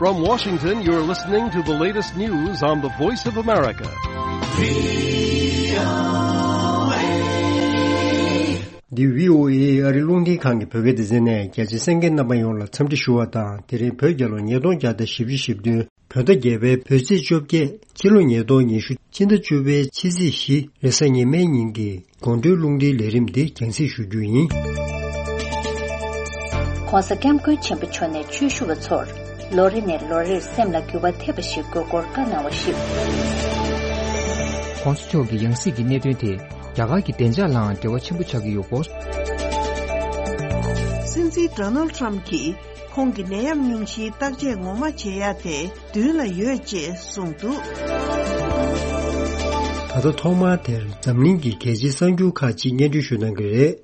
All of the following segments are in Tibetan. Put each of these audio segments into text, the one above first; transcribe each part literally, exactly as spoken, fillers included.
From Washington, you're listening to the latest news on the Voice of America. འདི་བྷི་ཨོ་ཨེ་ཨ་རི་རླུང་འཕྲིན་ཁང་གི་བོད་སྐད་སྡེ་ཚན་ནས། རྒྱ་ཆེ་གསན་མཁན་རྣམ་པ་ཡོངས་ལ་འཚམས་འདྲི་ཞུ་བ་དང་། དེ་རིང་བོད་རྒྱལ་ལོ་ཉིས་སྟོང་བརྒྱ་དང་བཞི་བཅུ་ཞེ་བདུན། བོད་ཟླ་བརྒྱད་པའི་བོད་ཚེས་བཅོ་བརྒྱད། ཕྱི་ལོ་ཉིས་སྟོང་ཉི་ཤུ། ཕྱི་ཟླ་བཅུ་པའི་ཕྱི་ཚེས་བཞི། རེས་གཟའ་ཉི་མའི་ཉིན་གྱི་དགོང་དྲོའི་རླུང་འཕྲིན་ལས་རིམ་འདི་རྒྱང་སྲིང་ཞུ་རྒྱུ་ཡིན། ྋགོང་ས་ྋསྐྱབས་མགོན་ཆེན་པོ་མཆོག་ནས་ཆོས་ཞུ་བ་ཚོར་ལོ་རེ་ནས་ལོ་རེར་སེམས་ལ་འགྱུར་བ་ཐེབས་པ་ཞིག་དགོས་སྐོར་བཀའ་གནང་བ་ཞིག ྋགོང་ས་མཆོག་གི་ཡང་སྲིད་ཀྱི་གནད་དོན་དེ་རྒྱ་གར་གྱི་བདེ་འཇགས་ལའང་འབྲེལ་བ་ཆེན་པོ་ཆགས་ཀྱི་ཡོད་སྐོར། སྲིད་འཛིན་ཌོ་ནལ་ཊམ་གྱིས་ཁོང་གི་ནད་ཡམས་སྙུང་གཞིའི་བརྟག་དཔྱད་ངོ་མ་བྱེད་ཡ་དེ་མདུན་ལ་ཡོད་ཅེས་གསུངས་འདུག་ད་ལྟ་ཐོག་མར་དེར་འཛམ་གླིང་གི་གལ་ཆེའི་གསར་འགྱུར་ཁག་ཅིག་སྙན་སྒྲོན་ཞུ་གནང་གི་རེད།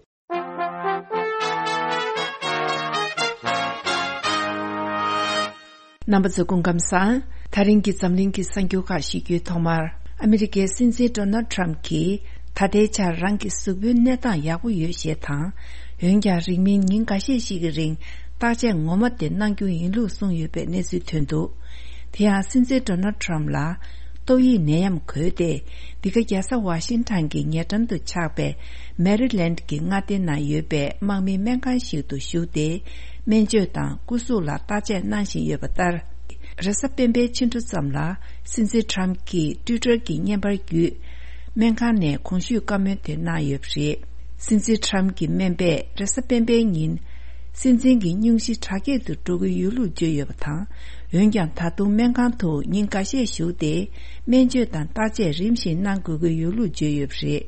རྣམ་པ་ཚོ་སྐུ་ཁམས་བཟང་། ད་རིང་གི་འཛམ་གླིང་གི་གསར་འགྱུར་ཁག་ཞིག་རྒྱུའི་ཐོག་མར། ཨ་མི་རི་ཀའི་སྲིད་འཛིན་ཌོ་ནལ་ཊམ་གྱིས་ད་ལྟའི་ཆར་རང་གི་གཟུགས་པོའི་གནས་སྟངས་ཡག་པོ་ཡོད་ཞེས་དང་། འོན་ཀྱང་རིང་མིན་ཉིན་འགའ་ཤས་ཤིག་གི་རིང་བརྟག་དཔྱད་ངོ་མ་དེ་གནང་རྒྱུ་ཡིན་ལུགས་གསུངས་ཡོད་པའི་གནས་ཚུལ་ཐོན་འདུག་དེ་ཡང་སྲིད་འཛིན་ཌོ་ནལ་ཊམ་ལ་ཏོག་དབྱིབས་ནད་ཡམས་འགོས་ཏེ། འདི་ག་རྒྱལ་ས་ཝ་ཤིང་ཊོན་གྱི་ཉེ་འགྲམ་དུ་ཆགས་པའི་མེ་རི་ལེནཌ་གྱི་མངའ་སྡེ་ནང་ཡོད་པའི་དམག་མིའི་སྨན་ཁང་ཞིག་ཏུ་ཞུགས་ཏེ། སྨན་བཅོས་དང་སྐུ་གཟུགས་ལ་བརྟག་དཔྱད་གནང་བཞིན་ཡོད་པ་ལྟར། རེས་གཟའ་སྤེན་པའི་ཕྱི་དྲོ་ཙམ་ལ་སྲིད་འཛིན་ཊམ་གྱིས་ཊུའི་ཊར་གྱི་བརྙན་པར་བརྒྱུད། སྨན་ཁང་ནས་གོང་ཞུས་བཀའ་མོལ་དེ་གནང་ཡོད་པ་རེད། སྲིད་འཛིན་ཊམ་གྱི་སྨན་པས་རེས་གཟའ་སྤེན་པའི་ཉིན། སྲིད་འཛིན་གྱི་སྙུང་གཞི་དྲག་སྐྱེད་དུ་འགྲོ་གི་ཡོད་ལུགས་བརྗོད་ཡོད་པ་དང་། འོན་ཀྱང་ད་དུང་སྨན་ཁང་དུ་ཉིན་འགའ་ཤས་བཞུགས་ཏེ། སྨན་བཅོས་དང་བརྟག་དཔྱད་རིམ་བཞིན་གནང་དགོས་ཀྱི་ཡོད་ལུགས་བརྗོད་ཡོད་པ་རེད།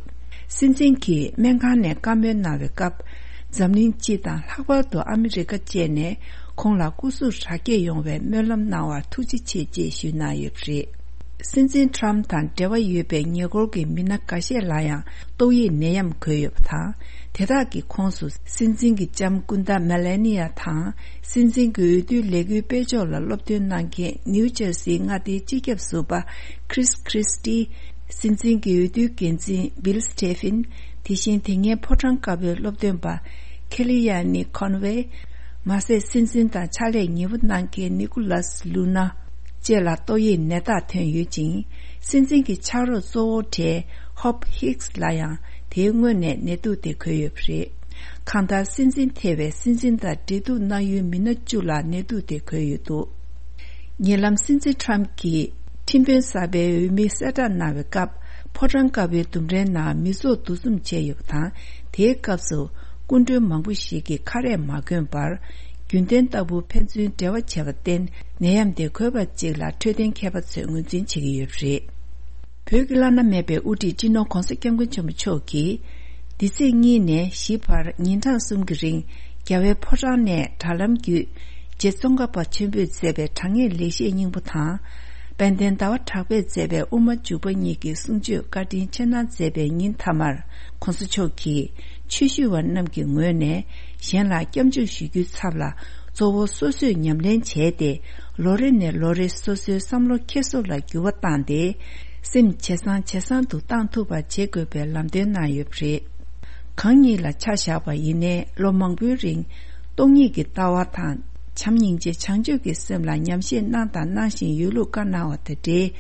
སྲིད་འཛིན་གྱིས་སྨན་ཁང་ནས་བཀའ་མོལ་གནང་བའི་སྐབས། འཛམ་གླིང་སྤྱི་དང་ལྷག་པར་དུ་ཨ་མི་རི་ཀ་བཅས་ནས་ཁོང་ལ་སྐུ་གཟུགས་དྲག་སྐྱེད་ཡོང་བའི་སྨོན་ལམ་གནང་བར་ཐུགས་རྗེ་ཆེ་ཅེས་ཞུས་གནང་ཡོད་པ་རེད། སྲིད་འཛིན་ཊམ་དང་འབྲེལ་བ་ཡོད་པའི་ཉེ་འཁོར་གྱི་མི་སྣ་འགའ་ཤས་ལ་ཡང་ཏོག་དབྱིབས་ནད་ཡམས་འགོས་ཡོད་པ་དང་། དེ་དག་གི་ཁོངས་སུ་སྲིད་འཛིན་གྱི་ལྕམ་སྐུ་ཟླ་མེ་ལེ་ནི་ཡ་དང་། སྲིད་འཛིན་གྱི་འོས་བསྡུའི་ལས་འགུལ་སྤེལ་ཕྱོགས་ལ་སློབ་སྟོན་གནང་མཁན་ནིའུ་ཇར་སིའི་མངའ་སྡེའི་སྤྱི་ཁྱབ་ཟུར་པ་ཁྲིས་ཁྲིས་ཏི། སྲིད་འཛིན་གྱི་འོས་བསྡུའི་འགན་འཛིན་བྷིལ་སི་ཊེ་ཕིན། དེ་བཞིན་དེ་སྔའི་ཕོ་བྲང་དཀར་པོའི་སློབ་སྟོན་པ་ཁེ་ལི་ཡ་ནི་ཁོན་ཝེ། མ་ཟད་སྲིད་འཛིན་དང་ཕྱག་ལས་ཉེ་བོ་གནང་མཁན་ནི་ཀུ་ལཱས་ལུ་ན་བཅས་ལ་ཏོག་དབྱིབས་ནད་རྟགས་ཐོན་ཡོད་ཅིང་། སྲིད་འཛིན་གྱི་ཕྱག་རོགས་གཙོ་བོ་གྲས་ཧོབ་ཧིག་སི་ལ་ཡང་དེའི་སྔོན་ནས་ནད་དུག་དེ་འགོས་ཡོད་པ་རེད། གང་ལྟར་སྲིད་འཛིན་ཐེ་བའི་སྲིད་འཛིན་དང་འབྲེལ་གཏུག་གནང་ཡུལ་མི་སྣ་བཅུ་ལ་ནད་དུག་དེ་འགོས་ཡོད་འདུག་ཉེ་ལམ་སྲིད་འཛིན་ཊམ་གྱིས་ཁྲིམས་དཔོན་གསར་པའི་འོས་མི་གསལ་བསྒྲགས་གནང་བའི་སྐབས། ཕོ་བྲང་དཀར་པོའི་ལྡུམ་རའི་ནང་མི་ཚོགས་འདུ་འཛོམས་བྱས་ཡོད་པ་དང་། དེའི་སྐབས་སུ་སྐུ་མགྲོན་མང་པོ་ཞིག་གིས་ཁ་རས་མ་གོན་པར། རྒྱུན་ལྡན་ལྟ་བུ་ཕན་ཚུན་འབྲེལ་བ་བྱས་པར་བརྟེན། ནད་ཡམས་དེ་འགོས་པ་གཅིག་ལ་འཕྲོད་བསྟེན་མཁས་པ་ཚོས་ངོས་འཛིན་བྱེད་ཀྱི་ཡོད་པ་རེད། བོད་ཀྱི་བླ་ན་མེད་པའི་དབུ་ཁྲིད་སྤྱི་ནོར་ྋགོང་ས་ྋསྐྱབས་མགོན་ཆེན་པོ་མཆོག་གིས། འདི་ཚེས་གཉིས་ནས་བཞི་བར་ཉིན་གྲངས་གསུམ་གྱི་རིང་། རྒྱལ་བའི་ཕོ་བྲང་ནས་དྲ་ལམ་བརྒྱུད། རྗེ་ཙོང་ཁ་པ་ཆེན་པོས་མཛད་པའི་དྲང་ངེས་ལེགས་བཤད་སྙིང་པོ་དང་། དཔལ་ལྡན་ཟླ་བ་གྲགས་པས་མཛད་པའི་དབུ་མ་འཇུག་པ་གཉིས་ཀྱི་གསུང་ཆོས་བཀའ་དྲིན་ཆེ་གནང་མཛད་པའི་ཉིན་མཐའ་མར། ྋགོང་ས་མཆོག་གིས་ཆོས་ཞུ་བ་རྣམས་ཀྱི་ངོས་ནས་གཞན་ལ་སྐྱབས་འཇུག་ཞུ་རྒྱུའི་ཚབ་ལ། གཙོ་བོ་སོ་སོས་ཉམས་ལེན་བྱས་ཏེ། ལོ་རེ་ནས་ལོ་རེ་སོ་སོའི་བསམ་བློ་འཁྱེར་སོ་ལ་འགྱུར་བ་བཏང་སྟེ། སེམས་ཇེ་བཟང་ཇེ་བཟང་དུ་བཏང་ཐུབ་པ་བྱེད་དགོས་པའི་ལམ་སྟོན་གནང་ཡོད་པ་རེད། གང་ཉིད་ལ་ཆ་བཞག་པ་ཡིན་ནའི་ལོ་མང་པོའི་རིང་སྟོང་ཉིད་ཀྱི་ལྟ་བ་དང་། བྱམས་སྙིང་རྗེ་བྱང་ཆུབ་ཀྱི་སེམས་ལ་ཉམས་བཞེས་གནང་དང་གནང་བཞིན་ཡོད་ལུགས་བཀའ་གནང་བ་དང་འབྲེལ།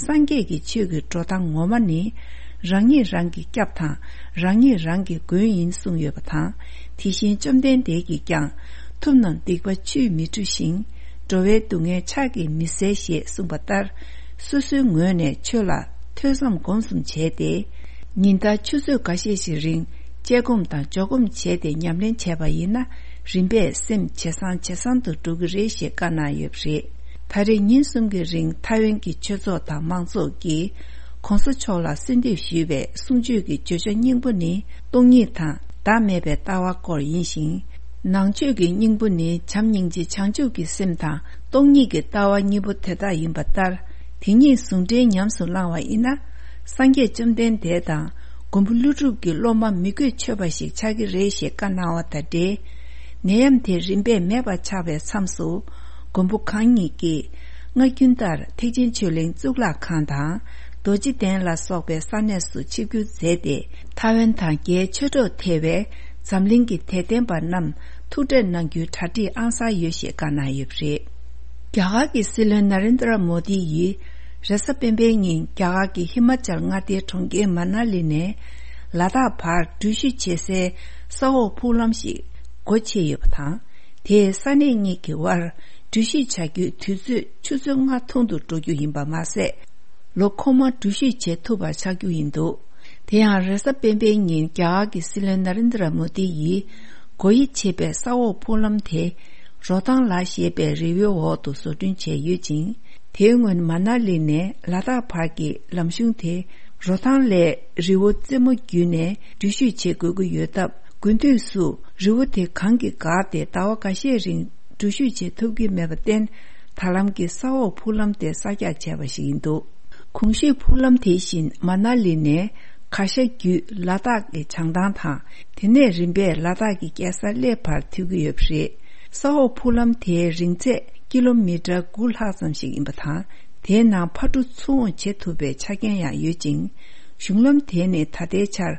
སངས་རྒྱས་ཀྱི་ཆོས་ཀྱི་འགྲོ་སྟངས་ངོ་མ་ནི། རང་ཉིད་རང་གི་སྐྱབས་དང་། རང་ཉིད་རང་གི་མགོན་ཡིན་གསུངས་ཡོད་པ་དང་། དེ་བཞིན་བཅོམ་ལྡན་འདས་ཀྱིས་ཀྱང་། ཐུབ་རྣམས་སྡིག་པ་ཆུས་མི་འཁྲུ་ཞིང་། འགྲོ་བའི་སྡུག་བསྔལ་ཕྱག་གིས་མི་སེལ་ཞེས་གསུངས་པ་ལྟར། སོ་སོའི་ངོས་ནས་ཆོས་ལ་ཐོས་བསམ་སྒོམ་གསུམ་བྱས་ཏེ། ཉིན་ལྟར་ཆུ་ཚོད་འགའ་ཤས་ཤིག་རིང་དཔྱད་སྒོམ་དང་འཇོག་སྒོམ་བྱས་ཏེ་ཉམས་ལེན་བྱས་པ་ཡིན་ན། རིམ་པས་སེམས་ཇེ་བཟང་ཇེ་བཟང་དུ་འགྲོ་གི་རེད་ཞེས་བཀའ་གནང་ཡོད་པ་རེད། ད་རེས་ཉིན་གསུམ་གྱི་རིང་ཐའེ་ཝན་གྱི་ཆོས་ཚོགས་དང་མང་ཚོགས་ཀྱིས་ྋགོང་ས་མཆོག་ལ་གསོལ་འདེབས་ཞུས་པའི་གསུང་ཆོས་ཀྱི་བརྗོད་བྱ་སྙིང་པོ་ནི། སྟོང་ཉིད་དང་བདག་མེད་པའི་ལྟ་བ་སྐོར་ཡིན་ཞིང་། ནང་ཆོས་ཀྱི་སྙིང་པོ་ནི་བྱམས་སྙིང་རྗེ་བྱང་ཆུབ་ཀྱི་སེམས་དང་སྟོང་ཉིད་ཀྱི་ལྟ་བ་གཉིས་པོ་དེ་དག་ཡིན་པ་ལྟར། དེ་གཉིས་ཟུང་འབྲེལ་ཉམས་སུ་བླང་བ་ཡིན་ན། སངས་རྒྱས་བཅོམ་ལྡན་འདས་དང་མགོན་པོ་ཀླུ་སྒྲུབ་ཀྱི་སློབ་མ་མི་བསྐྱོད་ཆོད་པ་ཞིག་ཆགས་ཀྱི་རེད་ཞེས་བཀའ་གནང་བ་དང་འབྲེལ། ནད་ཡམས་དེ་རིམ་པས་མེད་པ་ཆགས་པའི་མཚམས་སུ། མགོན་པོ་གང་ཉིད་ཀྱིས་སྔ་རྒྱུན་ལྟར་ཐེག་ཆེན་ཆོས་གླིང་གཙུག་ལག་ཁང་དང་། རྡོ་རྗེ་གདན་ལ་སོགས་པའི་ས་གནས་སུ་ཆིབས་བསྒྱུར་མཛད་དེ། ཐའེ་ཝན་དང་རྒྱའི་ཆོས་གྲོགས་ཐེ་བའི་འཛམ་གླིང་གི་དད་ལྡན་པ་རྣམས་ཐུགས་ཁྲལ་གནང་རྒྱུའི་གྲ་སྒྲིག་ཨང་གསར་ཡོད་ཞེས་བཀའ་གནང་ཡོད་པ་རེད། རྒྱ་གར་གྱི་སྲིད་བློན་ན་རེན་དྲ་མོ་དི་ཡིས་རེས་གཟའ་སྤེན་པའི་ཉིན་རྒྱ་གར་གྱི་ཧི་མ་ཅལ་མངའ་སྡེའི་གྲོང་ཁྱེར་མ་ན་ལི་ནས་ལ་དྭགས་བར་འགྲུལ་བཞུད་བྱེད་སའི་ས་འོག་ཕུག་ལམ་ཞིག་སྒོ་ཕྱེ་ཡོད་པ་དང་། དེས་ས་གནས་གཉིས་ཀྱི་དབར་འགྲུལ་བཞུད་བྱ་རྒྱུའི་དུས་ཚོད་ཆུ་ཚོད་ལྔ་ཐུང་དུ་འགྲོ་རྒྱུ་ཡིན་པ་མ་ཟད། ལོ་འཁོར་མ་འགྲུལ་བཞུད་བྱེད་ཐུབ་པ་ཆགས་རྒྱུ་ཡིན་འདུག་དེ་ཡང་རེས་གཟའ་སྤེན་པའི་ཉིན་རྒྱ་གར་གྱི་སྲིད་བློན་ན་རེན་དྲ་མོ་དི་ཡིས་སྒོ་དབྱེ་བྱས་པའི་ས་འོག་ཕུག་ལམ་དེ་རོ་ཐང་ལ་ཞེས་པའི་རི་བོའི་འོག་ཏུ་བཟོ་སྐྲུན་བྱས་ཡོད་ཅིང་། དེའི་སྔོན་མ་ན་ལི་ནས་ལ་དྭགས་བར་གྱི་ལམ་གཞུང་དེ་རོ་ཐང་ལས་རི་བོ་རྩེ་མོ་བརྒྱུད་ནས་འགྲུལ་བཞུད་བྱེད་དགོས་ཀྱི་ཡོད་སྟབས། དགུན་དུས་སུ་རི་བོ་དེ་གངས་ཀྱིས་འགགས་ཏེ་ཟླ་བ་འགའ་ཤས་རིང་འགྲུལ་བཞུད་བྱེད་ཐུབ་ཀྱི་མེད་པར་བརྟེན། ད་ལམ་གྱི་ས་འོག་ཕུག་ལམ་དེ་གསར་རྒྱག་བྱས་པ་ཞིག་ཡིན་འདུག་གོང་ཞུས་ཕུག་ལམ་དེ་བཞིན་མ་ན་ལི་ནས་གར་ཞ་བརྒྱུད་ལ་དྭགས་ཀྱི་བྱང་ཐང་དང་། དེ་ནས་རིམ་པས་ལ་དྭགས་ཀྱི་རྒྱལ་ས་གླེ་བར་མཐུད་ཀྱི་ཡོད་པ་རེད། ས་འོག་ཕུག་ལམ་དེའི་རིང་ཚད་ཀི་ལོ་མི་ཊར་དགུ་ལྷག་ཙམ་ཞིག་ཡིན་པ་དང་། དེའི་ནང་ཕར་འགྲོ་ཚུར་འོང་བྱེད་ཐུབ་པའི་ཆ་རྐྱེན་ཡང་ཡོད་ཅིང་། གཞུང་ལམ་དེ་ནི་ད་ལྟའི་ཆར་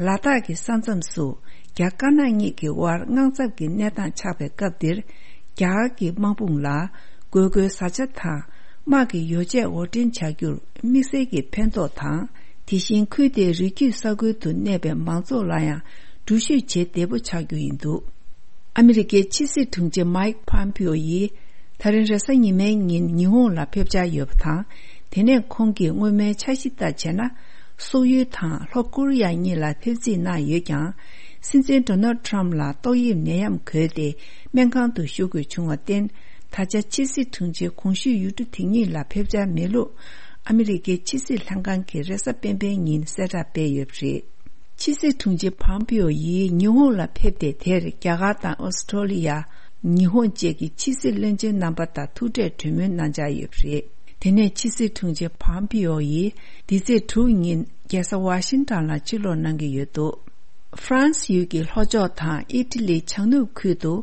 ལ་དྭགས་ཀྱི་ས་མཚམས་སུ་རྒྱ་དཀར་ནག་གཉིས་ཀྱི་དབར་དངངས་འཚབ་ཀྱི་གནས་སྟངས་ཆགས་པའི་སྐབས་འདིར། རྒྱ་གར་གྱི་དམག་དཔུང་ལ་དགོས་མཁོའི་བཟའ་བཅའ་དང་དམག་གི་ཡོ་བྱད་དབོར་འདྲེན་བྱ་རྒྱུར་དམིགས་བསལ་གྱི་ཕན་ཐོགས་དང་། དེ་བཞིན་ཁུལ་དེའི་རི་རྒྱུད་ས་ཁུལ་དུ་གནས་པའི་མང་ཚོགས་ལ་ཡང་འགྲུལ་བཞུད་བྱེད་བདེ་པོ་ཆགས་རྒྱུ་ཡིན་འདུག་ཨ་མི་རི་ཀའི་ཕྱི་སྲིད་དྲུང་ཆེ་མའིག་ཕམ་པིའོ་ཡིས། ད་རིང་རེས་གཟའ་ཉི་མའི་ཉིན་ཉི་ཧོང་ལ་ཕེབས་འཆར་ཡོད་པ་དང་། དེ་ནས་ཁོང་གིས་སྔོན་མའི་འཆར་གཞི་ལྟར་བྱས་ན། སོག་ཡུལ་དང་ལྷོ་ཀོ་རི་ཡ་གཉིས་ལ་ཕེབས་རྩིས་གནང་ཡོད་ཀྱང་། སྲིད་འཛིན་ཌོ་ནལ་ཌི་ཊརམ་ཕི་ལ་ཏོག་དབྱིབས་ནད་ཡམས་འགོས་ཏེ་སྨན་ཁང་དུ་བཞུགས་དགོས་བྱུང་བར་བརྟེན། ད་ཆ་ཕྱི་སྲིད་དྲུང་ཆེ་གོང་ཞུས་ཡུལ་གྲུ་དེ་གཉིས་ལ་ཕེབས་འཆར་མེད་ལུགས། ཨ་མི་རི་ཀའི་ཕྱི་སྲིད་ལྷན་ཁང་གིས་རེས་གཟའ་སྤེན་པའི་ཉིན་གསལ་བསྒྲགས་སྤེལ་ཡོད་པ་རེད། ཕྱི་སྲིད་དྲུང་ཆེ་ཕམ་པིའོ་ཡིས་ཉི་ཧོང་ལ་ཕེབས་ཏེ། དེར་རྒྱ་གར་དང་ཨོ་སི་ཀྲོ་ལི་ཡ། ཉི་ཧོང་བཅས་ཀྱི་ཕྱི་སྲིད་བློན་ཆེན་རྣམ་པ་དང་ཐུག་འཕྲད་གྲོས་མོལ་གནང་འཆར་ཡོད་པ་རེད། དེ་ནས་ཕྱི་སྲིད་དྲུང་ཆེ་ཕམ་པིའོ་ཡིས་འདི་ཚེས་དྲུག་ཉིན་རྒྱལ་ས་ཝ་ཤིང་ཊོན་ལ་ཕྱིར་ལོག་གནང་གི་ཡོད་འདུག་ཧྥ་རན་སི་ཡུལ་གྱི་ལྷོ་ཕྱོགས་དང་ཨི་ཊ་ལིའི་བྱང་ནུབ་ཁུལ་དུ་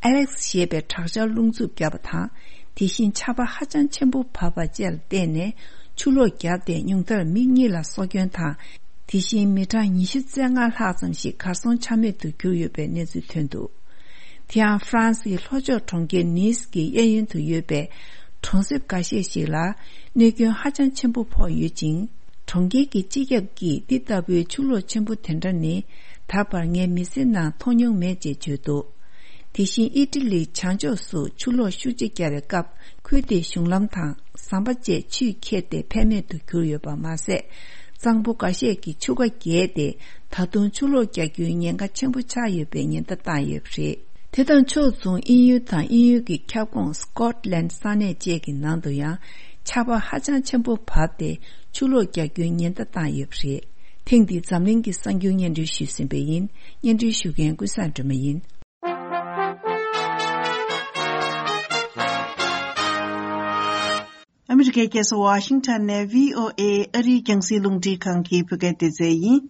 ཨ་ལེག་སི་ཞེས་པའི་དྲག་ཆར་རླུང་འཚུབ་བརྒྱབ་པ་དང་། དེ་བཞིན་ཆར་པ་ཧ་ཅང་ཆེན་པོ་བབས་པ་བཅས་ལ་བརྟེན་ནས་ཆུ་ལོག་བརྒྱབ་སྟེ་ཉུང་མཐར་མི་གཉིས་ལ་སྲོག་སྐྱོན་དང་། དེ་བཞིན་མི་གྲངས་ཉི་ཤུ་རྩ་ལྔ་ལྷག་ཙམ་ཞིག་གར་སོང་ཆ་མེད་དུ་གྱུར་ཡོད་པའི་གནས་ཚུལ་ཐོན་འདུག་དེ་ཡང་ཧྥ་རན་སིའི་ལྷོ་ཕྱོགས་གྲོང་ཁྱེར་ནིས་ཀྱི་གཡས་གཡོན་དུ་ཡོད་པའི་གྲོང་གསེབ་འགའ་ཤས་ཤིག་ལ་གནོད་སྐྱོན་ཧ་ཅང་ཆེན་པོ་ཕོག་ཡོད་ཅིང་། གྲོང་ཁྱེར་གྱི་སྤྱི་ཁྱབ་ཀྱིས་འདི་ལྟ་བུའི་ཆུ་ལོག་ཆེན་པོ་དེ་འདྲ་ནི་ད་བར་ངའི་མི་ཚེ་ནང་མཐོང་མྱོང་མེད་ཅེས་བརྗོད་འདུག་དེ་བཞིན་ཨི་ཊ་ལིའི་བྱང་ཕྱོགས་སུ་ཆུ་ལོག་ཤུགས་ཆེ་བརྒྱབ་པའི་སྐབས། ཁུལ་དེའི་གཞུང་ལམ་དང་ཟམ་པ་བཅས་ཆུས་ཁྱེར་ཏེ་ཕན་མེད་དུ་གྱུར་ཡོད་པ་མ་ཟད། གཙང་པོ་འགའ་ཤས་ཀྱི་ཆུ་ཁ་རྒྱས་ཏེ། ད་དུང་ཆུ་ལོག་རྒྱག་རྒྱུའི་ཉེན་ཁ་ཆེན་པོ་ཆགས་ཡོད་པའི་ཉེན་བརྡ་བཏང་ཡོད་པ་རེད། དེ་དང་ཕྱོགས་མཚུངས། དབྱིན་ཡུལ་དང་དབྱིན་ཡུལ་གྱི་ཁྱབ་ཁོངས་སི་ཀོཊ་ལན་ས་གནས་བཅས་ཀྱི་ནང་དུ་ཡང་ཆར་པ་ཧ་ཅང་ཆེན་པོ་བབས་ཏེ། ཆུ་ལོག་རྒྱག་རྒྱུའི་ཉེན་བརྡ་བཏང་ཡོད་པ་རེད། ཐེངས་འདིའི་འཛམ་གླིང་གི་གསར་འགྱུར་སྙན་སྒྲོན་ཞུས་ཟིན་པ་ཡིན། སྙན་སྒྲོན་ཞུ་མཁན་ཀུན་བཟང་སྒྲོལ་མ་ཡིན། ཨ་མི་རི་ཀའི་རྒྱལ་ས་ཝ་ཤིང་ཊོན་ནས་བྷི་ཨོ་ཨེ་ཨ་རིའི་རྒྱང་སྲིང་རླུང་འཕྲིན་ཁང་གི་བོད་སྐད་སྡེ་ཚན་ཡིན།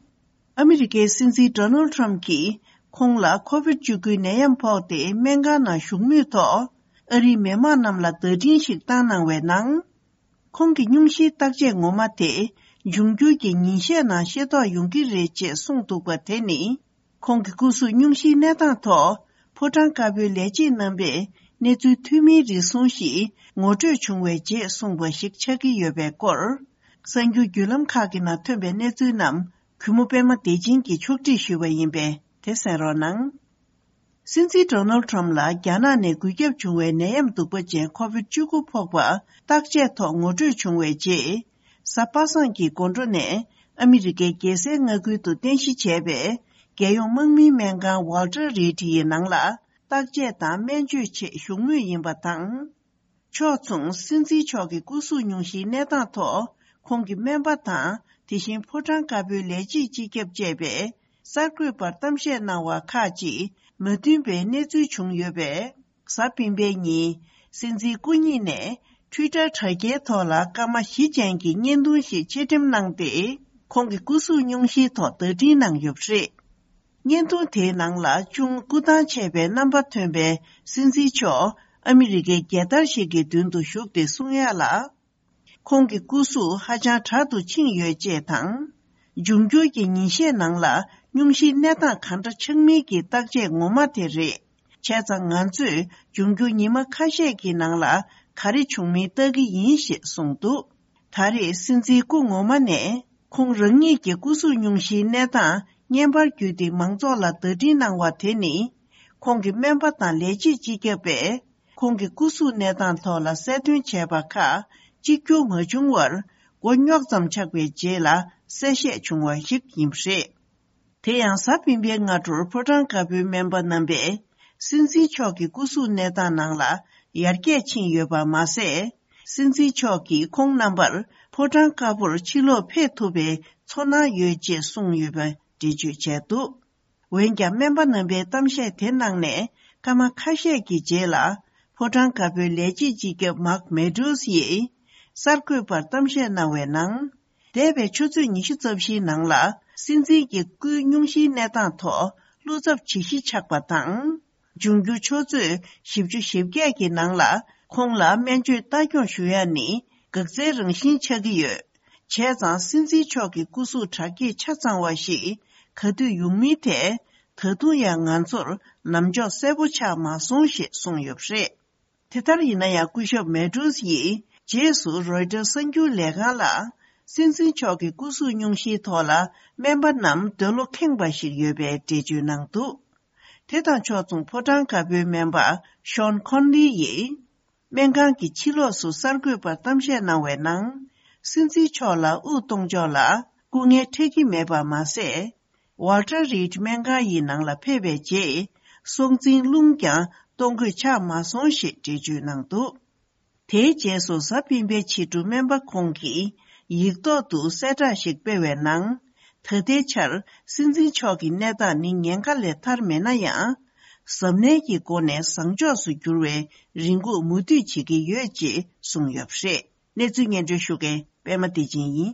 ཨ་མི་རི་ཀའི་སྲིད་འཛིན་ཌོ་ནལ་ཌི་ཊརམ་ཕི་གྱིས་ཁོང་ལ་ཁོ་བིད་བཅུ་དགུའི་ནད་ཡམས་ཕོག་སྟེ་སྨན་ཁང་ནང་བཞུགས་མུས་ཐོག་ཨ་རིའི་མི་དམངས་རྣམས་ལ་བརྡ་འཕྲིན་ཞིག་བཏང་གནང་བའི་ནང་། ཁོང་གི་སྙུང་གཞིའི་བརྟག་དཔྱད་ངོ་མ་དེ་འབྱུང་འགྱུར་གྱི་ཉིན་ཤས་ནང་ཤེས་རྟོགས་ཡོང་གི་རེད་ཅེས་གསུངས་འདུག་པ་དེ་ནི། ཁོང་གི་སྐུ་གཟུགས་སྙུང་གཞིའི་གནས་སྟངས་ཐོག་ཕོ་བྲང་དཀར་པོའི་ལས་བྱེད་རྣམ་པས་གནས་ཚུལ་ཐོན་མིའི་རིགས་གསུམ་ཞིག་ངོ་སྤྲོད་བྱུང་བའི་རྗེས་གསུངས་པ་ཞིག་ཆགས་ཀྱི་ཡོད་པའི་སྐོར། གསར་འགྱུར་བརྒྱུད་ལམ་ཁག་གི་ནང་ཐོན་པའི་གནས་ཚུལ་རྣམས་གུས་མོ་པད་མ་བདེ་ཆེན་གྱིས་ཕྱོགས་སྒྲིག་ཞུས་པ་ཡིན་པས་དེ་གསན་རོགས་གནང་། སྲིད་འཛིན་ཌོ་ནལ་ཌི་ཊརམ་ཕི་ལ་རྒྱ་ནག་ནས་འགོས་ཁྱབ་བྱུང་བའི་ནད་ཡམས་གདུག་པ་ཅན་ཁོ་བིད་བཅུ་དགུ་ཕོག་པ་བརྟག་དཔྱད་ཐོག་ངོ་སྤྲོད་བྱུང་བའི་རྗེས། གཟའ་པ་སངས་ཀྱི་དགོང་དྲོ་ནས་ཨ་མི་རི་ཀའི་རྒྱལ་སའི་མངའ་ཁུལ་དུ་རྟེན་གཞི་བྱས་པའི་རྒྱལ་ཡོངས་དམག་མིའི་སྨན་ཁང་ཝལ་ཊར་རི་ཌི་ཡི་ནང་ལ་བརྟག་དཔྱད་དང་སྨན་བཅོས་ཆེད་བཞུགས་མུས་ཡིན་པ་དང་། ཕྱོགས་མཚུངས། སྲིད་འཛིན་མཆོག་གི་སྐུ་གཟུགས་སྙུང་གཞིའི་གནས་སྟངས་ཐོག་ཁོང་གི་སྨན་པ་དང་། དེ་བཞིན་ཕོ་བྲང་དཀར་པོའི་ལས་བྱེད་སྤྱི་ཁྱབ་བཅས་པས་གསར་འགོད་པར་གཏམ་བཤད་གནང་བ་ཁག་ཅིག་མ་མཐུན་པའི་གནས་ཚུལ་བྱུང་ཡོད་པས། གཟའ་སྤེན་པའི་ཉིན་སྲིད་འཛིན་སྐུ་ཉིད་ནས་ཊུའི་ཊར་དྲ་རྒྱའི་ཐོག་ལ་སྐར་མ་བཞི་ཅན་གྱི་བརྙན་ཐུང་ཞིག་ཕྱིར་འགྲེམས་གནང་སྟེ། ཁོང་གི་སྐུ་གཟུགས་སྙུང་གཞིའི་ཐོག་བརྡ་འཕྲིན་གནང་ཡོད་པ་རེད། བརྙན་ཐུང་དེའི་ནང་ལ་ཅུང་སྐུ་ཐང་ཆད་པའི་རྣམ་པ་ཐོན་པའི་སྲིད་འཛིན་མཆོག་ཨ་མི་རི་ཀའི་རྒྱལ་དར་ཞིག་གི་མདུན་དུ་བཞུགས་ཏེ་གསུང་ཡག་ལ། ཁོང་གི་སྐུ་གཟུགས་ཧ་ཅང་དྲག་ཏུ་ཕྱིན་ཡོད་ཅེས་དང་། འབྱུང་འགྱུར་གྱི་ཉིན་ཤས་ནང་ལ་སྙུང་གཞིའི་གནས་སྟངས་ག་འདྲ་ཆགས་མིན་གྱི་བརྟག་དཔྱད་ངོ་མ་དེ་རེད། བྱས་ཙང་ང་ཚོས་འབྱུང་འགྱུར་ཉི་མ་ཁ་ཤས་ཀྱི་ནང་ལ་ ག་རེ་བྱུང་མིན་བལྟ་གི་ཡིན་ཞེས་གསུངས་འདུག། ད་རེས་སྲིད་འཛིན་སྐུ་ངོ་མ་ནས་ཁོང་རང་ཉིད་ཀྱི་སྐུ་གཟུགས་སྙུང་གཞིའི་གནས་སྟངས་བརྙན་པར་བརྒྱུད་དེ་མང་ཚོགས་ལ་བརྡ་འཕྲིན་གནང་བ་དེ་ནི། ཁོང་གི་སྨན་པ་དང་ལས་བྱེད་སྤྱི་ཁྱབ་པས་ཁོང་གི་སྐུ་གཟུགས་གནས་སྟངས་ཐོག་ལ་གསལ་སྟོན་བྱས་པ་ཁག་གཅིག་གྱུར་མ་བྱུང་བར། མགོ་རྙོག་ཙམ་ཆགས་པའི་རྗེས་ལ་གསལ་བཤད་བྱུང་བ་ཞིག་ཡིན་པ་རེད། དེ་ཡང་གཟའ་སྤེན་པའི་སྔ་དྲོར་ཕོ་བྲང་དཀར་པོའི་སྨན་པ་རྣམ་པས་སྲིད་འཛིན་མཆོག་གི་སྐུ་གཟུགས་གནས་སྟངས་ནང་ལ་ཡར་རྒྱས་ཕྱིན་ཡོད་པ་མ་ཟད། སྲིད་འཛིན་མཆོག་གིས་ཁོང་རྣམ་པར་ཕོ་བྲང་དཀར་པོར་ཕྱིར་ལོག་ཕེབས་ཐུབ་པའི་ཚོར་སྣང་ཡོད་ཅེས་གསུངས་ཡོད་པ་འགྲེལ་བརྗོད་བྱས་འདུག། འོན་ཀྱང་སྨན་པ་རྣམ་པའི་གཏམ་བཤད་དེ་གནང་ནས་སྐར་མ་ཁ་ཤས་ཀྱི་རྗེས་ལ། ཕོ་བྲང་དཀར་པོའི་ལས་བྱེད་སྤྱི་ཁྱབ་མཱག་མེ་ཌོས་ཡིས་གསར་འགོད་པར་གཏམ་བཤད་གནང་བའི་ནང་། འདས་པའི་ཆུ་ཚོད་ཉི་ཤུ་རྩ་བཞིའི་ནང་ལ་སྲིད་འཛིན་གྱི་སྐུའི་སྙུང་གཞིའི་གནས་སྟངས་ཐོག་བློ་འཚབ་ཇི་ཞིག་ཆགས་པ་དང་། འབྱུང་འགྱུར་ཆུ་ཚོད་བཞི་བཅུ་ཞེ་བརྒྱད་ཀྱི་ནང་ལ་ཁོང་ལ་སྨན་བཅོས་ལྟ་སྐྱོང་ཞུ་ཡ་ནི་འགག་རྩའི་རང་བཞིན་ཆགས་ཀྱི་ཡོད། བྱས་ཙང་སྲིད་འཛིན་མཆོག་གི་སྐུ་གཟུགས་དྲག་སྐྱེད་ཆ་ཚང་བ་ཞིག་ག་དུས་ཡོང་མིན་ཐད། ད་དུང་ཡང་ང་ཚོར་ལམ་ཕྱོགས་གསལ་པོ་ཆགས་མ་སོང་ཞེས་གསུངས་ཡོད་པ་རེད། དེ་ལྟར་ཡིན་ན་ཡང་སྐུ་ཞབས་མེ་ཏྲུས་ཡིས་རྗེས་སུ་རོའི་ཊར་གསར་འགྱུར་ལས་ཁང་ལ། སྲིད་འཛིན་མཆོག་གི་སྐུ་གཟུགས་སྙུང་གཞིའི་ཐོག་ལ་སྨན་པ་རྣམས་འདོད་བློ་ཁེངས་པ་ཞིག་ཡོད་པའི་འགྲེལ་བརྗོད་གནང་འདུག། དེ་དང་ཕྱོགས་མཚུངས་ཕོ་བྲང་དཀར་པོའི་སྨན་པ་ཤོན་ཁོན་ལི་ཡིས། སྨན་ཁང་གི་ཕྱི་ལོགས་སུ་གསར་འགོད་པར་གཏམ་བཤད་གནང་བའི་ནང་། སྲིད་འཛིན་མཆོག་ལ་དབུགས་གཏོང་ཕྱོགས་ལ་སྐུ་ངལ་འཕྲད་ཀྱི་མེད་པ་མ་ཟད། ཝལ་ཊར་རིད་སྨན་ཁང་ཡི་ནང་ལ་ཕེབས་པའི་རྗེས། སྲོག་འཛིན་རླུང་ཀྱང་གཏོང་དགོས་ཆགས་མ་སོང་ཞེས་འགྲེལ་བརྗོད་གནང་འདུག། དེའི་རྗེས་སུ་གཟའ་སྤེན་པའི་ཕྱི་དྲོ་སྨན་པ་ཁོང་གིས་ཡིག་ཐོག་ཏུ་གསལ་བསྒྲགས་ཤིག་སྤེལ་བའི་ནང་། ད་ལྟའི་ཆར་སྲིད་འཛིན་མཆོག་གི་གནས་སྟངས་ནི་ཉེན་ཁ་ལས་ཐར་མེད་ན་ཡང་། གཟབ་ནན་གྱི་སྒོ་ནས་བཟང་ཕྱོགས་སུ་འགྱུར་བའི་རེ་སྒུག་མུ་མཐུད་བྱེད་ཀྱི་ཡོད་ཅེས་གསུངས་ཡོད་པ་རེད། གནས་ཚུལ་སྙན་སྒྲོན་ཞུ་མཁན་པད་མ་བདེ་ཆེན་ཡིན།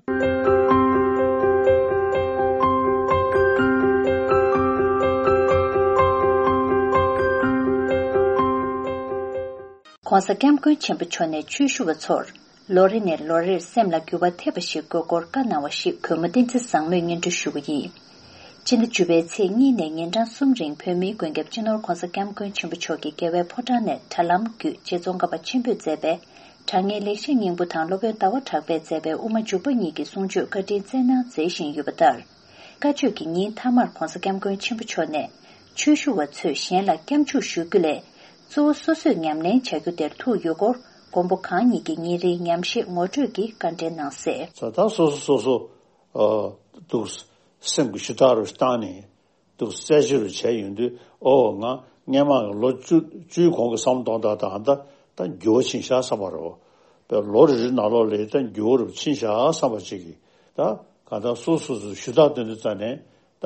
ྋགོང་ས་ྋསྐྱབས་མགོན་ཆེན་པོ་མཆོག་ནས་ཆོས་ཞུ་བ་ཚོར་ལོ་རེ་ནས་ལོ་རེར་སེམས་ལ་འགྱུར་བ་ཐེབས་པ་ཞིག་དགོས་སྐོར་བཀའ་གནང་བ་ཞིག་གུས་མོ་བསྟན་འཛིན་བཟང་མོས་སྙན་སྒྲོན་ཞུ་བ་ཡིན། སྤྱི་ཟླ་བཅུ་པའི་ཚེས་གཉིས་ནས་ཉིན་གྲངས་གསུམ་རིང་བོད་མིའི་མགོན་སྐྱབས་སྤྱི་ནོར་ྋགོང་ས་ྋསྐྱབས་མགོན་ཆེན་པོ་མཆོག་གིས་རྒྱལ་བའི་ཕོ་བྲང་ནས་དྲ་ལམ་བརྒྱུད་རྗེ་ཙོང་ཁ་པ་ཆེན་པོས་མཛད་པའི་དྲང་ངེས་ལེགས་བཤད་སྙིང་པོ་དང་སློབ་དཔོན་ཟླ་བ་གྲགས་པས་མཛད་པའི་དབུ་མ་འཇུག་པ་གཉིས་ཀྱི་གསུང་ཆོས་བཀའ་དྲིན་སྩལ་གནང་མཛད་བཞིན་ཡོད་པ་ལྟར། བཀའ་ཆོས་ཀྱི་ཉིན་མཐའ་མར་ྋགོང་ས་ྋསྐྱབས་མགོན་ཆེན་པོ་མཆོག་ནས་ཆོས་ཞུ་བ་ཚོས་གཞན་ལ་སྐྱབས་འཇུག་ཞུ་རྒྱུ་ལས། གཙོ་བོ་སོ་སོས་ཉམས་ལེན་བྱ་རྒྱུ་དེར་ཐུག་ཡོད་སྐོར་མགོན་པོ་གང་ཉིད་ཀྱིས་ཉིན་རེའི་ཉམས་བཞེས་ངོ་སྤྲོད་ཀྱིས་བཀའ་འགྲེལ་གནང་གསལ། ད་ལྟ་སོ་སོ་སོ་སོ། ཨ། འདུག། སེམས་ཀྱི་ཞུ་དག་རུ་བཏང་ནས་འདུག་རྩད་གཅོད་རུ་བྱས་ཡོང་དུས། ཨོ། ང་སྔན་མ་ལོ་བཅུ་བཅུའི་གོང་གི་བསམ་གཏོང་དག་དང་ད་ད་འགྱུར་བ་ཕྱིན་ཤག་བསམ་པ་རེད། པའི་ལོ་རེ་རེ་ནང་ལོགས་ལ་ད་འགྱུར་བ་རུ་ཕྱིན་ཤག་བསམ་པ་ཅིག་གིས། ད་གང་ལྟར་སོ་སོ་སོ་ཞུ་དག་དོན་དུ་བཙལ་ནས་ད་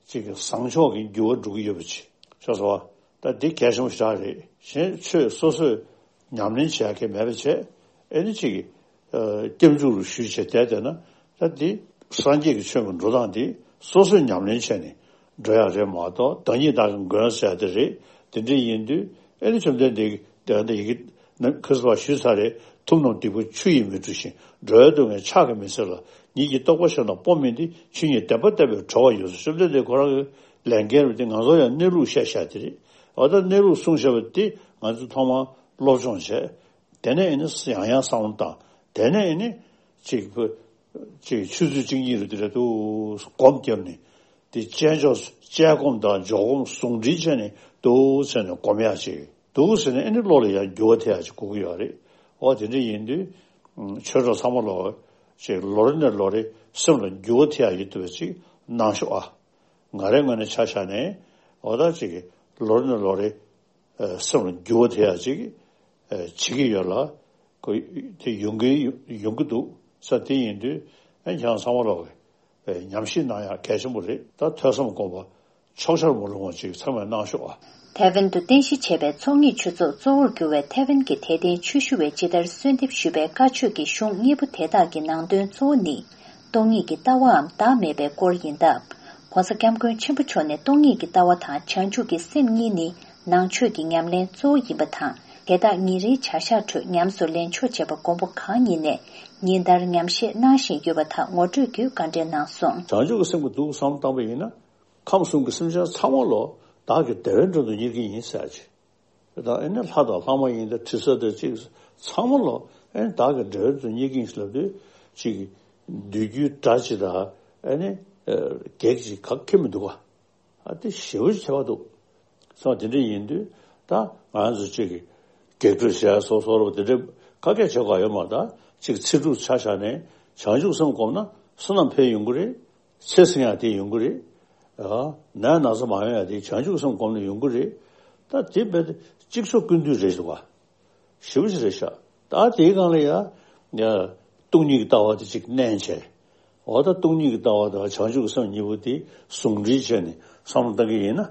ཅིག་གི་བཟང་ཕྱོགས་ཀྱི་འགྱུར་བ་འགྲོ་གི་ཡོད་པ་ཅིག་ཆགས་སོང་བ། ད་འདི་གལ་ཆེན་པོ་ཞེ་དྲག་རེད། གཞན་ཆོས་སོ་སོས་ཉམས་ལེན་བྱེད་ཡག་གི་མེད་པ་བྱས། ཨེ་ནི་ཅིག་གི་ཨ། སྐྱབས་འཇུག་རུ་ཞུས་བྱས་བསྡད་བསྡད་ན། ད་འདི་སངས་རྒྱས་ཀྱི་ཆོས་ཀྱི་འགྲོ་སྟངས་འདི་སོ་སོས་ཉམས་ལེན་བྱས་ནས་འགྲོ་ཡག་རེད་མ་གཏོགས། བདག་ཉིད་བདག་གི་མགོན་ཟེར་ཡག་དེ་རེད། དེ་འདྲ་ཡིན་དུས་ཨེ་ནི་བཅོམ་ལྡན་འདས་ཀྱིས་དེ་འདྲ་ཡི་གེ་ནམ་ཁ་སང་ཞུས་ཚར་རེད། ཐུབ་རྣམས་སྡིག་པ་ཆུ་ཡིས་མི་འཁྲུ་ཞིང་། འགྲོ་བའི་སྡུག་བསྔལ་ཕྱག་གིས་མི་སེལ་ལ། ཉིད་ཀྱི་རྟོགས་པ་གཞན་དང་སྤོ་མིན་ཏེ། ཆོས་ཉིད་བདེན་པ་བསྟན་པས་གྲོལ་བ་ཡོངས་སུ། བཅོམ་ལྡན་འདས་ཁོ་རང་གི་ལས་འགན་རུ་དེ་ང་ཚོ་ཡང་གནས་ལུགས་བཤད་བཤད་དེ་རེད། འོ་ད་གནས་ལུགས་གསུང་བཤད་པ་དེ་ང་ཚོས་ཐོག་མར་སློབ་སྦྱོང་བྱས། དེ་ནས་ཨེ་ནི་ཡང་ཡང་བསམ་བློ་བཏང་། དེ་ནས་ཨེ་ནི་ཅིག་ཅིག་ཆོས་ཚུལ་གཅིག་གཉིས་རུ་དེ་རེད་འདུག་སྒོམ་བརྒྱབ་ནས། དེ་དཔྱད་འཇོག་དཔྱད་སྒོམ་དང་འཇོག་སྒོམ་ཟུང་འབྲེལ་བྱས་ནས་འདུག་ཟེར་ནས་སྒོམ་ཡག་ཅིག་འདུག་ཟེར་ནས་ཨེ་ནི་བློ་ལ་ཡང་འགྱུར་བ་ཐེབས་ཡག་ཅིག་དགོས་ཀྱི་ཡོད་རེད། འོ་དེ་འདྲ་ཡིན་དུས་ཆོས་གྲོགས་ཚང་མ་ལོ་ཅིག་ལོ་རེ་ནས་ལོ་རེ་སེམས་ལ་འགྱུར་བ་ཐེབས་ཡག་ཡིན་ཐུབ་པ་ཅིག་གནང་ཤོག་ཨ། ང་རའི་ངོས་ནས་ཆ་བཞག་ནས་འོ་ད་ཅིག་ལོ་རེ་ནས་ལོ་རེ་ཨ། སེམས་ལ་འགྱུར་བ་ཐེབས་ཡག་ཅིག་ཨ། བྱེད་ཀྱི་ཡོད་ལ། ཁོ་དེ་ཡོང་གི་ཡོང་གི་འདུག་ས། དེ་ཡིན་དུས་ཨ། ཁྱེད་རང་ཚང་མ་ལོག་གི་ཉམས་ཞིབ་གནང་ཡག་གལ་ཆེན་པོ་རེད། ད་ཐོས་བསམ་སྒོམ་པ་ཕྱོགས་ཆར་མ་ལྷུང་བ་ཅིག་ཚང་མས་གནང་ཤོག་ཨ། ཐའེ་ཝན་དུ་རྟེན་གཞི་བྱས་པའི་ཚོགས་གཉིས་ཆོས་ཚོགས་གཙོ་བོར་གྱུར་བའི་ཐའེ་ཝན་གྱི་དད་ལྡན་ཆོས་ཞུ་བས་ཇི་ལྟར་གསོལ་འདེབས་ཞུས་པའི་བཀའ་ཆོས་ཀྱི་གཞུང་གཉིས་པོ་དེ་དག་གི་ནང་དོན་གཙོ་བོ་ནི། སྟོང་ཉིད་ཀྱི་ལྟ་བའམ་བདག་མེད་པའི་སྐོར་ཡིན་སྟབས། ྋགོང་ས་ྋསྐྱབས་མགོན་ཆེན་པོ་མཆོག་ནས་སྟོང་ཉིད་ཀྱི་ལྟ་བ་དང་བྱང་ཆུབ་ཀྱི་སེམས་གཉིས་ནི་ནང་ཆོས་ཀྱི་ཉམས་ལེན་གཙོ་བོ་ཡིན་པ་དང་། དེ་དག་ཉིན་རེའི་བྱ་གཞག་ཁྲོད་ཉམས་སུ་ལེན་ཆོག་ཅེས་པ་མགོན་པོ་གང་ཉིད་ནས་ཉིན་ལྟར་ཉམས་བཞེས་གནང་བཞིན་ཡོད་པ་དག་ངོ་སྤྲོད་ཀྱིས་བཀའ་འགྲེལ་གནང་སོང་། བྱང་ཆུབ་ཀྱི་སེམས་ཀྱིས་འདུག་བསམ་བཏང་པ་ཡིན་ན། ཁམས་གསུམ་གྱི་སེམས་ཅན་ཚང་མ་ལོ་བདག་གི་བདེ་བའི་མགྲོན་དུ་གཉེར་གྱི་ཡིན་ཟེར་ཅིག། དེ་དག་ཨེ་ནི་ལྷ་དང་ལྷ་མ་ཡིན་དང་དྲི་ཟ་དང་ཅིག་ ཚང་མ་ལོ་ཨེ་ནི་བདག་གི་འབྲེལ་བའི་དུ་རྙེད་ཀྱིན་ལབ་དུས་ཅིག་འདོད་རྒྱུའི་དགྲ་ཅིག་དང་ཨེ་ནི་གེགས་ཅིག་ག་ཁེ་མི་འདུག་ག་ཨ་དེ་ཞེ་པོ་ཅིག་ཁྱད་པར་འདུག་སོང་དེ་འདྲ་ཡིན་དུས་ད་ང་ཚོ་ཅིག་གི་གེགས་གྲོལ་བྱས་སོ་སོ་རོ་དེ་འདྲ་ཁ་སྐད་བྱེད་དགོས་ཡོད་མ་རེད། ད་ཅིག་ཚེ་སྒྲུབ་ཆ་བཞག་ནས་བྱང་ཆུབ་སེམས་བསྒོམས་ན་བསོད་ནམས་འཕེལ་ཡོང་གི་རེད། ཚེ་བསྲིང་ཡག་དེ་ཡོང་གི་རེད། ཨ་ན་ན་ཚ་མ་ཡོང་ཡག་དེ་བྱང་ཆུབ་སེམས་བསྒོམས་ནས་ཡོང་གི་རེད། ད་དེ་རྦད་དེ་གཅིག་ཆོག་ཀུན་འདུས་རེད་འདུག་ག་ཞེ་པོ་ཅིག་རེད་ཤག་ད་དེའི་སྒང་ལ་ཡ་ཡ་སྟོང་ཉིད་ཀྱི་ལྟ་བ་དེ་ཅིག་བསྣན་བྱས། འོ་ད་སྟོང་ཉིད་ཀྱི་ལྟ་བ་དང་བྱང་ཆུབ་ཀྱི་སེམས་གཉིས་པོ་དེ་ཟུང་འབྲེལ་བྱས་ནས་བསམ་བློ་བཏང་གི་ཡིན་ན།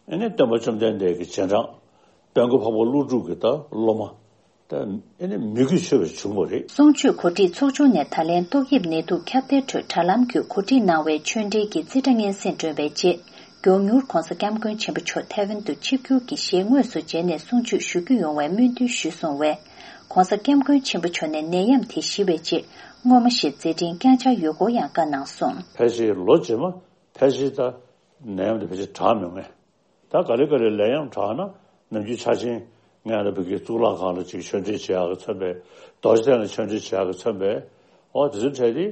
ཨེ་ནས་སྟོན་པ་བཅོམ་ལྡན་འདས་ཀྱི་རྗེས་འབྲང་། དཔལ་མགོན་འཕགས་པ་ཀླུ་སྒྲུབ་ཀྱི་ད་སློབ་མ། ད་ཨེ་ནས་མོས་གུས་ཆེ་བར་བྱུང་བ་རེད། གསུང་ཆོས་གོ་སྒྲིག་ཚོགས་ཆུང་ནས་ད་ལན་ཏོག་དབྱིབས་ནད་དུག་ཁྱབ་གདལ་ཁྲོད་དྲ་ལམ་བརྒྱུད་གོ་སྒྲིག་གནང་བའི་ཆོས་འབྲེལ་གྱི་རྩིས་ཁྲ་སྙན་སེང་བསྒྲོན་པའི་རྗེས། མགྱོགས་མྱུར་༧གོང་ས་༧སྐྱབས་མགོན་ཆེན་པོ་མཆོག་ཐའེ་ཝན་དུ་ཆིབས་བསྒྱུར་གྱི་ཞལ་དངོས་སུ་མཇལ་ནས་གསུང་ཆོས་ཞུ་རྒྱུ་ཡོང་བའི་སྨོན་འདུན་ཞུས་སོང་བས། ༧གོང་ས་༧སྐྱབས་མགོན་ཆེན་པོ་མཆོག་ནས་ནད་ཡམས་དེ་ཞི་བའི་རྗེས་སྔོན་མ་བཞིན་མཛད་འཕྲིན་བསྐྱངས་འཆར་ཡོད་སྐོར་ཡང་བཀའ་གནང་སོང་། ཕལ་ཆེར་ལོ་རྗེས་མ་ཕལ་ཆེར་ད་ནད་ཡམས་དེ་ཕལ་ཆེར་དྲག་མི་ཡོང་ངེས། ད་ག་ལེ་ག་ལེ་ནད་ཡམས་དྲག་ན་ནམ་རྒྱུན་ཆ་ཆེན་ངས་ལ་བུ་གའི་གཙུག་ལག་ཁང་ལ་ཅིག་ཆོས་འབྲེལ་བྱེད་ཡག་གི་མཚོན་པས། རྡོ་རྗེ་གདན་ལ་ཆོས་འབྲེལ་བྱེད་ཡག་གི་མཚོན་པས། འོ་དེ་ཚོ་འཕྲད་དེ།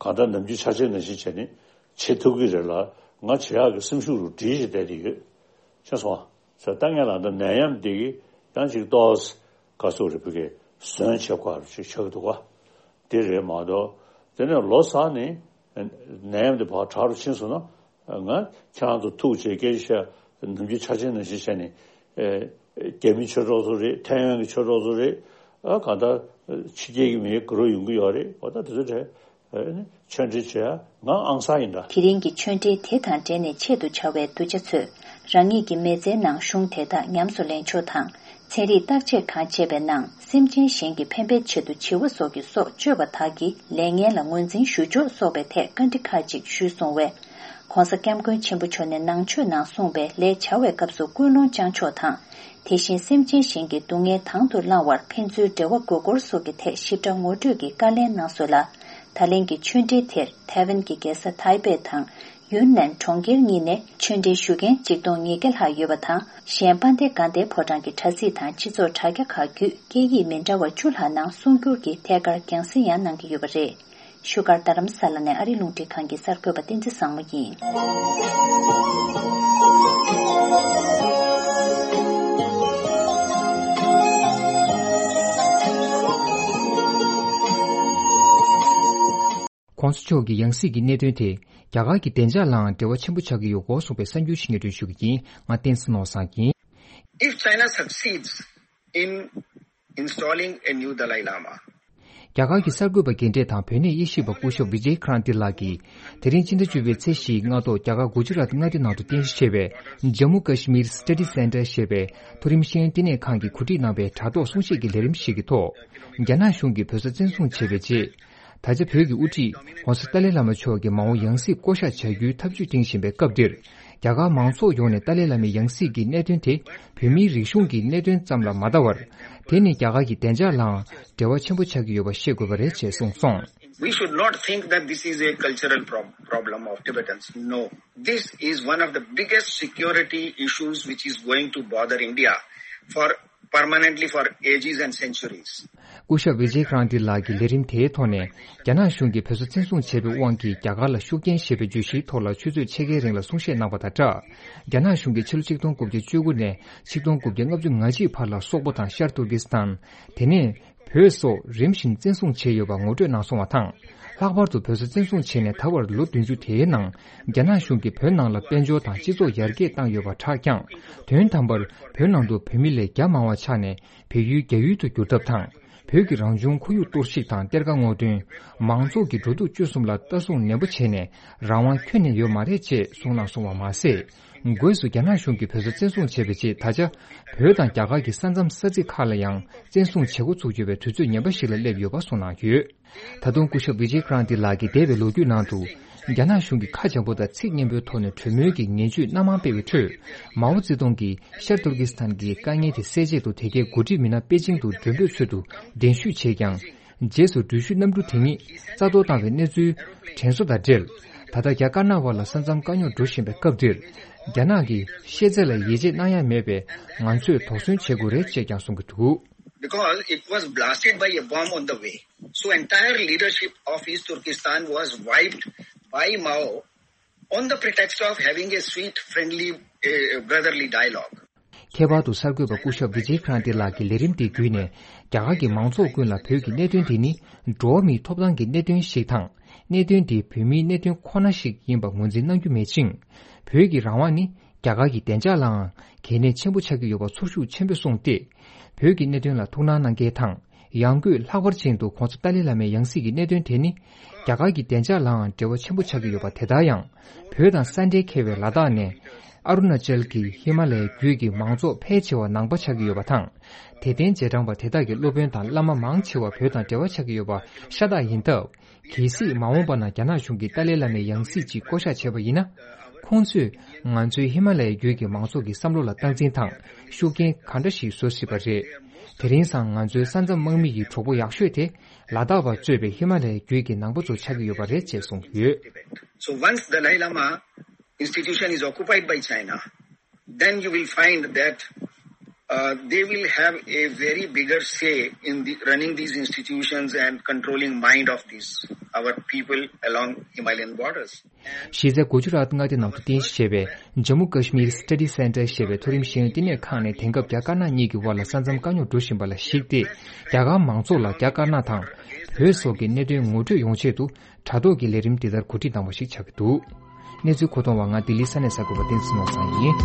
གང་ལྟར་ནམ་རྒྱུན་ཆ་ཆེན་ནང་བཞིན་བྱས་ནས་བྱེད་ཐུབ་ཀྱི་རེད་ལ། ང་བྱེད་ཡག་གི་སེམས་ཤུགས་རུ་སྒྲིལ་ཞིག་བསྡད་དེ་ཡོད། ཤེས་སོང་ཨ། ཟེར་ད་ངས་ལ་ད་ནད་ཡམས་འདི་གི་ཡང་ཅིག་ཏོག་ག་སོག་རེ་བུ་གའི་ཟོན་བྱེད་དགོས་རུ་ཅིག་ཆགས་འདུག་ག་དེ་རེད་མ་གཏོགས། དེ་ནས་ལོ་གསར་ནས་ནད་ཡམས་འདི་ཕར་དྲག་རུ་ཕྱིན་སོང་ན། ང་ཁྱེད་རང་ཚོ་ཐུག་བྱས་སྐད་ཆ་བཤད་ནམ་རྒྱུན་ཆ་ཆེན་ནང་བཞིན་བྱས་ནས། རྒྱ་མི་ཆོས་གྲོགས་ཚོ་རེད། ཐའེ་ཝན་གྱི་ཆོས་གྲོགས་ཚོ་རེད། ཨ་གང་ལྟར་ཕྱི་རྒྱལ་གྱི་མི་དགའ་རབ་ཡོང་གི་ཡོད་རེད། འོ་ད་དེ་ཚོ་གྲས་ཨ་ནི་ཆོས་འབྲེལ་བྱེད་ཡ་ང་ཨང་གསར་ཡིན་འདྲ། དེ་རིང་གི་ཆོས་འབྲེལ་དེ་དང་འབྲེལ་ནས་ཆེད་དུ་བཅར་བའི་གདུལ་བྱ་ཚོས་རང་ཉིད་ཀྱི་མི་ཚེའི་ནང་གཞུང་དེ་དག་ཉམས་སུ་ལེན་ཕྱོགས་དང་། ཚན་རིག་བརྟག་དཔྱད་གང་བྱས་པའི་ནང་སེམས་ཅན་གཞན་གྱི་ཕན་པའི་ཆེད་དུ་བྱི་བ་སོགས་ཀྱི་སྲོག་གཅོད་པ་དག་གི་ལས་ངན་ལ་ངོས་འཛིན་ཞུ་ཕྱོགས་སོགས་པའི་ཐད་བཀའ་འདྲི་ཁག་ཅིག་ཞུས་སོང་བས། ྋགོང་ས་ྋསྐྱབས་མགོན་ཆེན་པོ་མཆོག་ནས་ནང་ཆོས་ནང་གསུངས་པའི་ལས་བྱ་བའི་སྐབས་སུ་ཀུན་སློང་བཅངས་ཕྱོགས་དང་། དེ་བཞིན་སེམས་ཅན་གཞན་གྱི་སྡུག་བསྔལ་དང་དུ་བླང་བར་ཕན་ཚུན་འབྲེལ་བ་དགོས་སྐོར་སོགས་ཀྱི་ཐད་ཞིབ་ཕྲ་ངོ་སྤྲོད་ཀྱི་བཀའ་ལན་གནང་སོང་ལ། ད་ལན་གྱི་ཆོས་འབྲེལ་དེར་ཐའེ་ཝན་གྱི་རྒྱལ་ས་ཐའེ་པེ་དང་ཡུན་ནན་གྲོང་ཁྱེར་གཉིས་ནས་ཆོས་འབྲེལ་ཞུ་མཁན་གཅིག་སྟོང་ཉིས་བརྒྱ་ལྷག་ཡོད་པ་དང་། གཞན་དཔལ་ལྡན་དགའ་ལྡན་ཕོ་བྲང་གི་དྲ་ཚིགས་དང་སྤྱི་ཚོགས་དྲ་རྒྱ་ཁག་བརྒྱུད་སྐད་ཡིག་མི་འདྲ་བ་བཅུ་ལྷག་ནང་གསུང་བསྒྱུར་གྱིས་ཐད་ཀར་རྒྱང་སྲིང་ཡང་གནང་གི་ཡོད་པ་རེད། བཞུགས་སྒར་རྡ་རམ་ས་ལ་ནས་ཨ་རི་རླུང་འཕྲིན་ཁང་གི་གསར་འགོད་པ་བསྟན་འཛིན་བཟང་མོ་ཡིན། ྋགོང་ས་མཆོག་གི་ཡང་སྲིད་ཀྱི་གནད་དོན་དེ་རྒྱ་གར་གྱི་བདེ་འཇགས་ལའང་འབྲེལ་བ་ཆེན་པོ་ཆགས་ཀྱི་ཡོད་སྐོར་གསུངས་པའི་གསར་འགྱུར་ཞིག་སྙན་སྒྲོན་ཞུ་གི་ཡིན། ང་བསྟན་འཛིན་ནོར་བཟང་ཡིན། If China succeeds in installing a new Dalai Lama, རྒྱ་གར་གྱི་གསར་འགོད་པ་རྒན་གྲས་དང་བོད་གནས་དབྱེ་ཞིབ་པ་སྐུ་ཞབས་བི་ཇེ་ཁྲ་ན་ཏི་ལགས་ཀྱིས། དེ་རིང་སྤྱི་ཟླ་བཅུ་པའི་ཚེས་བཞིའི་སྔ་དྲོ་རྒྱ་གར་གུ་ཇི་རཱཏ་མངའ་སྡེ་ནང་དུ་རྟེན་གཞི་བྱས་པའི་Jammu Kashmir Study Centre ཞེས་པའི་མཐོ་རིམ་ཤེས་ཡོན་བསྟི་གནས་ཁང་གིས་གོ་སྒྲིག་གནང་བའི་དྲ་ཐོག་གསུང་བཤད་ཀྱི་ལས་རིམ་ཞིག་གི་ཐོག་རྒྱ་ནག་གཞུང་གིས་བོད་ས་བཙན་བཟུང་བྱས་པའི་རྗེས། ད་ཆ་བོད་ཀྱི་དབུ་ཁྲིད་༧གོང་ས་ཏཱ་ལའི་བླ་མ་མཆོག་གི་མ་འོངས་ཡང་སྲིད་བསྐོ་གཞག་བྱ་རྒྱུའི་ཐབས་ཇུས་སྒྲིང་བཞིན་པའི་སྐབས་འདིར། རྒྱ་གར་མང་ཚོགས་ཡོངས་ནས་ཏཱ་ལའི་བླ་མའི་ཡང་སྲིད་ཀྱི་གནད་དོན་དེ་བོད་མིའི་རིག་གཞུང་གི་གནད་དོན་ཙམ་ལ་མ་ལྟ་བར། དེ་ནི་རྒྱ་གར་གྱི་བདེ་འཇགས་ལའང་འབྲེལ་བ་ཆེན་པོ་ཆགས་ཀྱི་ཡོད་པ་ཤེས་དགོས་པ་རེད་ཅེས་གསུངས་སོང་། We should not think that this is a cultural prob- problem of Tibetans. No. This is one of the biggest security issues which is going to bother India for permanently for ages and centuries. སྐུ་ཞབས་བི་ཇེ་ཀྲ་ན་ཏི་ལགས་ཀྱིས་ལས་རིམ་དེའི་ཐོག་ནས། རྒྱ་ནག་གཞུང་གིས་བོད་ས་བཙན་བཟུང་བྱས་པའི་དབང་གིས་རྒྱ་གར་ལ་ཤུགས་རྐྱེན་ཞེས་པའི་བརྗོད་གཞིའི་ཐོག་ལ་ཆུ་ཚོད་ཕྱེད་ཀའི་རིང་ལ་གསུང་བཤད་གནང་བ་དང་སྦྲགས། རྒྱ་ནག་གཞུང་གིས་ཕྱི་ལོ་ཆིག་སྟོང་དགུ་བརྒྱ་བཅུ་དགུ་ནས་ཆིག་སྟོང་དགུ་བརྒྱ་ལྔ་བཅུ་ང་གཅིག་བར་ལ་སོག་པོ་དང་ཤར་ཏུར་ཀི་སི་ཐན། དེ་ནས་བོད་སོགས་རིམ་བཞིན་བཙན་བཟུང་བྱས་ཡོད་པ་ངོ་སྤྲོད་གནང་སོང་བ་དང་། ལྷག་པར་དུ་བོད་ས་བཙན་བཟུང་བྱས་ནས་ད་བར་ལོ་བདུན་ཅུ་དེའི་ནང་། རྒྱ་ནག་གཞུང་གིས་བོད་ནང་ལ་དཔལ་འབྱོར་དང་སྤྱི་ཚོགས་ཡར་རྒྱས་བཏང་ཡོད་པ་ཁྲག་བསྐྱངས། དོན་དམ་པར་བོད་ནང་དུ་བོད་མི་ལས་བརྒྱ་མང་བ་ཆགས་ནས། བལ་ཡུལ་རྒྱ་ཡུལ་དུ་བསྒྱུར་ཐབས་དང་། བོད་ཀྱི་རང་བྱུང་ཁོར་ཡུག་གཏོར་བཤིག་དང་གཏེར་ཁ་སྔོག་འདོན། མང་ཚོགས་ཀྱི་འགྲོ་འདུག་སྤྱོད་གསུམ་ལ་ལྟ་སྲུང་ནན་པོ་བྱས་ནས་རང་དབང་ཁྱོན་ནས་ཡོད་མ་རེད་ཅེས་གསུངས་གནང་སོང་བ་མ་ཟད། སྒོས་སུ་རྒྱ་ནག་གཞུང་གིས་བོད་ས་བཙན་བཟུང་བྱས་པའི་རྗེས་ད་ཆ་བོད་དང་རྒྱ་གར་གྱི་ས་མཚམས་ས་ཚིགས་ཁག་ལ་ཡང་བཙན་བཟུང་བྱེད་འགོ་ཚུགས་ཡོད་པའི་དུས་ཚོད་ངན་པ་ཞིག་ལ་སླེབས་ཡོད་པ་གསུངས་གནང་ཡོད། ད་དུང་སྐུ་ཞབས་བི་ཇེ་ཀྲ་ན་ཏི་ལགས་ཀྱིས་འདས་པའི་ལོ་རྒྱུས་ནང་དུ། རྒྱ་ནག་གཞུང་གིས་ཁ་འཇམ་པོ་དང་ཚིག་སྙན་པོའི་ཐོག་ནས་གྲོས་མོལ་གྱི་ངན་ཇུས་སྣ་མང་སྤེལ་བའི་ཁྲོད། མའོ་ཙེ་ཏུང་གིས་ཤར་ཏུར་ཀི་སི་ཐན་གྱི་དཀའ་ངལ་དེ་སེལ་ཆེད་དུ་དེ་གའི་འགོ་ཁྲིད་མི་སྣ་པེ་ཅིང་དུ་མགྲོན་འབོད་ཚུལ་དུ་གདན་ཞུས་བྱས་ཀྱང་། རྗེས་སུ་འགྲུལ་བཞུད་གནམ་གྲུ་དེ་ཉིད་རྩ་གཏོར་བཏང་བའི་གནས་ཚུལ་དྲན་གསོ་དང་འབྲེལ། ད་ལྟ་རྒྱ་དཀར་ནག་དབར་ལ་ས་མཚམས་དཀའ་རྙོག་འགྲོ་བཞིན་པའི་སྐབས་འདིར། རྒྱ་ནག་གི་ཤེས་ཚད་ལ་ཡིད་ཆེས་གནང་ཡ་མེད་པས་ང་ཚོས་དོགས་ཟོན་བྱེད་དགོས་རེད་ཅེས་ཀྱང་གསུང་གི་འདུག because it was blasted by a bomb on the way. So entire leadership of East Turkestan was wiped by Mao on the pretext of having a sweet, friendly, uh, brotherly dialogue. ཁྱད་པར་དུ་གསར་འགོད་པ་སྐུ་ཞབས་བི་ཇེ་ཁྲ་ཏི་ལགས་ཀྱི་ལས་རིམ་དེ་བརྒྱུད་ནས། རྒྱ་གར་གྱི་མང་ཚོགས་ཀུན་ལ་བོད་ཀྱི་གནད་དོན་དེ་ནི་འགྲོ་བ་མིའི་ཐོབ་ཐང་གི་གནད་དོན་ཞིག་དང་། གནད་དོན་དེ་བོད་མིའི་གནད་དོན་ཁོ་ན་ཞིག་ཡིན་པ་ངོས་འཛིན་གནང་རྒྱུ་མེད་ཅིང་། བོད་ཀྱི་རང་དབང་ནི་རྒྱ་གར་གྱི་བདེ་འཇགས་ལའང་གལ་གནད་ཆེན་པོ་ཆགས་ཀྱི་ཡོད་པ་ཚོར་ཤུགས་ཆེན་པོས་གསུངས་ཏེ། བོད་ཀྱི་གནད་དོན་ལ་ཐུགས་སྣང་གནང་མཁན་དང་། ཡང་སྒོས་ལྷག་པར་ཅན་དུ་༸གོང་ས་ཏཱ་ལའི་བླ་མའི་ཡང་སྲིད་ཀྱི་གནད་དོན་དེ་ནི། རྒྱ་གར་གྱི་བདེ་འཇགས་ལའང་འབྲེལ་བ་ཆེན་པོ་ཆགས་ཀྱི་ཡོད་པ་དེ་ལྟར་ཡང་། བོད་དང་ས་འབྲེལ་ཁེལ་བའི་ལ་དྭགས་ནས། ཨ་རུ་ན་ཅལ་གྱི་ཧི་མ་ལ་ཡའི་རྒྱུད་ཀྱི་མང་ཚོགས་ཕལ་ཆེ་བ་ནང་པ་ཆགས་ཀྱི་ཡོད་པ་དང་། དད་ལྡན་རྗེས་འབྲང་པ་དེ་དག་གི་སློབ་དཔོན་དང་བླ་མ་མང་ཆེ་བ་བོད་དང་འབྲེལ་བ་ཆགས་ཀྱི་ཡོད་པ་ཤ་སྟག་ཡིན་སྟབས། གལ་སྲིད་མ་འོངས་པ་ན་རྒྱ་ནག་གཞུང་གིས་ཏཱ་ལའི་བླ་མའི་ཡང་སྲིད་ཅིག་བསྐོ་གཞག་བྱས་པ་ཡིན་ན། ཁོང་ཚོས་ང་ཚོའི་ཧི་མ་ལ་ཡའི་རྒྱུད་ཀྱི་མང་ཚོགས་ཀྱི་བསམ་བློ་ལ་སྟངས་འཛིན་དང་ཤུགས་རྐྱེན་ག་འདྲ་ཞིག་བཟོ་སྲིད་པ་རེད། དེ་རིང་སང་ང་ཚོའི་ས་མཚམས་དམག་མི་ཡི་གྲོགས་པོ་ཡག་ཤོས་དེ་ལ་དྭགས་པ་གཙོས་པའི་ཧི་མ་ལ་ཡའི་རྒྱུད་ཀྱི་ནང་པ་ཚོ་ཆགས་ཀྱི་ཡོད་པ་རེད་ཅེས་གསུངས་ཡོད། So once Dalai Lama institution is occupied by China, then you will find that uh, they will have a very bigger say in the running these institutions and controlling mind of these our people along Himalayan borders. གཞི་རྩའི་གུ་ཇུ་རཱཏ་མངའ་སྡེ་ནང་དུ་རྟེན་གཞི་བྱས་པའི་Jammu Kashmir Study Center ཞེས་པའི་མཐོ་རིམ་ཤེས་ཡོན་བསྟི་གནས་ཁང་ནས་དེང་སྐབས་རྒྱ་དཀར་ནག་གཉིས་ཀྱི་དབར་ལ་ས་མཚམས་དཀའ་རྙོག་འགྲོ་བཞིན་པ་ལ་གཞིགས་ཏེ། རྒྱ་གར་མང་ཚོགས་ལ་རྒྱ་དཀར་ནག་དང་བོད་སོགས་ཀྱི་གནད་དོན་ངོ་སྤྲོད་ཡོང་ཆེད་དུ། དྲ་ཐོག་གི་ལས་རིམ་འདི་ལྟར་གོ་སྒྲིག་གནང་བ་ཞིག་ཆགས་ཀྱི་འདུག་གནས་ཚུལ་མཁོ་གཏོང་བ་ང་ལྡི་ལི་ས་གནས་གསར་འགོད་པ་བསྟན་འཛིན་ནོར་བཟང་ཡིན།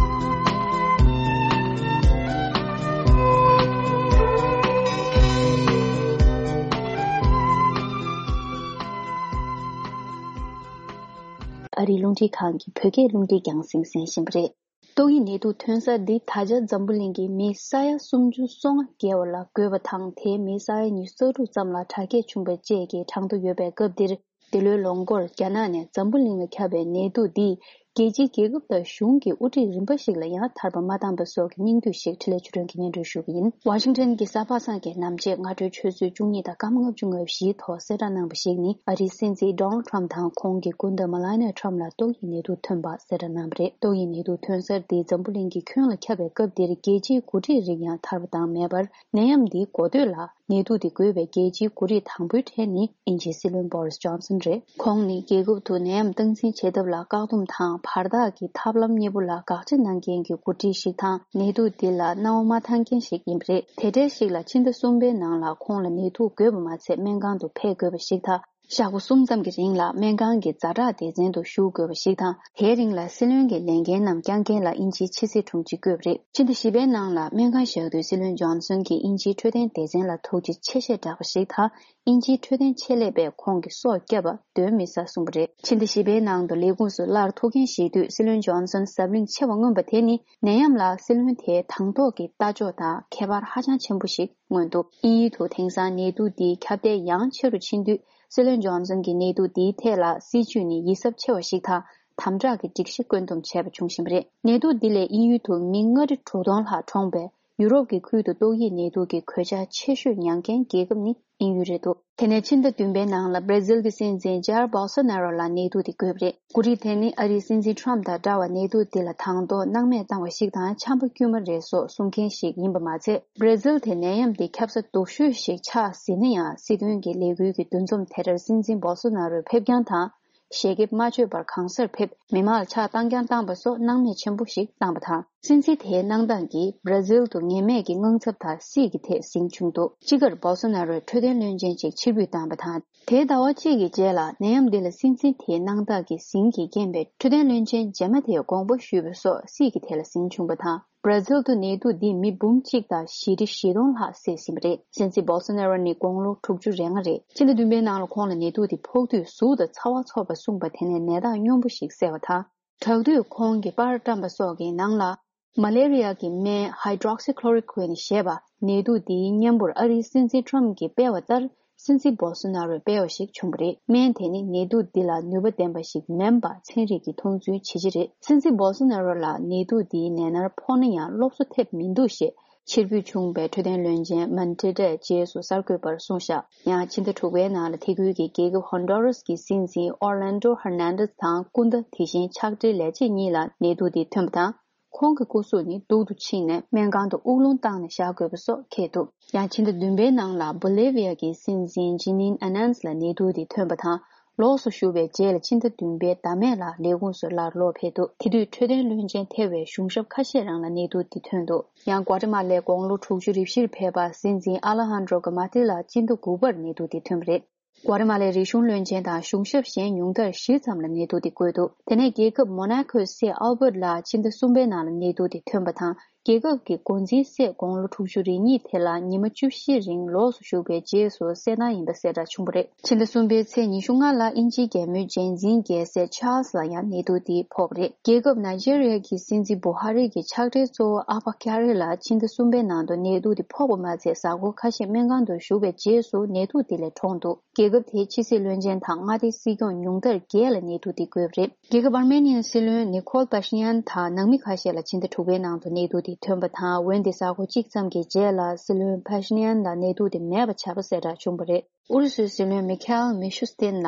ཨ་རིའི་རླུང་འཕྲིན་ཁང་གི་བོད་སྐད་རླུང་འཕྲིན་རྒྱང་སྲིང་གསན་བཞིན་པ་རེད། ཏོག་དབྱིབས་ནད་དུག་ཐོན་གསར་འདི་ད་ཆ་འཛམ་བུ་གླིང་གི་མི་ས་ཡ་སུམ་ཅུ་སོ་ལྔ་བརྒལ་བ་ལ་འགོས་པ་དང་། དེའི་མི་ས་ཡ་ཉི་ཤུ་རྩ་དྲུག་ཙམ་ལ་དྲག་སྐྱེད་བྱུང་བ་བཅས་ཀྱི་གྲངས་ཐོ་ཡོད་པའི་སྐབས་འདིར། འདི་ལོའི་ལོ་འགོར་རྒྱ་ནག་ནས་འཛམ་བུ་གླིང་ལ་ཁྱབ་པའི་ནད་དུག་འདིས་རྒྱལ་སྤྱིའི་རྒྱལ་ཁབ་དང་གཞུང་གི་དབུ་ཁྲིད་རིམ་པ་ཞིག་ལ་ཡང་ཐར་པ་མ་བཏང་པ་སོགས་ཀྱི་སྙིང་བསྡུས་ཤིག་འཕྲིན་ལས་ཆོས་སྒྲོན་གྱིས་སྙན་སྒྲོན་ཞུ་གི་ཡིན། ཝ་ཤིང་ཊོན་གྱི་གསར་པ་སངས་རྒྱས་རྣམ་བཅས་སྔ་དྲོའི་ཆུ་ཚོད་བཅུ་གཉིས་དང་སྐར་མ་ལྔ་བཅུ་ང་བཞིའི་ཐོག་གསལ་བསྒྲགས་གནང་བ་ཞིག་ནི། ཨ་རིའི་སྲིད་འཛིན་ཌོ་ནལ་ཌི་ཊརམ་དང་ཁོང་གི་སྐུ་ཟླ་མེ་ལ་ནི་ཡ་ཊརམ་ལ་ཏོག་དབྱིབས་ནད་དུག་ཐོན་པ་གསལ་བསྒྲགས་གནང་བ་རེད། ཏོག་དབྱིབས་ནད་དུག་ཐོན་གསར་འདི་འཛམ་བུ་གླིང་གི་ཁྱོན་ལ་ཁྱབ་པའི་སྐབས་འདིར་རྒྱལ་སྤྱིའི་འགོ་ཁྲིད་རིགས་ཡང་ཐར་པ་བཏང་མེད་པར། ནད་ཡམས་འདིའི་འགོ་སྟོད་ལ་ནད་དུག་འདི་འགོས་པའི་རྒྱལ་སྤྱིའི་འགོ་ཁྲིད་དང་པོའི་གྲས་ནི་དབྱིན་ཇིའི་སྲིད་བློན་བོ་རིས་ཇོན་སན་རེད། ཁོང་ནི་རྒྱལ་ཁབ་ཏུ་ནད་ཡམས་སྟངས་འཛིན་བྱེད་ཐབས་ལ་བཀག་སྡོམ་དང་བར་ཐག་གི་ཐབས་ལམ་གཉིས་པོ་ལ་དགག་བྱ་གནང་མཁན་གྱི་འགོ་ཁྲིད་ཞིག་དང་། ནད་དུག་འདི་ལ་སྣང་བ་མ་ཐང་མཁན་ཞིག་ཡིན་པ་རེད། དེ་འདྲའི་ཞིག་ལ་ཕྱི་ཟླ་གསུམ་པའི་ནང་ལ་ཁོང་ལ་ནད་དུག་འགོས་པ་མ་ཚད་སྨན་ཁང་དུ་ཕེབས་དགོས་པ་ཞིག་དང་། ཞག་པོ་གསུམ་ཙམ་གྱི་རིང་ལ་སྨན་ཁང་གི་ཛ་དྲག་སྡེ་ཚན་དུ་བཞུགས་དགོས་པ་ཞིག་དང་། དེའི་རིང་ལ་སྲིད་བློན་གྱི་ལས་འགན་རྣམས་བསྐྱངས་མཁན་ལ་དབྱིན་ཇིའི་ཕྱི་སྲིད་དྲུང་ཆེ་བསྐོས་པ་རེད། ཕྱི་ཟླ་བཞི་པའི་ནང་ལ་སྨན་ཁང་བཞག་དུས་སྲིད་བློན་ཇོན་སན་གྱིས་དབྱིན་ཇིའི་འཕྲོད་བསྟེན་སྡེ་ཚན་ལ་ཐུགས་རྗེ་ཆེ་ཞེས་བསྒྲགས་པ་ཞིག་དང་། དབྱིན་ཇིའི་འཕྲོད་བསྟེན་ཆེད་ལས་པས་ཁོང་གི་སྲོག་བསྐྱབས་པ་གདོན་མི་ཟ་གསུངས་པ་རེད། ཕྱི་ཟླ་བཞི་པའི་ནང་དུ་ལས་ཁུངས་སུ་སླར་ཐུག་མཁན་ཞིག་དུས་སྲིད་བློན་ཇོན་སན་ཟབ་བརླིང་ཆེ་བ་མངོན་པ་དེ་ནི་ནད་ཡམས་ལ་སྲིད་བློན་དེའི་དང་ཐོག་གི་ལྟ་ཕྱོགས་དང་ཁྱད་པར་ཧ་ཅང་ཆེན་པོ་ཞིག་མངོན་འདུག་དབྱིན་ཡུལ་དུ་དེང་སང་ནད་དུག་འདིའི་ཁྱབ་གདལ་ཡང་ཆེ་རུ་ཕྱིན་དུས། སྲིད་བློན་ཇོན་སན་གྱིས་ནད་དུག་འདིའི་ཐད་ལ་སྲིད་བྱུས་ནི་ཡིད་གཟབ་ཆེ་བ་ཞིག་དང་། དམ་དྲག་གི་སྒྲིག་གཞི་བཀོད་འདོམས་བྱས་པ་བྱུང་བཞིན་པ་རེད། ནད་དུག་འདི་ལས་དབྱིན་ཡུལ་དུ་མི་ལྔ་ཁྲི་དྲུག་སྟོང་ལྷག་གྲོངས་པས། ཡུ་རོབ་ཀྱི་ཁུལ་དུ་ཏོག་དབྱིབས་ནད་དུག་གི་གོད་ཆག་ཆེ་ཤོས་མྱངས་མཁན་རྒྱལ་ཁབ་ནི་དབྱིན་ཡུལ་རེད་འདུག་དེ་ནས་ཕྱི་ཟླ་བདུན་པའི་ནང་ལ་བྷར་ཛིལ་གྱི་སྲིད་འཛིན་ཇའེར་བོལ་སོ་ནེ་རོ་ལ་ནད་དུག་དེ་འགོས་པ་རེད། འགོ་ཁྲིད་དེ་ནི་ཨ་རིའི་སྲིད་འཛིན་ཊརམ་དང་འདྲ་བར་ནད་དུག་འདི་ལ་དང་ཐོག་སྣང་མེད་བཏང་བ་ཞིག་དང་། ཆམ་པ་དཀྱུས་མ་རེད་སོགས་གསུང་མཁན་ཞིག་ཡིན་པ་མ་ཚད། བྷར་ཛིལ་དེ་ནད་ཡམས་འདི་ཁྱབ་ས་སྡུག་ཤོས་ཤིག་ཆགས་ཟིན་ན་ཡང་། སྲིད་དོན་གྱི་ལས་འགུལ་གྱི་འདུ་འཛོམས་དེ་ལྟར་སྲིད་འཛིན་བོལ་སོ་ནེ་རོའི་ཕེབས་རྐྱང་དང་། ཞལ་ཁེབས་མ་མཆོད་པར་གང་སར་ཕེབས། མི་མང་ལ་ཕྱག་བཏང་རྐྱང་བཏང་པ་སོགས་སྣང་མེད་ཆེན་པོ་ཞིག་བཏང་པ་དང་། སྲིད་འཛིན་དེའི་གནང་སྟངས་ཀྱིས་བྷར་ཛིལ་དུ་ངེས་མེད་ཀྱི་དངངས་འཚབ་དང་སྲིད་ཀྱི་ཐད་ཟིང་བྱུང་འདུག་སྤྱི་ཁར་བོལ་སོ་ནེ་རོས་འཕྲོད་བསྟེན་བློན་ཆེན་གཅིག་ཕྱིར་འབུད་བཏང་པ་དང་། དེའི་ཟླ་བ་གཅིག་གི་རྗེས་ལ་ནད་ཡམས་འདི་ལ་སྲིད་འཛིན་དེའི་གནང་སྟངས་ཀྱི་ཟིང་གིས་རྐྱེན་པས་འཕྲོད་བསྟེན་བློན་ཆེན་རྗེས་མ་དེའི་དགོངས་པ་ཞུས་པ་སོགས་སྲིད་ཀྱི་ཐད་ལ་ཟིང་བྱུང་པ་དང་། བྷར་ཛིལ་དུ་ནད་དུག་འདིས་མི་འབུམ་གཅིག་དང་བཞི་ཁྲི་བཞི་སྟོང་ལྷག་བསད་ཟིན་པ་རེད། སྲིད་འཛིན་བོལ་སོ་ནེ་རོ་ནི་དགུང་ལོ་དྲུག་ཅུ་རེ་ལྔ་རེད། ཕྱི་ཟླ་བདུན་པའི་ནང་ལ་ཁོང་ལ་ནད་དུག་དེ་ཕོག་དུས་གཟུགས་དང་ཚ་བ་ཚོར་བ་གསུངས་པ་དེ་ནས་ནད་རྟགས་སྙོམས་པོ་ཞིག་གསལ་བ་དང་། དྲག་དུས་ཁོང་གི་པར་བཀྲམ་པ་སོགས་ཀྱི་ནང་ལ། མ་ལེ་རི་ཡ་གི་སྨན་Hydroxychloroquine་ཞེས་པ་ནད་དུག་འདིའི་གཉེན་པོར་ཨ་རིའི་སྲིད་འཛིན་ཊརམ་གྱིས་སྤེལ་བ་ལྟར། སྲིད་འཛིན་བོལ་སོ་ནེ་རོས་སྤེལ་བ་ཞིག་བྱུང་བ་རེད། སྨན་དེ་ནི་ནད་དུག་འདི་ལ་ནུས་པ་ལྡན་པ་ཞིག་མིན་པ་ཚན་རིག་གིས་མཐོང་ཚུལ་ཇེ་ཆེ་རེད། སྲིད་འཛིན་བོལ་སོ་ནེ་རོ་ལ་ནད་དུག་འདིའི་ནད་མནར་ཕོག་ན་ཡང་སློབ་གསོ་ཐེབས་མི་འདུག་ཞེས་ཕྱིར་འབུད་བྱུང་བའི་འཕྲོད་བསྟེན་བློན་ཆེན་མན་ཏེ་ཏྲས་རྗེས་སུ་གསར་འགོད་པར་གསུངས་བཞག་ཡང་ཕྱི་ཟླ་དྲུག་པའི་ནང་ལ་དེ་ཁུལ་གྱི་རྒྱལ་ཁབ་ཧོན་ཌོ་རས་ཀྱི་སྲིད་འཛིན་ཨོར་ལན་ཌོ་ཧར་ནན་ཏེས་དང་སྐུ་ཟླ་དེ་བཞིན་ཕྱག་སྦྲེལ་ལས་བྱེད་གཉིས་ལ་ནད་དུག་འདི་ཐོན་པ་དང་། ཁོང་གི་སྐུ་གཟུགས་ནི་སྡུག་ཏུ་ཕྱིན་ནས་སྨན་ཁང་དུ་དབུགས་རླུང་བཏང་ནས་བཞག་དགོས་པ་སོགས་འཁེལ་འདུག་ཡང་ཕྱི་ཟླ་བདུན་པའི་ནང་ལ་བོ་ལེ་བི་ཡ་གི་སྲིད་འཛིན་ཇི་ནིན་ཨ་ནན་ལ་ནད་དུག་དེ་ཐོན་པ་དང་། ལོགས་སུ་བཞུགས་པའི་རྗེས་ལ་ཕྱི་ཟླ་བདུན་པའི་ཟླ་སྨད་ལ་ལས་ཁུངས་སུ་སླར་ལོག་ཕེབས་འདུག་དེ་དུས་འཕྲོད་བསྟེན་བློན་ཆེན་ཐེ་བའི་གཞུང་ཞབས་ཁ་ཤས་རང་ལ་ནད་དུག་དེ་ཐོན་འདུག་ཡང་ཀོ་ཏི་མ་ལའི་དགུང་ལོ་དྲུག་ཅུ་རེ་བཞིར་ཕེབས་པ་སྲིད་འཛིན་ཨ་ལ་ཧན་ཌྲོ་ག་མ་ཏི་ལ་ཕྱི་ཟླ་དགུ་པར་ནད་དུག་དེ་ཐོན་པ་རེད། ཀོ་ཏི་མ་ལའི་རིག་གཞུང་བློན་ཆེན་དང་གཞུང་ཞབས་གཞན་ཉུང་མཐར་བཞི་ཙམ་ལ་ནད་དུག་དེ་འགོས་འདུག་དེ་ནས་རྒྱལ་ཁབ་མོ་ན་ཁོའི་སྲས་ཨལ་བྷར་ལ་ཕྱི་ཟླ་གསུམ་པའི་ནང་ལ་ནད་དུག་དེ་ཐོན་པ་དང་། རྒྱལ་ཁབ་ཀྱི་འགོ་འཛིན་སྲས་དགུང་ལོ་དྲུག་ཅུ་རེ་གཉིས་དེ་ལ་ཉི་མ་བཅུ་བཞི་རིང་ལོགས་སུ་བཞུགས་པའི་རྗེས་སུ་གསལ་ཐང་ཡིན་པ་གསལ་བསྒྲགས་བྱུང་བ་རེད། ཕྱི་ཟླ་གསུམ་པའི་ཚེས་ཉི་ཤུ་ལྔ་ལ་དབྱིན་ཇིའི་རྒྱལ་མོའི་རྗེས་འཛིན་རྒྱལ་སྲས་ཆཱལ་སི་ལ་ཡང་ནད་དུག་དེ་ཕོག་པ་རེད། རྒྱལ་ཁབ་ནཱི་ཇེ་རི་ཡ་གི་སྲིད་འཛིན་བུ་ཧ་རི་གི་ཕྱག་སྦྲེལ་གཙོ་བོ་ཨ་བྷ་ཀྱ་རི་ལ་ཕྱི་ཟླ་གསུམ་པའི་ནང་དུ་ནད་དུག་དེ་ཕོག་པ་མ་ཚད་གཟའ་འཁོར་ཁ་ཤས་སྨན་ཁང་དུ་བཞུགས་པའི་རྗེས་སུ་ནད་དུག་དེ་ལས་གྲོངས་འདུག་རྒྱལ་ཁབ་དེའི་ཕྱི་སྲིད་བློན་ཆེན་དང་མངའ་སྡེའི་སྲིད་སྐྱོང་ཉུང་མཐར་བརྒྱད་ལ་ནད་དུག་དེ་འགོས་པ་རེད། རྒྱལ་ཁབ་ཨར་མེ་ནི་ཡའི་སྲིད་བློན་ནི་ཁོལ་པ་ཤི་ཡན་དང་ནང་མི་ཁ་ཤས་ལ་ཕྱི་ཟླ་དྲུག་པའི་ནང་དུ་ནད་དུག་དེ་ཐོན་པ་དང་། འོན་ཏེ་གཟའ་འཁོར་གཅིག་ཙམ་གྱི་རྗེས་ལ་སྲིད་བློན་པ་ཤི་ཡན་ལ་ནད་དུག་དེ་མེད་པ་ཆགས་པ་གསལ་བསྒྲགས་བྱུང་བ་རེད། ཨུ་རུ་སུའི་སྲིད་བློན་མི་ཁེལ་མི་ཤུ་སྟིན་ལ་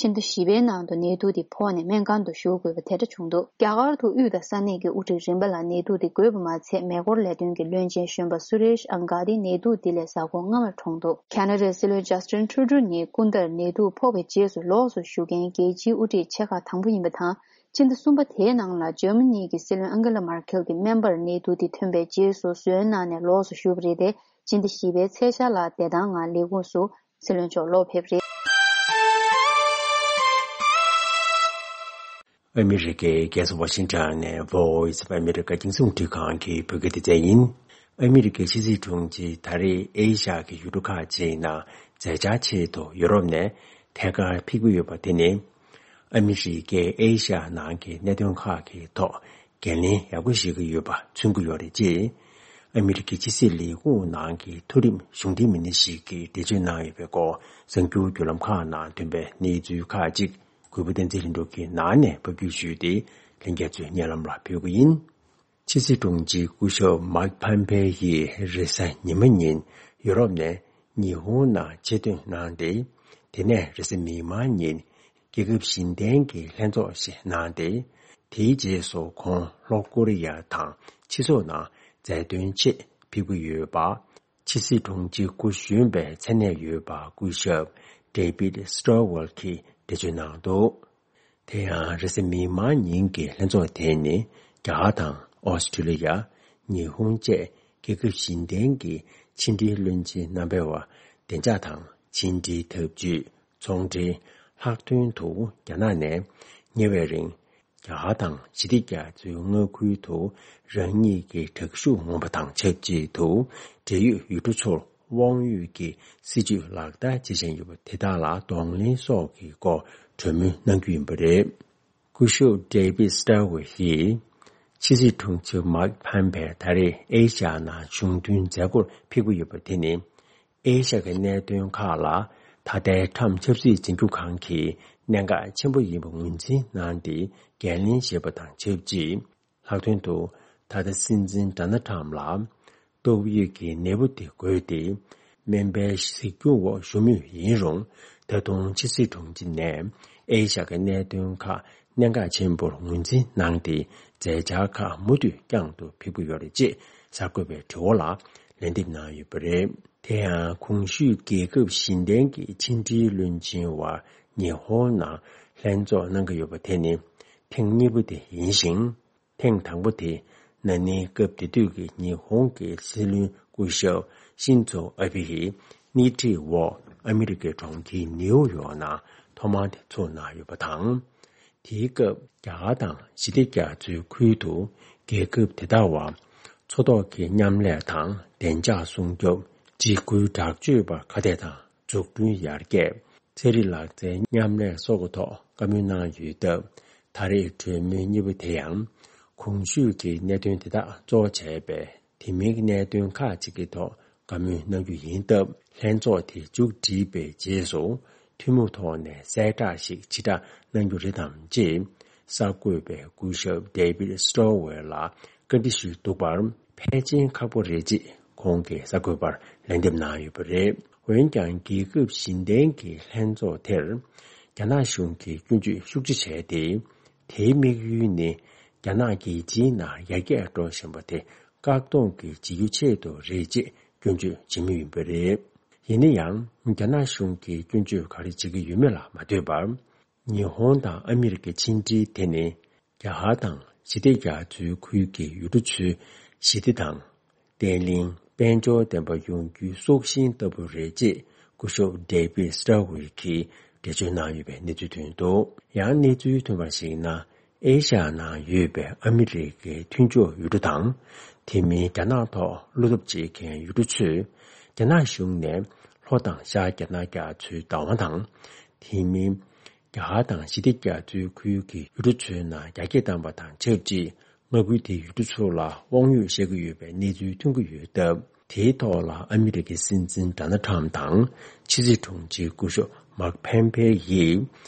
ཕྱི་ཟླ་བཞི་པའི་ནང་དུ་ནད་དུག་དེ་ཕོག་ནས་སྨན་ཁང་དུ་བཞུགས་དགོས་པ་དེ་འདྲ་བྱུང་འདུག་རྒྱ་གར་དུ་དབུས་དང་ས་གནས་ཀྱི་དབུ་ཁྲིད་རིམ་པ་ལ་ནད་དུག་དེ་འགོས་པ་མ་ཚད། མེ་འཁོར་ལས་དོན་གྱི་བློན་ཆེན་གཞོན་པ་སུ་རེཤ་ཨང་ག་དི་ནད་དུག་དེ་ལས་གཟའ་འཁོར་སྔ་མར་གྲོངས་འདུག་ཁ་ན་ཌའི་སྲིད་བློན་ཇ་སི་ཊིན་ཊུ་རུ་ཌོ་ནི་སྐུ་ཟླར་ནད་དུག་ཕོག་པའི་རྗེས་སུ་ལོགས་སུ་བཞུགས་མཁན་རྒྱལ་སྤྱིའི་དབུ་ཁྲིད་ཆེ་ཁག་དང་པོ་ཡིན་པ་དང་། ཕྱི་ཟླ་གསུམ་པ་དེའི་ནང་ལ་འཇར་མ་ནི་གི་སྲིད་བློན་ཨང་གེ་ལ་མར་ཁེལ་གྱི་སྨན་པར་ནད་དུག་དེ་ཐོན་པའི་རྗེས་སུ་གསོན་གནང་ནས་ལོགས་སུ་བཞུགས་པ་རེད་དེ། ཕྱི་ཟླ་བཞི་པའི་ཚེས་ཤར་ལ་བདེ་ཐང་ངང་ལས་ཁུངས་སུ་སྲིད་བློན་མཆོག་ལོག་ཕེབས་རེད། ཨ་མི་རི་ཀའི་རྒྱལ་ས་ཝ་ཤིང་ཊོན་ནས་Voice of America རྒྱང་སྲིང་རླུང་འཕྲིན་ཁང་གི་བོད་སྐད་སྡེ་ཚན་ཡིན། ཨ་མི་རི་ཀའི་ཕྱི་སྲིད་དྲུང་ཆེས་ད་རེས་ཨེ་ཤ་ཡ་གི་ཡུལ་གྲུ་ཁག་ཅིག་ནང་མཛད་འཆར་ཆེད་དུ་ཡུ་རོབ་ནས་ཐད་ཀར་ཕེབས་ཀྱི་ཡོད་པ་དེ་ནི། ཨ་མི་རི་ཀས་ཨེ་ཤ་ཡ་ནང་གི་གནད་དོན་ཁག་གི་ཐོག་འགན་ལེན་ཡག་པོ་བཞེས་ཀྱི་ཡོད་པ་མཚོན་གྱི་ཡོད་རེད། ཅེས་ཨ་མི་རི་ཀའི་ཕྱི་སྲིད་ལས་ཁུངས་ནང་གི་མཐོ་རིམ་གཞུང་འབྲེལ་མི་སྣ་ཞིག་གིས་འགྲེལ་བརྗོད་གནང་ཡོད་པའི་སྐོར། གསར་འགྱུར་བརྒྱུད་ལམ་ཁག་ནང་ཐོན་པའི་གནས་ཚུལ་ཁག་ཅིག་གུས་པ་བསྟན་འཛིན་ལྷུན་གྲུབ་ཀྱིས་ནང་ནས་ཕབ་སྒྱུར་ཞུས་ཏེ། ལྷན་རྒྱས་ཚོའི་སྙན་ལམ་ལ་ཕུལ་གྱི་ཡིན། ཕྱི་སྲིད་དྲུང་ཆེ་སྐུ་ཞབས་མཱིག་ཕམ་པེ་ཡིས་རེས་གཟའ་ཉི་མ་ཉིན་ཡུ་རོབ་ནས་ཉི་ཧོང་ནང་ཆེད་གཏོང་གནང་སྟེ། དེ་ནས་རེས་གཟའ་མིག་དམར་ཉིན་རྒྱལ་ཁབ་བཞི་ལྡན་གྱི་ལྷན་ཚོགས་ཤིག་གནང་སྟེ། དེའི་རྗེས་སུ་ཁོང་ལྷོ་ཀོ་རི་ཡ་དང་ཕྱི་ཕྱོགས་ནང་མཛའ་མཐུན་ཆེད་ཕེབས་ཀྱི་ཡོད་པ། ཕྱི་སྲིད་དྲུང་ཆེ་སྐུ་གཞོན་པའི་མཚན་གནས་ཡོད་པ་སྐུ་ཞབས་David Stilwell གྱིས་འགྲེལ་བརྗོད་གནང་འདུག་དེ་ཡང་རེས་གཟའ་མིག་དམར་ཉིན་གྱི་ལྷན་ཚོགས་དེ་ནི་རྒྱ་གར་དང་ཨོ་སི་ཀྲི་ལི་ཡ། ཉི་ཧོང་བཅས་རྒྱལ་ཁབ་བཞི་ལྡན་གྱི་ཕྱི་འབྲེལ་བློན་ཆེན་རྣམ་པའི་བར་བདེ་འཇགས་དང་ཕྱི་འབྲེལ་འཐབ་ཇུས། ཚོང་འབྲེལ། ལྷག་དོན་དུ་རྒྱ་ནག་ནས་ཉེ་བའི་རིང་རྒྱ་གར་དང་ཞི་བདེ་རྒྱ་མཚོའི་མངའ་ཁུལ་དུ་རང་ཉིད་ཀྱི་དྲག་ཤུགས་མངོན་པ་དང་ཆབས་ཅིག་ཏུ་འབྲེལ་ཡོད་ཡུལ་གྲུ་ཚོར་དབང་ཡོད་ཀྱི་སྲིད་ཇུས་ལག་བསྟར་བྱེད་བཞིན་ཡོད་པ་དེ་དག་ལ་གདོང་ལེན་སོགས་ཀྱི་སྐོར་གྲོས་མོལ་གནང་རྒྱུ་ཡིན་པ་རེད། སྐུ་ཞབས་David Stilwell ཡིས་ཕྱི་སྲིད་དྲུང་ཆེ་མཱིག་ཕམ་པེ་ད་རེས་ཨེ་ཤ་ཡ་ནང་གཞུང་མཐུན་མཛད་སྒོར་ཕེབས་ཀྱི་ཡོད་པ་དེ་ནི། ཨེ་ཤ་ཡའི་གནད་དོན་ཁག་ལ་ད་ལྟའི་ཊམ་ཆབ་སྲིད་འཛིན་སྐྱོང་ཁང་གིས་གནད་འགག་ཆེན་པོ་ཡིན་པ་ངོས་འཛིན་གནང་སྟེ་འགན་ལེན་བཞེས་པ་དང་ཆབས་ཅིག་ལྷག་དོན་དུ་ད་ལྟ་སྲིད་འཛིན་ཌོ་ནལ་ཊམ་ལ་ཏོག་དབྱིབས་ཀྱི་ནད་འབུ་དེ་འགོས་ཏེ་སྨན་པའི་གཟིགས་སྐྱོང་འོག་བཞུགས་མུས་ཡིན་རུང་། ད་དུང་ཕྱི་སྲིད་དྲུང་ཆེ་ནས་ཨེ་ཤ་ཡའི་གནད་དོན་ཁག་གནད་འགག་ཆེན་པོར་ངོས་འཛིན་གནང་སྟེ་མཛད་འཆར་ཁག་མུ་མཐུད་བསྐྱང་དུ་ཕེབས་ཀྱི་ཡོད་རེད་ཅེས་གསར་འགོད་པའི་དྲི་བ་ལ་ལན་འདེབས་གནང་ཡོད་པ་རེད། དེ་ཡང་གོང་ཞུས་རྒྱལ་ཁབ་བཞི་ལྡན་གྱི་ཕྱི་འབྲེལ་བློན་ཆེན་བར་ཉི་ཧོང་ནང་ལྷན་ཚོགས་གནང་གི་ཡོད་པ་དེ་ནི་ཐེངས་གཉིས་པ་དེ་ཡིན་ཞིང་། ཐེངས་དང་པོ་དེ་ན་ནིང་སྐབས་དེ་དུས་ཀྱི་ཉི་ཧོང་གི་སྲིད་བློན་སྐུ་ཞབས་ཤིན་ཛོ་ཨ་བྷེ་ཡིས་སྣེ་ཁྲིད་འོག་ཨ་མི་རི་ཀའི་གྲོང་ཁྱེར་ནིའུ་ཡོག་ནང་ཐོག་མར་དེ་ཚོགས་གནང་ཡོད་པ་དང་། དེའི་སྐབས་རྒྱ་གར་དང་ཞི་བདེ་རྒྱ་མཚོའི་ཁུལ་དུ་རྒྱལ་ཁབ་དེ་དག་བར་མཚོ་ཐོག་གི་མཉམ་ལས་དང་བདེ་འཇགས་སྲུང་སྐྱོབ། འཇིགས་སྐུལ་དྲག་སྤྱོད་པ་ཁ་གཏད་དང་། འཛུགས་སྐྲུན་ཡར་རྒྱས། ཚན་རིག་ལག་རྩལ་མཉམ་ལས་སོགས་ཀྱི་ཐོག་བཀའ་མོལ་གནང་ཡོད་སྟབས། ད་རེས་གྲོས་མོལ་གཉིས་པ་དེ་ཡང་གོང་ཞུས་ཀྱི་གནད་དོན་དེ་དག་གཙོ་བྱས་པའི་དེ་མིན་གྱི་གནད་དོན་ཁག་ཅིག་གི་ཐོག་བཀའ་མོལ་གནང་རྒྱུ་ཡིན་སྟབས། ལྷན་ཚོགས་དེ་མཇུག་བསྒྲིལ་བའི་རྗེས་སུ་ཐུན་མོང་ཐོག་ནས་གསལ་བསྒྲགས་ཤིག་ཕྱིར་བསྒྲགས་གནང་རྒྱུ་རེད་དམ་ཅེས་གསར་འགོད་པས་སྐུ་ཞབས་David Stilwell ལ་བཀའ་འདྲི་ཞུས་འདུག་པར། ཕལ་ཆེར་ཁག་པོ་རེད་ཅེས་ཁོང་གིས་གསར་འགོད་པར་ལན་འདེབས་གནང་ཡོད་པ་རེད། འོན་ཀྱང་རྒྱལ་ཁབ་བཞི་ལྡན་གྱི་ལྷན་ཚོགས་དེར་རྒྱ་ནག་གཞུང་གིས་སྐྱོན་བརྗོད་ཤུགས་ཆེ་བྱས་ཏེ། དེའི་དམིགས་ཡུལ་ནི་ རྒྱ་ནག་གི་སྤྱིའི་ནང་ཡར་རྒྱས་འགྲོ་བཞིན་པ་དེ་བཀག་སྡོམ་གྱི་བྱེད་རྒྱུ་ཆེད་དུ་རེད་ཅེས་སྐྱོན་བརྗོད་བྱེད་མུས་ཡིན་པ་རེད། ཡིན་ན་ཡང་རྒྱ་ནག་གཞུང་གིས་སྐྱོན་བརྗོད་ག་རེ་བྱེད་ཀྱི་ཡོད་མེད་ལ་མ་ལྟོས་པར། ཉི་ཧོང་དང་ཨ་མི་རི་ཀའི་ཕྱི་འབྲེལ་དེ་ནི་རྒྱ་གར་དང་ཞི་བདེ་རྒྱ་མཚོའི་ཁུལ་གྱི་ཡུལ་གྲུ་ཚོའི་ཞི་བདེ་དང་། བརྟན་ལྷིང་དཔལ་འབྱོར་ལྡན་པ་ཡོང་རྒྱུའི་སྲོག་ཤིང་ལྟ་བུ་རེད་ཅེས་སྐུ་ཞབས་ཌེ་བིད་སི་ཏྲ་ཝི་གིས་འགྲེལ་བརྗོད་གནང་ཡོད་པའི་གནས་ཚུལ་ཐོན་འདུག་ཡང་གནས་ཚུལ་ཐོན་པར་གཞིགས་ན། ཨེ་ཤ་ཡ་ནང་ཡོད་པའི་ཨ་མི་རི་ཀའི་མཐུན་ཕྱོགས་ཡུལ་གྲུ་དང་། དེ་མིན་རྒྱ་ནག་ཐོག་བློ་སྟོབས་བྱེད་མཁན་ཡུལ་གྲུ་ཚོས། རྒྱ་ནག་གཞུང་ནས་ལྷོ་དང་ཤར་རྒྱ་ནག་རྒྱ་མཚོའི་བདག་དབང་དང་། དེ་མིན། རྒྱ་གར་དང་ཞི་བདེ་རྒྱ་མཚོའི་ཁུལ་གྱི་ཡུལ་གྲུ་ཚོའི་ནང་རྒྱ་སྐྱེད་བཏང་པ་དང་ཆབས་ཅིག་མངའ་ཁུལ་དེའི་ཡུལ་གྲུ་ཚོ་ལ་དབང་ཡོད་བཤད་ཀྱི་ཡོད་པའི་གནས་ཚུལ་ཐོན་གྱི་ཡོད་སྟབས། དེའི་ཐོག་ལ་ཨ་མི་རི་ཀའི་སྲིད་འཛིན་ཌོ་ནལ་ཊམ་དང་ཕྱི་སྲིད་དྲུང་ཆེ་སྐུ་ཞབས་མཱིག་ཕེམ་པེ་ཡིས་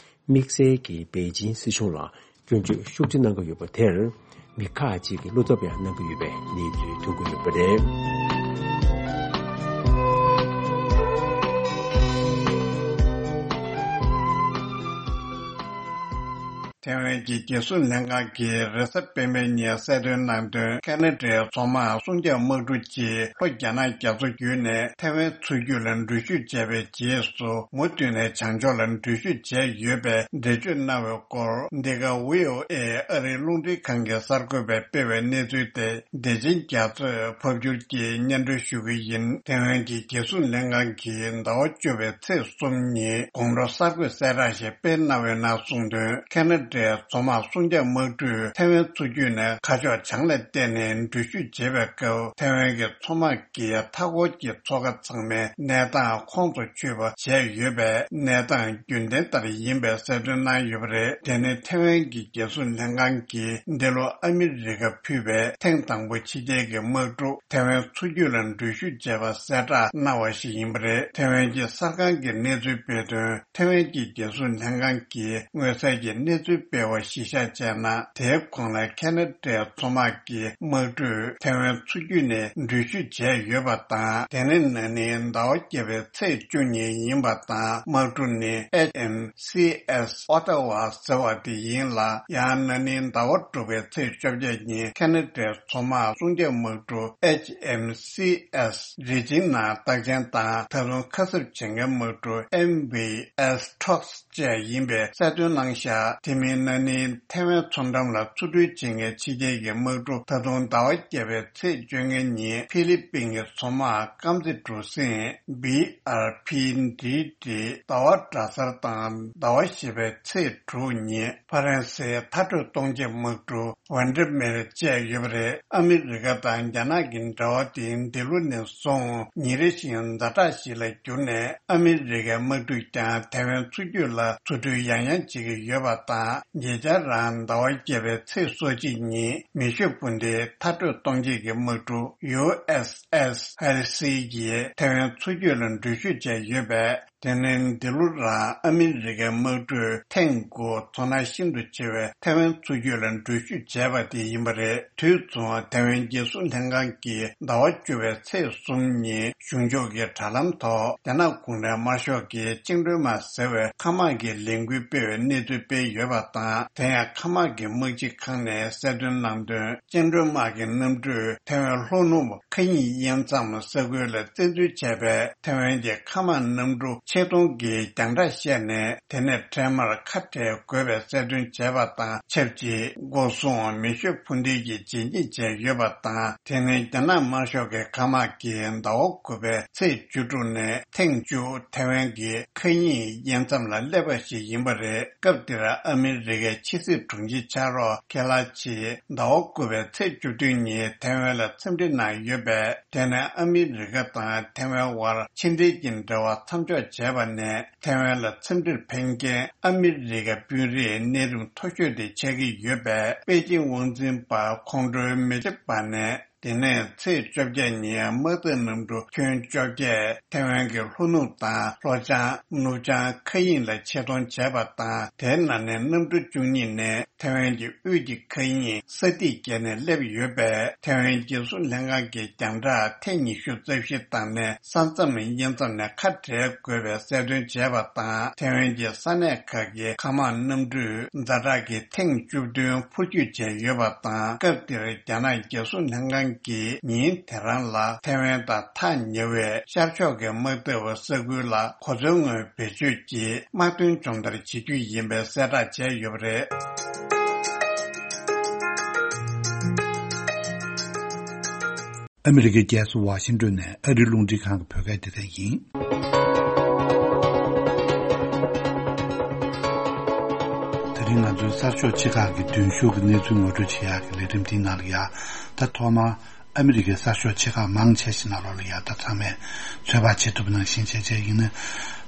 དམིགས་བསལ་གྱིས་པེ་ཅིན་སྲིད་གཞུང་ལ་སྐྱོན་བརྗོད་ཤུགས་ཆེ་གནང་གི་ཡོད་པ་དེར། མི་ཁག་ཅིག་གིས་བློ་འཚབ་ཡང་གནང་གི་ཡོད་པའི་གནས་ཚུལ་ཐོན་གྱི་ཡོད་པ་རེད། ཐེ་ཝན་གྱི་རྒྱལ་སྲུང་ལྷན་ཁང་གིས་རེས་གཟའ་སྤེན་པའི་ཉིན་གསལ་སྟོན་གནང་དོན། ཁ་ན་ཌའི་མཚོ་དམག་སྲུང་སྐྱོབ་དམག་གྲུ་གཅིག་ལྷོ་རྒྱ་ནག་རྒྱ་མཚོ་བརྒྱུད་ནས་ཐེ་ཝན་མཚོ་རྒྱུད་ལ་འགྲུལ་བཞུད་བྱས་པའི་རྗེས་སུ། མུ་མཐུད་ནས་བྱང་ཕྱོགས་ལ་འགྲུལ་བཞུད་བྱས་ཡོད་པའི་འགྲེལ་བརྗོད་གནང་བའི་སྐོར། འདི་ག་བྷི་ཨོ་ཨེ་ཨ་རིའི་རླུང་འཕྲིན་ཁང་གི་གསར་འགོད་པས་སྤེལ་བའི་གནས་ཚུལ་དེ། བདེ་ཆེན་རྒྱ་མཚོས་ཕབ་སྒྱུར་གྱིས་སྙན་སྒྲོན་ཞུ་གི་ཡིན། ཐེ་ཝན་གྱི་རྒྱལ་སྲུང་ལྷན་ཁང་གིས་ཟླ་བ་བཅུ་པའི་ཚེས་གསུམ་ཉིན་དགོང་དྲོ་གསར་འགོད་གསལ་བསྒྲགས་ཤིག་སྤེལ་གནང་བའི་ནང་གསུངས་དོན། ཁ་ན་ཌའི་མཚོ་དམག་སྲུང་སྐྱོབ་དམག་གྲུས་ཐེ་ཝན་མཚོ་རྒྱུད་ནས་ཁ་ཕྱོགས་བྱང་ལ་བལྟས་ནས་འགྲུལ་བཞུད་བྱེད་པའི་སྐབས། ཐེ་ཝན་གྱི་མཚོ་དམག་གིས་མཐའ་འཁོར་གྱི་མཚོ་ཁ་ཚང་མའི་གནས་སྟངས་ཁོངས་སུ་ཆུད་པ་བྱས་ཡོད་པའི་གནས་སྟངས་རྒྱུན་ལྡན་ལྟར་ཡིན་པའི་གསལ་སྟོན་གནང་ཡོད་པ་རེད། དེ་ནི་ཐེ་ཝན་གྱི་རྒྱལ་སྲུང་ལྷན་ཁང་གིས་འདི་ལོ་ཨ་མི་རི་ཀ་ཕུད་པའི་ཐེངས་དང་པོ་ཕྱི་རྒྱལ་གྱི་དམག་གྲུ་ཐེ་ཝན་མཚོ་རྒྱུད་ལ་འགྲུལ་བཞུད་བྱས་པ་གསལ་བསྒྲགས་གནང་བ་ཞིག་ཡིན་པ་རེད། ཐེ་ཝན་གྱི་གསར་ཁང་གི་གནས་ཚུལ་སྤེལ་དོན། ཐེ་ཝན་གྱི་རྒྱལ་སྲུང་ལྷན་ཁང་གིས་མངོན་གསལ་གྱི་གནས་ཚུལ་སྤེལ་བ་གཞིར་བཞག་བྱས་ན། དེའི་གོང་ལ་ཁ་ན་ཌའི་མཚོ་དམག་གི་དམག་གྲུས་ཐེ་ཝན་མཚོ་རྒྱུད་ནས་འགྲུལ་བཞུད་བྱས་ཡོད་པ་དང་། དེ་ནི་ན་ནིང་ཟླ་བ་བརྒྱད་པའི་ཚེས་བཅུ་གཉིས་ཡིན་པ་དང་། དམག་གྲུ་ནི་ཨེཆ་ཨེམ་སི་ཨེས་ཨོ་ཊ་ཝ་ཟེར་བ་དེ་ཡིན་ལ། ཡང་ན་ནིང་ཟླ་བ་དྲུག་པའི་ཚེས་བཅོ་བརྒྱད་ཉིན་ཁ་ན་ཌའི་མཚོ་དམག་སྲུང་སྐྱོབ་དམག་གྲུ་ཨེཆ་ཨེམ་སི་ཨེས་རི་ཇིང་ནང་རྟགས་ཅན་དང་། ད་དུང་ཁ་གསབ་བྱེད་མཁན་དམག་གྲུ་ཨེམ་ཝི་ཨེས་ཊོག་སི་བཅས་ཡིན་པའི་གསལ་སྟོན་གནང་བཞག་དེ་མིན་ན་ནིང་ཐེ་ཝན་མཚོ་འགྲམ་ལ་འཚོ་འགྲུལ་བྱེད་མཁན་ཕྱི་རྒྱལ་གྱི་དམག་གྲུ་ད་དུང་ཟླ་བ་བརྒྱད་པའི་ཚེས་བཅོ་ལྔ་ཉིན་ཧྥི་ལི་པིན་གྱི་མཚོ་དམག་རྐང་རྩེད་གྲུ་གཟིངས་བྷི་ཨར་ཕི་ཌི་ཌི་ཟླ་བ་གྲྭ་སར་དང་། ཟླ་བ་བཞི་པའི་ཚེས་དྲུག་ཉིན་ཕ་རན་སིའི་མཐར་སྐྲོད་གཏོང་བྱེད་དམག་གྲུ་ཝན་ཌི་མེར་བཅས་ཡོད་པ་རེད། ཨ་མི་རི་ཀ་དང་རྒྱ་ནག་གི་འབྲེལ་བ་དེ་འདི་ལོ་ནས་བཟུང་ཉིན་རེ་བཞིན་ཛ་དྲག་ཞིག་ལ་གྱུར་ནས། ཨ་མི་རི་ཀའི་དམག་གྲུས་ཀྱང་ཐེ་ཝན་མཚོ་རྒྱུད་ལ་འཚོ་འགྲུལ་ཡང་ཡང་བྱེད་ཀྱི་ཡོད་པ་དང་། ཉེ་ཆར་རང་ཟླ་བ་བརྒྱད་པའི་ཚེས་སོ་གཅིག་ཉིན་མེ་ཤུགས་འཕུར་མདེལ་མཐར་སྐྲོད་གཏོང་བྱེད་ཀྱི་དམག་གྲུ་ཡུ་ཨེས་ཨེས་ཧེ་ལི་སི་ཡིས་ཐེ་ཝན་མཚོ་རྒྱུད་ལ་འགྲུལ་བཞུད་བྱས་ཡོད་པས། དེ་ནི་འདི་ལོ་རང་ཨ་མི་རི་ཀའི་དམག་གྲུས་ཐེངས་དགུ་མཚོ་ནག་ཤིན་ཏུ་ཆེ་བའི་ཐེ་ཝན་མཚོ་རྒྱུད་ལ་འགྲུལ་བཞུད་བྱས་པ་དེ་ཡིན་པ་རེད། དུས་མཚུངས་ཐེ་ཝན་རྒྱལ་སྲུང་ལྷན་ཁང་གིས་ཟླ་བ་བཅུ་པའི་ཚེས་གསུམ་ཉིན་གཞུང་ཕྱོགས་ཀྱི་དྲ་ལམ་ཐོག་རྒྱ་ནག་གུང་ཁྲན་དམར་ཤོག་གི་བཅིངས་འགྲོལ་དམག་ཟེར་བའི་མཁའ་དམག་གི་ལས་འགུལ་སྤེལ་བའི་གནས་ཚུལ་སྤེལ་ཡོད་པ་དང་། དེ་ཡང་མཁའ་དམག་གི་དམག་སྤྱི་ཁང་ནས་གསལ་སྟོན་གནང་དོན། བཅིངས་འགྲོལ་དམག་གི་གནམ་གྲུས་ཐེ་ཝན་ལྷོ་ནུབ་མཁའ་དབྱིངས་དབྱེ་མཚམས་ས་ཁུལ་ལ་བཙན་འཛུལ་བྱས་པས། ཐེ་ཝན་གྱི་མཁའ་དམག་གནམ་གྲུ་ཆེད་གཏོང་གིས་རྒྱང་བསྒྲགས་བཤད་ནས། དེ་ནས་འཕྲལ་མར་ཁ་བྲལ་དགོས་པའི་གསལ་སྟོན་བྱས་པ་དང་ཆབས་ཅིག་སྒོ་སྲུང་མེ་ཤུགས་འཕུར་མདེལ་གྱིས་རྗེས་སྙེག་བྱས་ཡོད་པ་དང་། དེ་ནི་རྒྱ་ནག་དམར་ཤོག་གི་མཁའ་དམག་གིས་ཟླ་བ་དགུ་པའི་ཚེས་བཅུ་དྲུག་ནས་ཐེངས་བཅུ་ཐེ་ཝན་གྱི་མཁའ་དབྱིངས་དབྱེ་མཚམས་ལ་སླེབས་པ་ཞིག་ཡིན་པ་རེད། སྐབས་དེར་ཨ་མི་རི་ཀའི་ཕྱི་སྲིད་དྲུང་ཆེ་ཕྱག་རོགས་ཁེ་ལ་ཆིས་ཟླ་བ་དགུ་པའི་ཚེས་བཅུ་བདུན་ཉིན་ཐེ་ཝན་ལ་འཚམས་འདྲི་གནང་ཡོད་པས། དེ་ནས་ཨ་མི་རི་ཀ་དང་ཐེ་ཝན་དབར་ཕྱི་འབྲེལ་གྱི་འབྲེལ་བ་མཚམས་འཇོག་བྱས་པ་ནས། ཐེ་ཝན་ལ་འཚམས་འདྲིར་ཕེབས་མཁན་ཨ་མི་རི་ཀའི་དཔོན་རིགས་གནས་རིམ་མཐོ་ཤོས་དེ་ཆགས་ཀྱི་ཡོད་པས། པེ་ཅིང་དབང་འཛིན་པ་ཁོང་ཁྲོའི་མེ་ལྕེ་འབར་ནས། དེ་ནས་ཚེས་བཅོ་བརྒྱད་ཉིན་དམག་འཐབ་གནམ་གྲུ་ཁྱོན་བཅོ་བརྒྱད་ཐེ་ཝན་གྱི་ལྷོ་ནུབ་དང་ལྷོ་བྱང་། ནུབ་བྱང་མཁའ་དབྱིངས་ལ་ཆེད་གཏོང་བྱས་པ་དང་། དེའི་ནང་ནས་གནམ་གྲུ་བཅུ་གཉིས་ནས་ཐེ་ཝན་གྱི་དབུས་ཀྱི་མཁའ་དབྱིངས་ས་ཐིག་བརྒལ་ནས་སླེབས་ཡོད་པས། ཐེ་ཝན་རྒྱལ་སྲུང་ལྷན་ཁང་གི་རྒྱང་བསྒྲགས་ཐེངས་ཉི་ཤུ་རྩ་བཞི་བཏང་ནས། ས་མཚམས་དབྱེ་མཚམས་ནས་ཁ་བྲལ་དགོས་པའི་གསལ་སྟོན་བྱས་པ་དང་། ཐེ་ཝན་གྱི་ས་གནས་ཁག་གི་མཁའ་དམག་གནམ་གྲུས་ཛ་དྲག་གི་ཐེངས་བཅུ་བདུན་འཕུར་སྐྱོད་བྱས་ཡོད་པ་དང་། སྐབས་དེར་རྒྱ་ནག་རྒྱལ་སྲུང་ལྷན་ཁང་གིས་ཉིན་དེ་རང་ལ་ཐེ་ཝན་དང་ཐག་ཉེ་བའི་ཤར་ཕྱོགས་ཀྱི་དམག་འཐབ་ས་ཁུལ་ལ་གོ་མཚོན་དངོས་བེད་སྤྱོད་ཀྱིས་དམག་དོན་སྦྱོང་བརྡར་བྱེད་རྒྱུ་ཡིན་པའི་གསལ་བསྒྲགས་བྱས་ཡོད་པ་རེད། ཨ་མི་རི་ཀའི་རྒྱལ་ས་ཝ་ཤིང་ཏོན་ནས་ཨ་རིའི་རླུང་འཕྲིན་ཁང་གི་བོད་སྐད་སྡེ་ཚན་ཡིན། དེ་རིང་ང་ཚོའི་གསར་ཤོག་ཆེ་ཁག་གི་མདུན་ཤོག་གི་གནས་ཚུལ་ངོ་སྤྲོད་བྱེད་ཡག་གི་ལས་རིམ་འདིའི་ནང་ལ་ཡ། ད་ཐོག་མར་ཨ་མི་རི་ཀའི་གསར་ཤོག་ཆེ་ཁག་མང་ཆེ་ཞིག་ནང་ལོགས་ལ་ཡ། ད་ཚང་མས་ཚོད་དཔག་བྱེད་ཐུབ་པ་ནང་བཞིན་བྱས་བྱས་ཡིན་ན།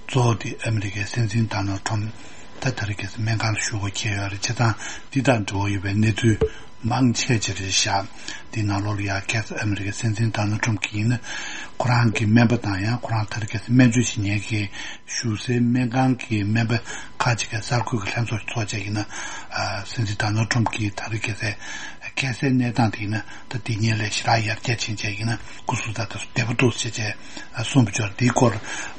གཙོ་བོ་དེ་ཨ་མི་རི་ཀའི་སྲིད་འཛིན་ཌོ་ནལ་ཌི་ཊརམ་ཕི་ད་ད་རེས་ཁ་སང་སྨན་ཁང་ལ་བཞུགས་པ་འཁེལ་ཡོད་རེད། བྱས་ཙང་འདི་དང་འབྲེལ་བ་ཡོད་པའི་གནས་ཚུལ་མང་ཆེ་ཅིག་རེད་ཤག་འདི་ནང་ལོགས་ལ་ཡ། ཁ་སང་ཨ་མི་རི་ཀའི་སྲིད་འཛིན་ཌོ་ནལ་ཌི་ཊརམ་ཕི་གིས་ཡིན་ན། ཁོ་རང་གི་སྨན་པ་དང་ཡང་ཁོ་རང་ད་རེས་ཁ་སང་སྨན་བཅོས་བྱེད་མཁན་གྱི་བཞུགས་སའི་སྨན་ཁང་གི་སྨན་པ་ཁག་ཅིག་གི་གསར་འགོད་ཀྱི་ལྷན་ཚོགས་ཚོགས་བྱས་ཡིན་ན། ཨ། སྲིད་འཛིན་ཌོ་ནལ་ཌི་ཊརམ་ཕི་གིས་ད་རེས་ཁ་སང་ཁ་སའི་གནས་སྟངས་དེ་ཡིན་ན། ད་དེ་ཉིན་ལས་ཞེ་དྲག་ཡར་རྒྱས་ཕྱིན་བྱས་ཡིན་ན། སྐུ་གཟུགས་ད་ལྟ་བདེ་པོ་འདུག་ཟེར་བྱས་གསུངས་པ་ཅིག་ཡོད་རེད། དེའི་སྐོར་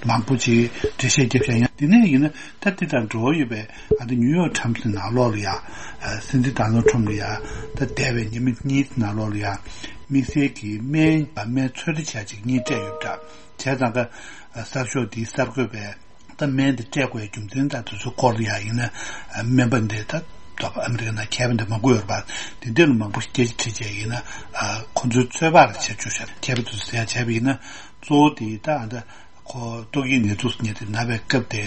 མང་པོ་ཅིག་འགྲེལ་བཤད་རྒྱབ་བཞག་ཡང་། དེ་ནས་ཡིན་ན་ད་དེ་དང་འབྲེལ་བ་ཡོད་པའི། ཨ། ད་ནིའུ་ཡོག་ཊའིམ་སི་ནང་ལོགས་ལ་ཡ། ཨ། སྲིད་འཛིན་ཌོ་ནལ་ཌི་ཊརམ་ཕི་ལ་ཡ། ད་འདས་པའི་ཉི་མ་གཉིས་ནང་ལོགས་ལ་ཡ། དམིགས་བསལ་གྱི་སྨན། སྨན་ཚོད་ལྟ་བྱ་ཅིག་གཉིས་སྤྲད་ཡོད་པ་འདྲ། བྱས་ཙང་ཀ། ཨ། གསར་ཤོག་འདིའི་གསར་འགོད་པས། ད་སྨན་དེ་སྤྲད་དགོས་རྒྱུ་མཚན་དང་དེ་ཚོའི་སྐོར་ལ་ཡང་ཡིན་ན། ཨ། སྨན་པ་འདི་ད་ད་ཨ་མི་རི་ཀ་ནང་མཁས་པ་འདི་མང་པོ་ཡོད་རེད་པ། དེ་འདྲ་ལ་མང་པོ་ཞིག་སྐད་ཆ་དྲིས་བྱས་ཡིན་ན། ཨ། ཁོ་ཚོའི་ཚོད་དཔག་ལ་བྱས་བཅུག་ཤག་མཁས་པ་ཚོས་ཟེར་ཡ་བྱས་པ་ཡིན་ན། གཙོ་བོ་དེ་ད་ཨ་ད་ཁོ་ཏོག་དབྱིབས་ནད་དུག་ཟེར་མཁན་དེ་ན་བའི་སྐབས་དེ།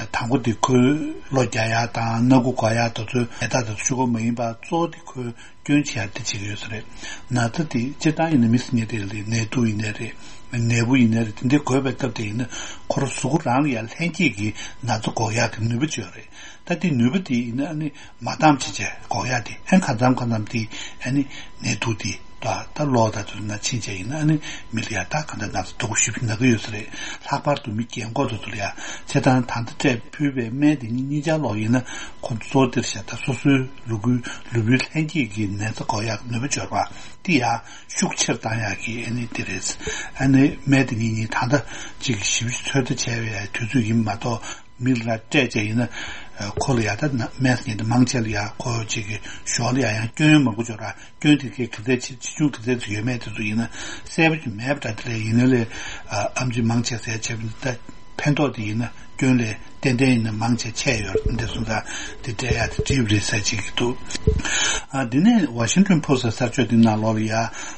ཨ། དང་པོ་དེ་ཁོའི་གློ་རྒྱག་ཡ་དང་སྣ་ཁུག་འགོག་ཡ་དེ་ཚོའི་ནད་རྟགས་དེ་ཚོ་ཤོག་ཁུ་མ་ཡིན་པ། གཙོ་བོ་དེ་ཁོའི་སྐྱོན་ཆེ་ཡ་དེ་བྱེད་ཀྱི་ཡོད་ས་རེད། ན་ཚ་དེ་སྤྱིར་བཏང་ཡིན་ན་མི་ཟེར་མཁན་དེ་ལ་ནད་དུག་ཡིན་ནའི་རེད། ནད་འབུ་ཡིན་ནའི་རེད། དེ་འདྲའི་འགོས་པའི་སྐབས་དེ་ཡིན་ན་ཁོ་རང་གཟུགས་པོ་རང་ལ་ཡང་ལྷན་སྐྱེས་ཀྱི་ན་ཚ་འགོག་ཡག་གི་ནུས་པ་ཅིག་ཡོད་རེད། ད་དེ་ནུས་པ་དེ་ཡིན་ན་ཨ་ནི་མ་འདམ་བྱས་བྱས་འགོག་ཡག་དེ། ཨ་ནི་གང་འཚམ་གང་འཚམ་དེ་ཨ་ནི་ནད་དུག་དེ་ད་ད་གློ་དང་དེ་ཚོ་ནང་ཕྱིན་བྱས་ཡིན་ན་ཨ་ནི་མི་ལ་ཡང་ད་གང་འདྲ་ན་ཚ་སྡུག་པོ་ཞེ་པོ་ན་གི་ཡོད་ས་རེད། ལྷག་པར་དུ་མི་རྒན་འཁོགས་དེ་ཚོ་ལ་ཡང་། བྱས་ཙང་ད་ལྟ་སྤྲད་ཕུལ་བའི་སྨན་དེ་གཉིས་གཉིས་ཆར་ལོག་ཡིན་ན་ཁོ་ཚོ་གཙོ་བོ་དེར་བཞག་ད་སོ་སོའི་ལུ་གུའི་ལུས་པོའི་ལྷན་སྐྱེས་ཀྱི་ནད་རྩ་འགོག་ཡག་ནུས་པ་འབྱོར་བ་དེ་ཡང་ཤུགས་ཆེར་བཏང་ཡག་གི་ཨ་ནི་དེ་རེད། ཨ་ནི་སྨན་དེ་གཉིས་གཉིས་ད་ལྟ་ཅིག་ཞིབ་ཞིབ་ཚོད་ལྟ་བྱས་པའི་དུས་ཚོད་ཡིན་མ་གཏོགས། མི་ལ་སྤྲད་བྱས་ཡིན་ན། ཨ། ཁོ་ལ་ཡང་ད་ན་སྨན་ཟེར་མཁན་དེ་མང་ཆེ་ལ་ཡང་ཁོ་ཅིག་གི་ཞོར་ལ་ཡང་ཡང་སྐྱོན་མང་པོ་འབྱོར་བ། སྐྱོན་དེ་གའི་ག་ཚད་ཆེ་ཆེ་ཆུང་ག་ཚད་ཅིག་ཡོད་མེད་དེ་ཚོ་ཡིན་ན་གསལ་པོ་ཅིག་མེད་པ་འདྲ། དེ་ལས་ཡིན་ན་ལས། ཨ། ཨེམ་ཆི་མང་ཆེ་ཟེར་བྱས་པ་ཡིན་ན། ད་ཕན་ཐོགས་དེ་ཡིན་ན་སྐྱོན་ལས་ཏན་ཏན་ཡིན་ན་མང་ཆེ་ཆད་ཡོད་རེད། འདི་སོང་ཙང་དེ་སྤྲད་ཡག་དེ་འགྲིག་པ་རེད་ཟེར་བྱེད་ཀྱི་འདུག་ཨ། འདི་ནས་ཝ་ཤིང་ཊོན་པོ་སི་ཊི་གསར་ཤོག་འདི་ནང་ལོགས་ལ་ཡ།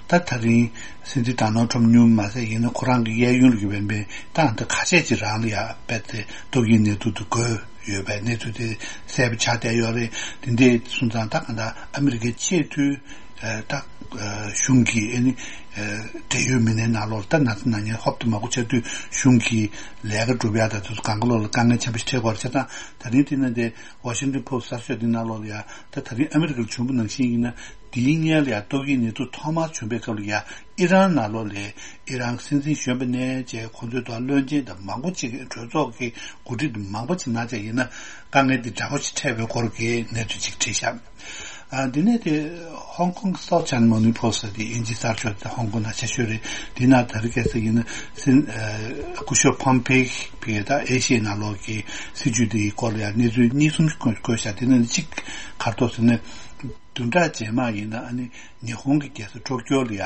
ད་ད་རིང་སྲིད་འཛིན་ཌོ་ནལ་ཊརམ་ཕི་སྨྱུ་མ་ཟད་ཡིན་ན་ཁོ་རང་གི་གཡས་གཡོན་ལ་ཡོད་པའི་མི་ད་ད་ཁ་ཤས་ཅིག་རང་ལ་ཡ་དཔེ་དེ་ཏོག་དབྱིབས་ནད་དུག་དེ་འགོས་ཡོད་པའི་གནས་ཚུལ་དེ་གསལ་པོ་ཆགས་བསྡད་ཡོད་རེད། དེ་འདྲ་སོང་ཙང་ད་གང་ལྟར་ཨ་མི་རི་ཀའི་ཆེས་མཐོའི། ཨ། ད། ཨ། གཞུང་གི་ཨ་ནི། ཨ། འབྲེལ་ཡོད་མི་སྣའི་ནང་ལོགས་ལ་ད་ན་ཚ་ན་མཁན་ཧོབ་ཏེ་མང་པོ་ཆགས་དུས་གཞུང་གི་ལས་ཀ་སྒྲུབ་ཡག་དང་དེ་ཚོ་གང་ག་ལོག་ལ་དཀའ་ངལ་ཆེན་པོ་ཞིག་འཕྲད་ཀྱི་ཡོད་རེད། བྱས་ཙང་ད་རིང་དེ་ནང་དེ་ཝ་ཤིང་ཊོན་པོ་སི་ཊི་གསར་ཤོག་འདི་ནང་ལོགས་ལ་ཡ། ད་ད་རིང་ཨ་མི་རི་ཀར་བྱུང་བ་ནང་བཞིན་ཡིན་ན། འདིའི་སྔོན་ལ་ཡ་ཏོག་དབྱིབས་ནད་དུག་ཐོག་མར་བྱུང་བའི་སྐབས་ལ་ཡ། ཨི་རན་ནང་ལོགས་ལ་ཨི་རན་སྲིད་འཛིན་གཞོན་པ་ནས་བྱས་ཁོང་ཚོའི་ཐོག་བློན་ཆེན་དང་མང་པོ་ཅིག་གི་གྲོས་ཚོགས་ཀྱི་འགོ་ཁྲིད་མང་པོ་ཅིག་ན་ཚ་ཡིན་ན་དཀའ་ངལ་འདི་འདྲ་པོ་ཞིག་འཕྲད་པའི་སྐོར་གྱི་གནས་ཚུལ་ཅིག་བྲིས་ཤག་ཨ། འདི་ནས་དེ་ཧོང་ཀོང་གི་སའུ་ཐི་ཆའེ་ན་ནཱ་མོར་ནིང་པོ་སི་ཊི་དེ་དབྱིན་ཇིའི་གསར་ཤོག་དེ་ཧོང་ཀོང་ནང་ཆེ་ཤོས་རེད། འདི་ནང་ད་རེས་ཁ་སང་ཡིན་ན་སྲིད། ཨ། སྐུ་ཞབས་ཕོམ་པེ་ཡིས་ད་ཨེ་ཤི་ཡའི་ནང་ལོགས་ཀྱི་སྲིད་བྱུས་དེའི་སྐོར་ལ་ཡང་གནས་ཚུལ་གཉིས་གསུམ་བཀོད་བཀོད་ཤག་དེ་ནང་གཅིག་ག་རེ་འདུག་ཟེར་ན། བདུན་ཕྲག་རྗེས་མ་ཡིན་ན་ཨ་ནི་ཉི་ཧོང་གི་རྒྱལ་ས་ཊོ་ཀྱོ་ལ་ཡ།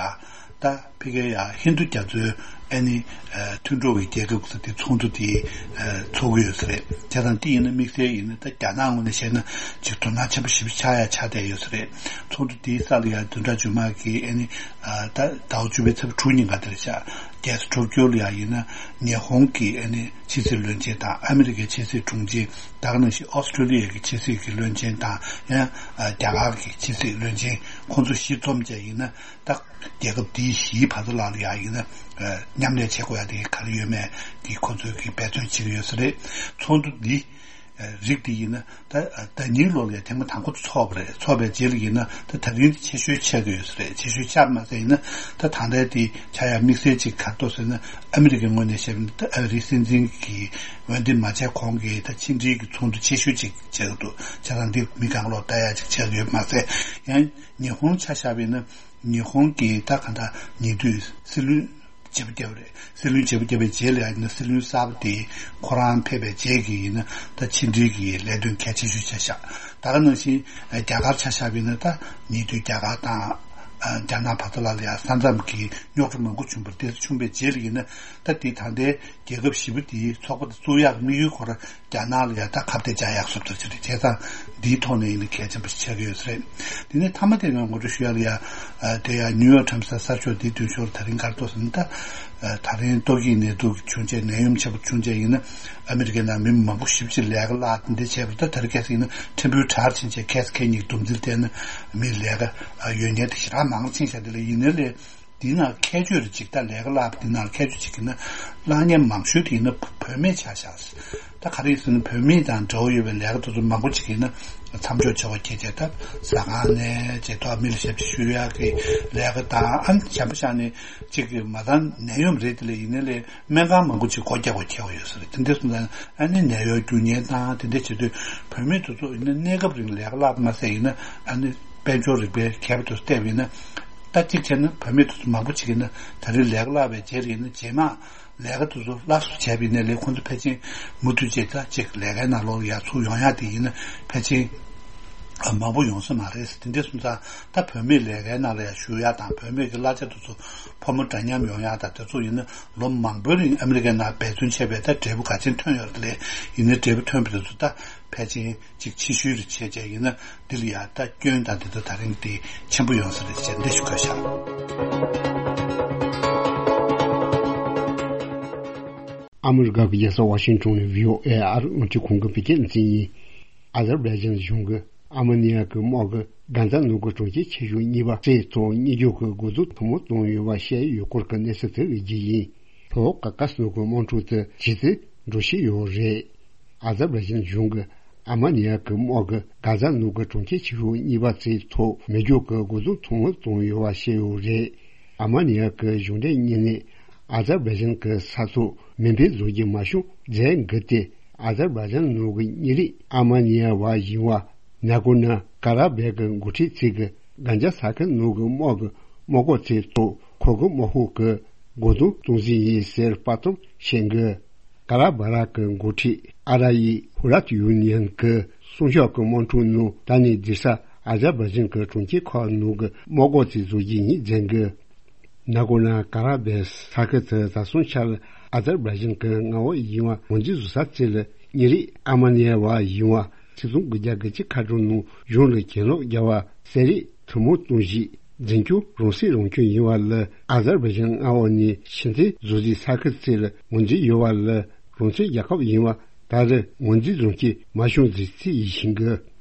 ད་ཕ་གིའི་ཡ་ཧིན་རྡུ་རྒྱ་མཚོའི་ཨ་ནི། ཨ། མཐུན་གྲོགས་ཀྱི་རྒྱལ་ཁབ་ཚོ་དེ་ཚོགས་འདུ་དེ། ཨ། ཚོགས་ཀྱི་ཡོད་ས་རེད། བྱས་ཙང་དེ་ཡིན་ན་དམིགས་བསལ་ཡིན་ན་ད་རྒྱ་ནག་ངོས་ནས་བཤད་ན་ཅིག་དོ་སྣང་ཆེན་པོ་ཞེ་པོ་ཆགས་ཡ་ཆགས་བསྡད་ཡོད་ས་རེད། ཚོགས་འདུ་དེའི་ས་ལ་ཡ་བདུན་ཕྲག་རྗེས་མ་གི་ཨ་ནི། ཨ། ད་ཟླ་བ་བཅུ་པའི་ཚེས་པ་དྲུག་ཉིན་ག་དེར་ཤག་རྒྱལ་ས་ཊོ་ཀྱོ་ལ་ཡ་ཡིན་ན་ཉི་ཧོང་གི་ཨ་ནི་ཕྱི་སྲིད་བློན་ཆེན་དང་ཨ་མི་རི་ཀའི་ཕྱི་སྲིད་དྲུང་ཆེ། ད་ག་ནང་བཞིན་ཨོ་སི་ཀྲོ་ལི་ཡ་གི་ཕྱི་སྲིད་ཀྱི་བློན་ཆེན་དང་ཡང་། ཨ། རྒྱ་གར་གྱི་ཕྱི་སྲིད་བློན་ཆེན་ཁོང་ཚོ་བཞི་འཛོམས་བྱས་ཡིན་ན། ད་རྒྱལ་ཁབ་འདིའི་བཞིའི་བར་དུ་ལ་ལ་ཡ་ཡིན་ན། ཨ། མཉམ་ལས་བྱེད་དགོས་ཡ་དེ་ག་རེ་ཡོད་མེད་དེ་ཁོང་ཚོས་ཀྱི་འབད་བརྩོན་བྱེད་ཀྱི་ཡོད་ས་རེད། ཚོགས་འདུ་འདི་ རིགས་དེ་ཡིན་ན་ད་ཟླ་ཉིན་ལོ་ལ་ཐེངས་མ་དང་པོ་ཚོགས་པ་རེད། ཚོགས་པའི་རྗེས་ལ་ཡིན་ན་ད་ད་རིང་དེ་ཆེ་ཤོས་ཆགས་ཀྱི་ཡོད་ས་རེད། ཆེ་ཤོས་ཆགས་མ་ཟད་ཡིན་ན་ད་ད་ལྟའི་དེ་ཆགས་ཡ་དམིགས་བསལ་ཅིག་ག་རེ་འདུག་ཟེར་ན། ཨ་མི་རི་ཀའི་ངོས་ནས་བཤད་པ་ཡིན་ན་ད་ཨ་རིའི་སྲིད་འཛིན་གྱི་འོས་འདེམས་མ་བྱས་གོང་གི་ད་ཕྱི་འབྲེལ་གྱི་ཚོགས་འདུ་ཆེ་ཤོས་ཅིག་ཆགས་ཀྱི་འདུག་བྱས་ཙང་འདི་མི་གང་ལོག་ལྟ་ཡ་ཅིག་ཆགས་ཀྱི་ཡོད་མ་ཟད། ཡང་ཉི་ཧོང་ཆ་བཞག་པ་ཡིན་ན་ཉི་ཧོང་གི་ད་ག་ད་ཉེ་དུས་སྲིད་བློན་བརྗེ་པོ་བརྒྱབ་པ་རེད། སྲིད་བློན་བརྗེ་པོ་བརྒྱབ་པའི་རྗེས་ལ་ཡང་ན་སྲིད་བློན་གསར་པ་དེ་ཁོ་རང་ཕེབས་པའི་རྗེས་ཀྱི་ཡིན་ན་ད་ཕྱི་འབྲེལ་གྱི་ལས་དོན་གལ་ཆེ་ཤོས་ཆ་བཞག་ད་ག་ནང་བཞིན་རྒྱ་གར་ཆ་བཞག་པ་ཡིན་ན་ད་ཉེ་དུས་རྒྱ་གར་དང་རྒྱ་ནག་བར་དུ་ལ་ལ་ཡང་ས་མཚམས་ཀྱི་རྙོག་དྲ་མང་པོ་བྱུང་བ་རེད། དེ་བྱུང་བའི་རྗེས་ལ་ཡིན་ན་ད་དེ་ད་ལྟའི་རྒྱལ་ཁབ་བཞི་པོ་དེའི་ཚོགས་པ་དེ་བཙུགས་ཡག་དམིགས་ཡུལ་ཁོ་རང་རྒྱ་ནག་ལ་ཡང་ད་ཁ་གཏད་བཅག་ཡག་བཟོ་ཐུབ་ཀྱི་རེད། བྱས་ཙང་འདིའི་ཐོག་ནས་ཡིན་ན་གལ་ཆེན་པོ་ཞིག་ཆགས་ཀྱི་ཡོད་ས་རེད། དེ་ནས་མཐའ་མ་དེ་ཡང་ངོ་སྤྲོད་ཞུ་ཡ་ལ་ཡ། ཨ་དེ་ཡང་ནིའུ་ཡོག་ཊའིམ་སི་གསར་ཤོག་འདིའི་མདུན་ཤོག་ལ་ད་རིང་ག་རེ་འདུག་ཟེར་ན་ད། ཨ་ད་རིང་ཏོག་དབྱིབས་ནད་དུག་བྱུང་རྗེས་ནད་ཡམས་ཆེན་པོ་བྱུང་རྗེས་ཡིན་ན་ཨ་མི་རི་ཀའི་ནང་མི་མང་པོ་ཞེ་པོ་ཅིག་ལས་ཀ་བརླག་དེ་འདྲ་བྱས་པ་རེད། ད་ད་རེས་ཁ་སང་ཡིན་ན་ཕྲན་བུའི་དྲག་ཕྱིན་རྗེས་ཁ་སང་ཁ་ཉིན་བསྡོམས་རྩིས་བལྟས་ན་མི་ལས་ཀ་ཡོད་མཁན་དེ་ཞེ་དྲག་མང་ཕྱིན་ཤག་དེ་ལ་ཡིན་ན་ལས། དེའི་ནང་ཁྱད་ཆོས་རེ་ཅིག་ད་ལས་ཀ་བརླག་པ་དེའི་ནང་ཁྱད་ཆོས་ཅིག་ཡིན་ན་བརླག་མཁན་མང་ཤོས་དེ་ཡིན་ན་བུད་མེད་ཆགས་ཤག་ད་ག་རེ་ཡིན་ཟེར་ན་བུད་མེད་དང་འབྲེལ་བ་ཡོད་པའི་ལས་ཀ་དེ་ཚོ་མང་པོ་ཅིག་ཡིན་ན་མཚམས་འཇོག་བྱ་བ་ཁྱེད་ཅག་ད་ཟ་ཁང་ནས་བྱས་ཐོག་མི་ལ་ཞབས་ཕྱི་ཞུ་ཡག་གི་ལས་ཀ་དང་། ཨ་ནི་གཞན་པ་ཤ་ནས་ཅིག་གི་མ་ཚང་ནད་ཡམས་རེད། དེ་ལས་ཡིན་ན་ལས་སྨན་ཁང་མང་པོ་ཅིག་སྒོ་རྒྱག་དགོས་ཁེལ་བ་ཡོད་ས་རེད། དེ་འདྲ་སོང་ཙང་ཨ་ནི་ནད་གཡོག་རྒྱུག་མཁན་དང་དེ་འདྲ་བྱེད་དུས་བུད་མེད་དེ་ཚོ་ཡིན་ན་གནས་སྐབས་རིང་ལས་ཀ་བརླག་པ་མ་ཟད་ཡིན་ན་ཨ་ནི་དཔལ་འབྱོར་རིག་པའི་མཁས་པ་དེ་ཚོ་བལྟས་པ་ཡིན་ན། ད་གཅིག་བྱས་ན་བུད་མེད་དེ་ཚོ་མང་པོ་ཅིག་ཡིན་ན་ད་རེས་ལས་ཀ་བརླག་པའི་རྗེས་ཡིན་ན་རྗེས་མ་ལས་ཀ་དེ་ཚོ་སླར་གསོ་བྱས་པ་ཡིན་ན་ལས་ཁོང་ཚོ་ཕལ་ཆེར་མུ་མཐུད་བྱས་ད་ཅིག་ལས་ཀའི་ནང་ལོགས་ལ་ཡར་ཚུར་ཡོང་ཡག་དེ་ཡིན་ན་ཕལ་ཆེར་མང་པོ་ཡོང་ས་མ་རེད། དེ་འདྲ་སོང་ཙང་ད་བུད་མེད་ལས་ཀའི་ནང་ལ་ཡར་ཞུགས་ཡག་དང་བུད་མེད་ཀྱི་གླ་ཆ་དེ་ཚོ་ཕོ་མོ་འདྲ་མཉམ་ཡོང་ཡག་དང་དེ་ཚོ་ཡིན་ན་ལོ་མང་པོའི་རིང་ཨ་མི་རི་ཀའི་ནང་འབད་བརྩོན་བྱས་པའི་ད་འབྲས་བུ་ག་ཚད་ཐོན་ཡོད་རེད། དེ་ལས་ཡིན་ན་འབྲས་བུ་ཐོན་པ་དེ་ཚོ་ད་ཕལ་ཆེར་ཅིག་ཕྱི་བཤོལ་རེ་བྱས་བྱས་ཡིན་ན་འདི་ལ་ཡང་ད་སྐྱོན་དང་དེ་ཚོ་ད་རིང་དེ་ཆེན་པོ་ཡོང་ས་རེད་ཅེས་འདི་ཞུ་དགོས་ཤག་ཨ་མི་རི་ཀ་གི་རྒྱལ་ས་ཝ་ཤིང་ཊོན་ནས་བྷི་ཨོ་ཨེ་ཨ་རིའི་རླུང་འཕྲིན་ཁང་གི་བོད་སྐད་སྡེ་ཚན་ཡིན། ཨ་ཛར་བྷའི་ཇན་གཞུང་གིས་ཨ་མ་ནི་ཡ་གི་དམག་གིས་གྷ་ཛ་ནང་གི་གྲོང་ཁྱེར་ཆེ་ཤོས་གཉིས་པ་རྩིས་ཐོག་རྙེད་རྒྱུ་གི་རྒོལ་རྡུང་ཐུང་མོ་བཏང་ཡོད་པ་བཤད་ཡོད་སྐོར་གྱི་གནས་ཚུལ་དེ་རིགས་ཀྱི་ཡིན། ལྷོ་ཀ་ཀ་སི་ནང་གི་དམག་འཁྲུག་དེ་ཇེ་ཆེར་འགྲོ་བཞིན་ཡོད་རེད། ཨ་ཛར་བྷའི་ཇན་གཞུང་གིས་ཨར་མ་ནི་ཡ་གི་དམག་གིས་གྷ་ཛ་ནང་གི་གྲོང་ཁྱེར་ཆེ་ཤོས་གཉིས་པ་རྩིས་ཐོག་མེ་སྒྱོགས་ཀྱི་རྒོལ་རྡུང་ཐུང་ངུ་བཏང་ཡོད་པ་བཤད་ཡོད་རེད། ཨར་མ་ནི་ཡ་གི་གཞུང་འབྲེལ་གཉིས་ནས་ཨ་ཛར་བྷའི་ཇན་གྱི་ས་ཐོག་མེ་འཕེན་བཟོ་རྒྱུ་མ་བྱུང་མཛད་འགུལ་དེ་ཨ་ཛར་བྷའི་ཇན་ནང་གི་མི་རིགས་ཨར་མ་ནི་ཡ་བ་ཡིན་པ་ནཱ་གོར་ནོ་ཀ་ར་བྷེ་གི་འགོ་ཁྲིད་ཚོས་གི་གན་ཇཱ་ས་ཁུལ་ནང་གི་དམག་གི་དམག་སྐོར་ཚོའི་ཐོག་ཁོ་གི་དམག་ཤོག་གི་རྒོལ་རྡུང་གཏོང་བཞིན་ཡིན་ཟེར་དཔའ་གཏམ་བཤད་འགུལ། ཀ་ར་བྷ་ར་གི་འགོ་ཁྲིད་ཨ་ར་ཡི་ཧུ་ར་ཏུ་ཡུ་ནི་ཡན་གྱི་གསུང་ཤོག་གི་དམག་འཁྲུག་ནང་ད་ནི་རྡུལ་ས་ཨ་ཛར་བྷའི་ཇན་གྱི་གྲོང་ཁྱེར་ཁག་ནང་གི་དམག་སྐོར་ཚོའི་བཟོ་རྒྱུ་ཡིན་མཛད་འགུལ། ནཱ་གོར་ནོ་ཀ་ར་བྷེ་ས་ཁུལ་དུ་ད་སོང་ཆར་ཨ་ཛར་བྷའི་ཇན་གྱི་མངའ་འོག་ཡིན་པ་ངོས་འཛིན་བཟོ་ས་ཚོ་ལ་མི་རིགས་ཨར་མ་ནི་ཡ་བ་ཡིན་པ་ཆིག་སྟོང་དགུ་བརྒྱ་དགུ་བཅུ་ཁ་གྲངས་ནང་གཞུང་ལ་གྱེན་ལོག་རྒྱག་པ་གསལ་རིག་ཐུན་མོང་གཏོང་གཞི་འཛིན་སྐྱོང་རང་སྲིད་རང་སྐྱོང་ཡིན་པ་ལ་ཨ་ཟར་བྷའི་ཇན་མངའ་འོག་ནས་ཕྱི་འཐེན་བཟོ་རྩིས་ས་ཁུལ་ཚོ་ལ་ངོས་འཛིན་ཡོད་པ་ལ་རང་བཙན་རྒྱལ་ཁབ་ཡིན་པ་ད་རེས་ངོས་འཛིན་རང་སྐྱོང་མ་བྱུང་ཟེར་རྩིས་ཡིན་ཞིང་གི།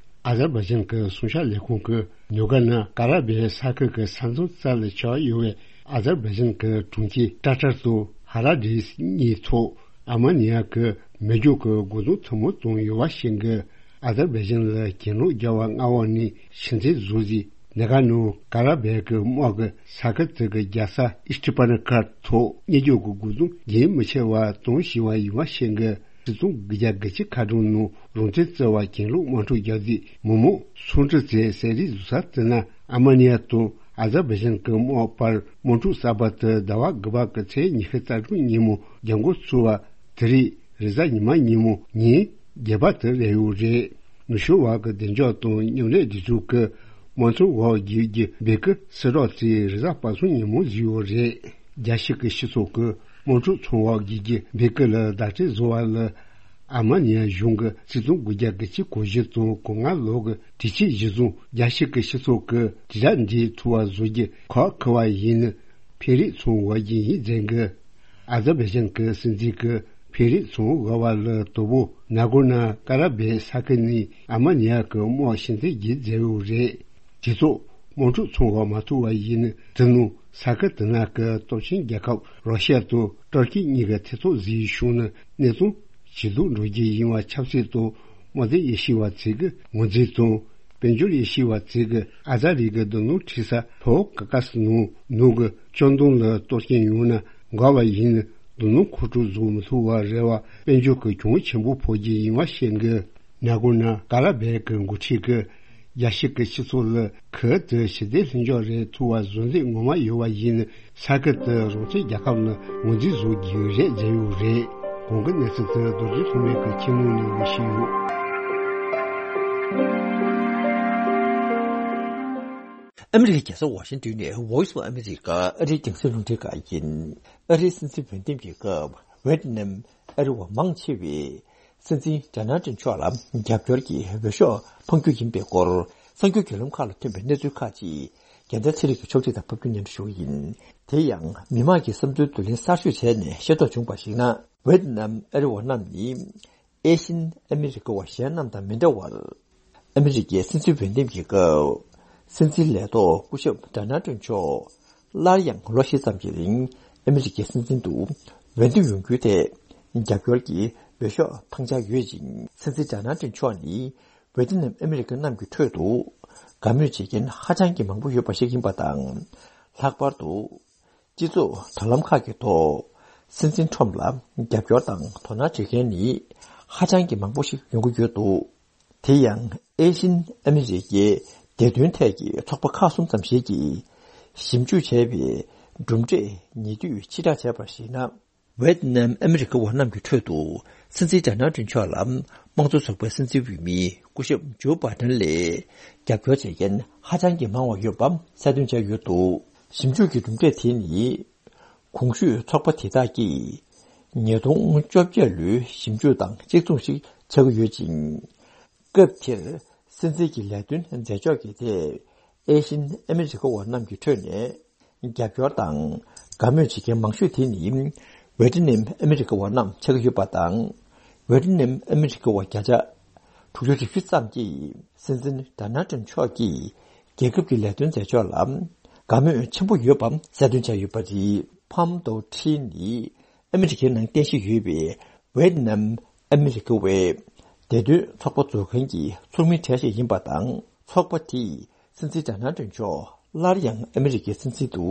ཨ་ཟར་བྷའི་ཇན་གྱི་གསུང་བཤད་ལས་ཁུངས་ཀྱིས་ནུ་ག་ན་ཀ་ར་བྷེ་ས་ཁུལ་གྱི་ས་མཚམས་རྩ་ལ་ཆགས་ཡོད་པའི་ཨ་ཟར་བྷའི་ཇན་གྱི་གྲོང་ཁྱེར་ཏྲ་ཏར་དང་ཧ་ར་དྲིས་གཉིས་ཐོག་ཨར་མ་ནི་ཡ་གི་མེ་སྒྱོགས་ཀྱི་རྒོལ་རྡུང་ཐུན་མོང་བཏང་ཡོད་པ་ཞིག་གིས། ཨ་ཟར་བྷའི་ཇན་ལ་གྱེན་ལོག་རྒྱག་པ་མངའ་འོག་ནས་ཕྱི་འཐེན་བཟོ་རྩིས་ནུ་ག་ནོ་ཀ་ར་བྷེ་གི་དམག་གི་ས་ཁུལ་དེ་གི་རྒྱལ་ས་ཨིས་ཏི་པ་ན་ཀར་ཐོག་མེ་སྒྱོགས་ཀྱི་རྒོལ་རྡུང་རྒྱུན་མི་ཆད་པར་གཏོང་བཞིན་པ་ཡིན་པ་ཞིག་གིས། ཆིག་སྟོང་དགུ་བརྒྱ་དགུ་བཅུ་ཁ་གྲངས་ནང་རང་བཙན་རྩོད་པ་གྱེན་ལོག་དམག་འཁྲུག་རྒྱག་རྩིས་མི་མང་ཚོགས་འདུ་བྱས་གསལ་རིག་བཟོ་ས་དེ་ན་ཨར་མ་ནི་ཡ་དང་ཨ་ཟར་བྷའི་ཇན་གྱི་དམག་བར་དམག་འཁྲུག་གསར་པ་དེ་ཟླ་བ་དགུ་པ་གི་ཚེས་ཉི་ཤུ་རྩ་དྲུག་ཉིན་མོ་རྒྱབ་འགོ་ཚུགས་པ་དེ་རིང་རེས་གཟའ་ཉི་མ་ཉིན་མོ་ཉིན་བརྒྱད་པ་དེ་རེད་ཡོད་རེད། ནུབ་ཕྱོགས་བར་གྱི་བདེ་འཇགས་དང་མཉམ་ལས་སྒྲིག་འཛུགས་ཀྱི་དམག་དོན་འོག་བསྒྱུར་རྒྱུ་བྷེ་ཀི་གསལ་བསྒྲགས་དེ་རེས་གཟའ་པ་སངས་ཉིན་མོ་བཟོས་ཡོད་རེད། རྒྱལ་སྤྱི་གི་སྤྱི་ཚོགས་ཀྱི་དམག་འཁྲུག་ཚོང་འོག་བསྒྱུར་རྒྱུ་བྷེ་ཀི་ལ་བརྡ་སྤྲོད་བཟོ་བ་ལ། ཨར་མ་ནི་ཡ་གཞུང་གིས་ཆིག་སྟོང་དགུ་བརྒྱ་དགུ་བཅུ་གོ་བཞི་དང་གོ་ལྔ་ལོ་གི་དུས་ཆེན་གཞིར་བཟུང་རྒྱལ་སྤྱི་གི་སྤྱི་ཚོགས་ཀྱི་དྲིལ་བསྒྲགས་འདི་ཐུབ་པ་བཟོ་རྒྱུ་ཁག་ཁུར་བ་ཡིན་ན་ཕན་རེས་ཚོང་འོག་བསྒྱུར་ཡིན་མཛད་འགུལ། ཨ་ཟར་བྷའི་ཇན་གྱི་སྲིད་འཛིན་གྱིས་ཕན་རེས་ཚོང་འོག་བ་ལ་དོ་པོ་ནཱ་གོར་ནོ་ཀ་ར་བྷེ་ས་ཁུལ་ནས་ཨར་མ་ནི་ཡ་གི་དམག་ཕྱི་འཐེན་བརྒྱུད་མཛད་ཡོད་རེད། སྤྱི་ཚོགས་དམག་འཁྲུག་ཚོང་འོག་མ་ཐུག་པ་ཡིན་ན་དེ་ནང་ས་ཁུལ་དེ་ནང་གི་སྟོབས་ཆེན་རྒྱལ་ཁབ་རོ་ཤི་ཡ་དང་ཏུར་ཀི་གཉིས་ཀྱི་ཐེ་ཚོམ་ཟིན་བྱུང་ན་གནས་སྟངས་ཇེ་སྡུག་འགྲོ་རྒྱུ་ཡིན་པ་ཆབ་སྲིད་དང་ དངོས་འཛིན་ཡེ་ཤེས་པ་བཅས་ཀྱིས་ངོས་འཛིན་དང་། དཔལ་འབྱོར་ཡེ་ཤེས་པ་བཅས་ཀྱིས་ཨ་ཛ་རི་གི་རྡུལ་སྣུམ་འཕྲུལ་ས་ཕོ་ཀ་ཀ་སི་ནང་ནུབ་ཀྱི་ཅོ་འདོན་ལ་གཏོར་སྐྱོན་ཡོང་ན་དགའ་བ་ཡིན། རྡུལ་སྣུམ་མཁོ་སྤྲོད་བཟོ་མི་ཐུབ་པ་རེད་བ། དཔལ་འབྱོར་གྱི་གྱོང་ཆེན་པོ་ཕོག་རྒྱུ་ཡིན་བ་བཤད་འདུག་ནག་གོ་ན་ཀ་ལ་བེ་གི་འགོ་ཁྲིད་ཀྱིས་རྒྱལ་སྤྱི་གི་སྤྱི་ཚོགས་ལ་ཁུལ་དུ་ཞི་བདེ་ལྷིང་འཇགས་རེད་ཐུབ་པ་བཟོ་འདོད་ངོ་མ་ཡོད་པ་ཡིན། ས་ཁུལ་དུ་རང་བཙན་རྒྱལ་ཁབ་ལ་ངོས་འཛིན་བཟོ་རྒྱུ་རེད་བརྗོད་ཡོད་རེད། གོང་གི་གནས་ཚུལ་དེ་རྡོ་རྗེ་ལྷུན་མེད་ཀྱིས་ཁྱིམ་ནང་ནས་ངོ་ཤེས་ཡོད། ཨ་མི་རི་ཀའི་རྒྱལ་ས་ཝ་ཤིང་ཏོན་ནས་Voice of America ཨ་རིའི་རྒྱང་སྲིང་རླུང་འཕྲིན་ཁང་ཡིན། ཨ་རིའི་སྲིད་འཛིན་འོས་འདེམས་ཀྱི་སྐབས་ཝེ་ཏི་ནམ་ཨ་རི་བ་མང་ཆེ་བས་སྲིད་འཛིན་ཌོ་ནལ་ཏྲམ་མཆོག་ལ་རྒྱབ་སྐྱོར་གྱི་འོས་ཤོག་འཕང་རྒྱུ་ཡིན་པའི་སྐོར་གསར་འགྱུར་བརྒྱུད་ལམ་ཁག་ལ་ཐོན་པའི་གནས་ཚུལ་ཁག་ཅིག་རྒྱལ་མཚན་ཚེ་རིང་གིས་ཕྱོགས་སྒྲིག་དང་ཕབ་སྒྱུར་སྙན་སྒྲོན་ཞུ་གི་ཡིན། དེ་ཡང་མི་མང་གི་བསམ་ཚུལ་བསྡུ་ལེན་གསར་ཤོས་བྱས་ནས་ཤེས་རྟོགས་བྱུང་བར་གཞིགས་ན། ཝེ་ཏི་ནམ་ཨ་རི་བ་རྣམས་ནི་ཨེ་ཤན་ཨ་མི་རི་ཀ་བ་གཞན་རྣམས་དང་མི་འདྲ་བར། ཨ་མི་རི་ཀའི་སྲིད་འཛིན་འོས་འདེམས་ཀྱི་སྐབས། སྲིད་འཛིན་ལས་ཐོག་སྐུ་ཞབས་ཌོ་ནལ་ཏྲམ་མཆོག་སླར་ཡང་ལོ་བཞི་ཙམ་གྱི་རིང་ཨ་མི་རི་ཀའི་སྲིད་འཛིན་དུ་འོས་འདེམས་ཡོང་རྒྱུའི་ཐད་རྒྱབ་སྐྱོར་གྱི་འོས་ཤོག་འཕང་འཆར་ཡོད་ཅིང་། སྲིད་འཛིན་ཌོ་ནལ་ཏྲམ་མཆོག་ནི་ཝེ་ཏི་ནམ་ཨ་མི་རི་ཀ་རྣམས་ཀྱི་ཁྲོད་དུ་དགའ་མོས་བྱེད་མཁན་ཧ་ཅང་གི་མང་པོ་ཡོད་པ་ཞིག་ཡིན་པ་དང་། ལྷག་པར་དུ། སྤྱི་ཚོགས་དྲ་ལམ་ཁག་གི་ཐོག་སྲིད་འཛིན་ཁྲོམ་ལ་རྒྱབ་སྐྱོར་དང་དོ་སྣང་བྱེད་མཁན་ནི་ཧ་ཅང་གི་མང་པོ་ཞིག་ཡོང་གི་ཡོད་འདུག་དེ་ཡང་ཨེ་ཤིན་ཨ་མི་རི་ཀའི་བདེ་དོན་ཐད་ཀྱི་ཚོགས་པ་ཁག་གསུམ་ཙམ་ཞིག་གིས་ཞིབ་འཇུག་བྱས་པའི་གྲུབ་འབྲས་ཉེ་དུས་ཕྱིར་བསྒྲགས་བྱས་པར་གཞིགས་ན། ཝེ་ཏི་ནམ་ཨ་མི་རི་ཀ་བ་རྣམས་ཀྱི་ཁྲོད་དུ་སྲིད་འཛིན་ཌོ་ནལ་ཏྲམ་མཆོག་ལ་དམངས་གཙོ་ཚོགས་པའི་སྲིད་འཛིན་འོས་མི་སྐུ་ཞབས་ཇོ་བྷ་དན་ལས་རྒྱབ་སྐྱོར་བྱེད་མཁན་ཧ་ཅང་གི་མང་བ་ཡོད་པ་གསལ་སྟོན་བྱས་ཡོད་འདུག་ཞིབ་འཇུག་གི་གྲུབ་འབྲས་དེ་ནི། གོང་ཞུས་ཚོགས་པ་དེ་དག་གིས་ཉིས་སྟོང་བཅོ་བརྒྱད་ལོའི་ཞིབ་འཇུག་དང་གཅིག་མཚུངས་ཤིག་ཆགས་ཀྱི་ཡོད་ཅིང་། སྐབས་དེར་སྲིད་འཛིན་གྱི་ལས་དོན་མཛད་ཕྱོགས་ཀྱི་ཐད་ཨེ་ཤིན་ཨ་མི་རི་ཀ་བ་རྣམས་ཀྱི་ཁྲོད་ནས་རྒྱབ་སྐྱོར་དང་དགའ་མོས་བྱེད་མཁན་མང་ཤོས་དེ་ནི་ཝེ་ཏི་ནམ་ཨ་མི་རི་ཀ་བ་རྣམས་ཆགས་ཀྱི་ཡོད་པ་དང་། ཝེ་ཏི་ནམ་ཨ་མི་རི་ཀ་བ་བརྒྱ་ཆ་དྲུག་ཅུ་རེ་བཞི་ཙམ་གྱིས་སྲིད་འཛིན་ཌོ་ནལ་ཏྲམ་མཆོག་གིས་རྒྱལ་ཁབ་ཀྱི་ལས་དོན་མཛད་ཕྱོགས་ལ་དགའ་མོས་ཆེན་པོ་ཡོད་པ་གསལ་སྟོན་བྱས་ཡོད་པ་རེད། ཕམ་དོ་ཁྲི་ནི་ཨ་མི་རི་ཀའི་ནང་རྟེན་གཞི་ཡོད་པའི་ཝེ་ཏི་ནམ་ཨ་མི་རི་ཀ་བའི་བདེ་དོན་ཚོགས་པ་འཛུགས་མཁན་གྱི་ཚོགས་མི་གྲས་ཤིག་ཡིན་པ་དང་། ཚོགས་པ་དེས་སྲིད་འཛིན་ཌོ་ནལ་ཏྲམ་མཆོག་སླར་ཡང་ཨ་མི་རི་ཀའི་སྲིད་འཛིན་དུ་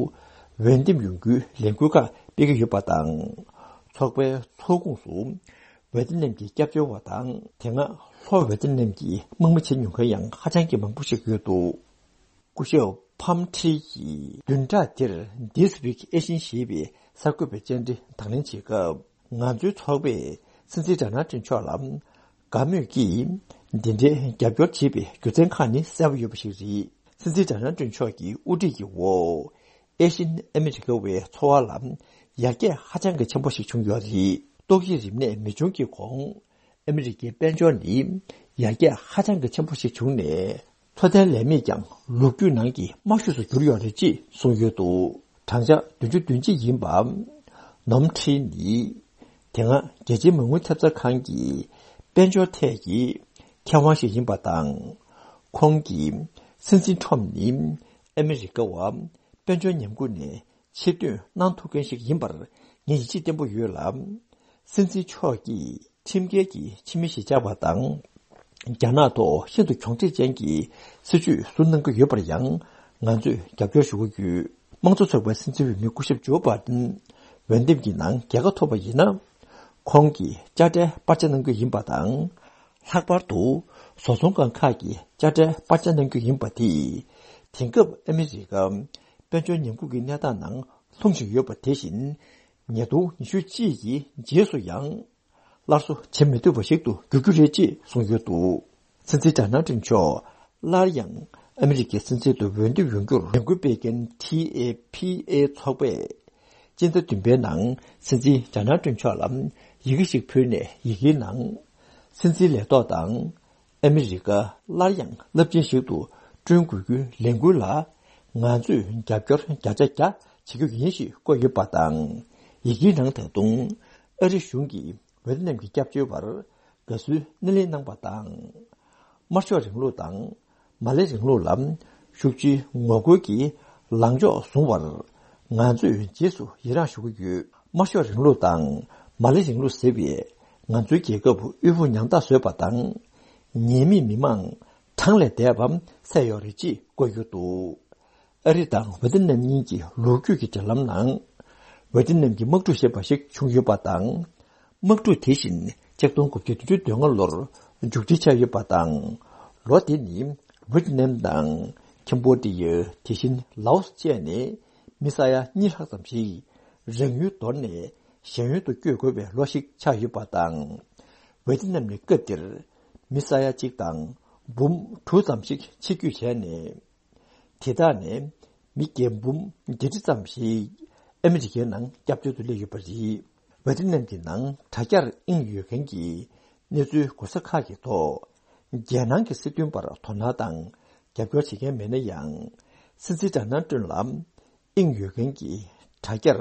འོས་འདེམས་ཡོང་རྒྱུའི་ལས་འགུལ་ཁག་སྤེལ་གྱི་ཡོད་པ་དང་། ཚོགས་པའི་ཚོགས་ཁོངས་སུ་ཝེ་ཏི་ནམ་གྱི་སྐྱབས་བཅོལ་བ་དང་། དེ་སྔ་ལྷོ་ཝེ་ཏི་ནམ་གྱི་དམག་མི་བྱེད་མྱོང་མཁན་ཡང་ཧ་ཅང་གི་མང་པོ་ཞིག་ཡོད་འདུག་སྐུ་ཞབས་ཕམ་ཁྲི་ཡིས་བདུན་ཕྲག་འདིར་This Week Asian ཞེས་པའི་གསར་འགོད་པའི་བཅར་འདྲི་དང་ལེན་བྱེད་སྐབས། ང་ཚོའི་ཚོགས་པས་སྲིད་འཛིན་ཌོ་ནལ་ཏྲམ་མཆོག་ལ་དགའ་མོས་ཀྱིས་འདི་འདྲའི་རྒྱབ་སྐྱོར་བྱེད་པའི་རྒྱུ་མཚན་ཁག་ནི་གསལ་པོ་ཡོད་པ་ཞིག་རེད། སྲིད་འཛིན་ཌོ་ནལ་ཏྲམ་མཆོག་གི་དབུ་ཁྲིད་ཀྱི་འོག་ཨེ་ཤིན་ཨ་མི་རི་ཀ་བའི་འཚོ་བ་ལ་ཡར་རྒྱས་ཧ་ཅང་གི་ཆེན་པོ་ཞིག་བྱུང་ཡོད་རེད། ཏོག་དབྱིབས་རིམས་ནད་མི་འབྱུང་གི་གོང་། ཨ་མི་རི་ཀའི་དཔལ་འབྱོར་ནི་ཡར་རྒྱས་ཧ་ཅང་གི་ཆེན་པོ་ཞིག་བྱུང་ནས། འཚོ་རྟེན་ལས་མེད་ཀྱང་ལོ་རྒྱུས་ནང་གི་དམའ་ཤོས་སུ་གྱུར་ཡོད་རེད་ཅེས་གསུངས་ཡོད་འདུག་གྲངས་ཆ་བདུན་ཅུ་དོན་གཅིག་ཡིན་པ། ནོམ་ཁྲི་ནི། དེ་སྔ་རྒྱལ་སྤྱིའི་མ་དངུལ་ཐེབས་རྩ་ཁང་གིས་དཔལ་འབྱོར་ཐད་ཀྱི་མཁས་དབང་ཞིག་ཡིན་པ་དང་། ཁོང་གིས་སྲིད་འཛིན་ཁྲོམ་ནི་ཨ་མི་རི་ཀ་བ་དཔལ་འབྱོར་ཉམས་རྒུད་ནས་ཕྱིར་ཐོན་གནང་ཐུབ་མཁན་ཞིག་ཡིན་པར་ངས་ཡིད་ཆེས་བརྟན་པོ་ཡོད་ལ། སྲིད་འཛིན་མཆོག་གིས་ཁྲིམས་འགལ་གྱི་ཕྱི་མི་གཞིས་ཆགས་པ་དང་། རྒྱ་ནག་ཐོག་ཤིན་ཏུ་གྱོང་འཕྲད་ཅན་གྱི་སྲིད་བྱུས་བཟུང་གནང་གི་ཡོད་པར་ཡང་ང་ཚོས་རྒྱབ་སྐྱོར་ཞུ་གི་ཡོད། དམངས་གཙོ་ཚོགས་པའི་སྲིད་འཛིན་འོས་མི་སྐུ་ཞབས་ཇོ་བྷ་དན་འོས་འདེམས་ཀྱི་ནང་རྒྱལ་ཁ་ཐོབ་པ་ཡིན་ན། ཁོང་གིས་དཔྱ་ཁྲལ་སྤར་ཆ་གནང་རྒྱུ་ཡིན་པ་དང་། ལྷག་པར་དུ་བཟོ་ཚོང་ཁང་ཁག་གི་དཔྱ་ཁྲལ་སྤར་ཆ་གནང་རྒྱུ་ཡིན་པ་དེས། དེང་སྐབས་ཨ་མི་རི་ཀ་དཔལ་འབྱོར་ཉམས་རྒུད་ཀྱི་གནས་སྟངས་ནང་ལྷུང་བཞིན་ཡོད་པ་དེ་བཞིན། ཉིས་སྟོང་ཉི་ཤུ་གཅིག་གི་རྗེས་སུ་ཡང་སླར་གསོ་བྱེད་མི་ཐུབ་པ་ཞིག་ཏུ་འགྱུར་རྒྱུ་རེད་ཅེས་གསུངས་ཡོད་འདུག་སྲིད་འཛིན་ཌོ་ནལ་ཏྲམ་མཆོག་སླར་ཡང་ཨ་མི་རི་ཀའི་སྲིད་འཛིན་དུ་འོས་འདེམས་ཡོང་རྒྱུར་ལས་འགུལ་སྤེལ་མཁན་ཊི་ཨེ་ཕི་ཨེ་ཚོགས་པས་སྤྱི་ཟླ་བདུན་པའི་ནང་སྲིད་འཛིན་ཌོ་ནལ་ཏྲམ་མཆོག་ལ་ཡི་གེ་ཞིག་ཕུལ་ནས། ཡི་གེའི་ནང་སྲིད་འཛིན་ལས་ཐོག་དང་། ཨ་མི་རི་ཀ་སླར་ཡང་རླབས་ཆེན་ཞིག་ཏུ་བསྐྲུན་དགོས་རྒྱུའི་ལས་འགུལ་ལ་ང་ཚོས་རྒྱབ་སྐྱོར་བརྒྱ་ཆ་བརྒྱ་བྱེད་རྒྱུ་ཡིན་ཞེས་བཀོད་ཡོད་པ་དང་། ཡི་གེའི་ནང་ད་དུང་ཨ་རི་གཞུང་གིས་ཝེ་ཏི་ནམ་གྱི་སྐྱབས་བཅོལ་བར་དགའ་བསུའི་སྣེ་ལེན་གནང་པ་དང་། དམར་ཤོག་རིང་ལུགས་དང་མ་ལེ་རིང་ལུགས་ལ་ཤུགས་ཆེའི་ངོ་རྒོལ་གྱི་ལངས་ཕྱོགས་བཟུང་བར་ང་ཚོས་རྗེས་སུ་ཡི་རངས་ཞུ་གི་ཡོད། དམར་ཤོག་རིང་ལུགས་དང་མ་ལེ་རིང་ལུགས་ཟེར་བས་ང་ཚོའི་རྒྱལ་ཁབ་དབུལ་པོ་ཉམ་ཐག་བཟོས་པ་དང་ ཉེས་མེད་མི་མང་གྲངས་ལས་འདས་པ་བསད་ཡོད་རེད་ཅེས་བཀོད་ཡོད་འདུག། ཨ་རི་དང་ཝེ་ཏི་ནམ་གཉིས་ཀྱི་ལོ་རྒྱུས་ཀྱི་འབྲེལ་ལམ་ནང་། ཝེ་ཏི་ནམ་གྱི་དམག་འཁྲུག་ཞེས་པ་ཞིག་བྱུང་ཡོད་པ་དང་། དམག་འཁྲུག་དེ་བཞིན་ཆིག་སྟོང་དགུ་བརྒྱ་བདུན་ཅུ་དོན་ལྔ་ལོར་མཇུག་སྒྲིལ་བྱས་ཡོད་པ་དང་། ལོ་དེ་ནི་ཝེ་ཏི་ནམ་དང་ཁེམ་བྷོ་ཌི་ཡ། དེ་བཞིན་ལའོ་སི་བཅས་ནས་མི་ས་ཡ་གཉིས་ལྷག་ཙམ་ཞིག་རང་ཡུལ་དོར་ནས་གཞན་ཡུལ་དུ་བསྐྱོད་དགོས་པའི་ལོ་ཞིག་ཆགས་ཡོད་པ་དང་། ཝེ་ཏི་ནམ་ནི་སྐབས་དེར་མི་ས་ཡ་གཅིག་དང་འབུམ་དྲུག་ཙམ་ཞིག་ཕྱིར་སྐྱོད་བྱས་ནས། དེ་དག་ནས་མི་བརྒྱ་འབུམ་བརྒྱད་ཁྲི་ཙམ་ཞིག་ཨ་མི་རི་ཀའི་ནང་སྐྱབས་བཅོལ་དུ་སླེབས་ཡོད་པ་རེད། ཝེ་ཏི་ནམ་གྱི་ནང་དྲ་རྒྱར་དབྱིངས་ཡོད་མཁན་གྱི་གནས་ཚུལ་གོ་ས་ཁག་གི་ཐོག་རྒྱལ་ནང་གི་སྲིད་དོན་པར་དོ་སྣང་དང་རྒྱབ་སྐྱོར་བྱེད་མཁན་མེད་ན་ཡང་། སྲིད་འཛིན་ཌོ་ནལ་ཊམ་ལ་དབྱིངས་ཡོད་མཁན་གྱི་དྲ་རྒྱར་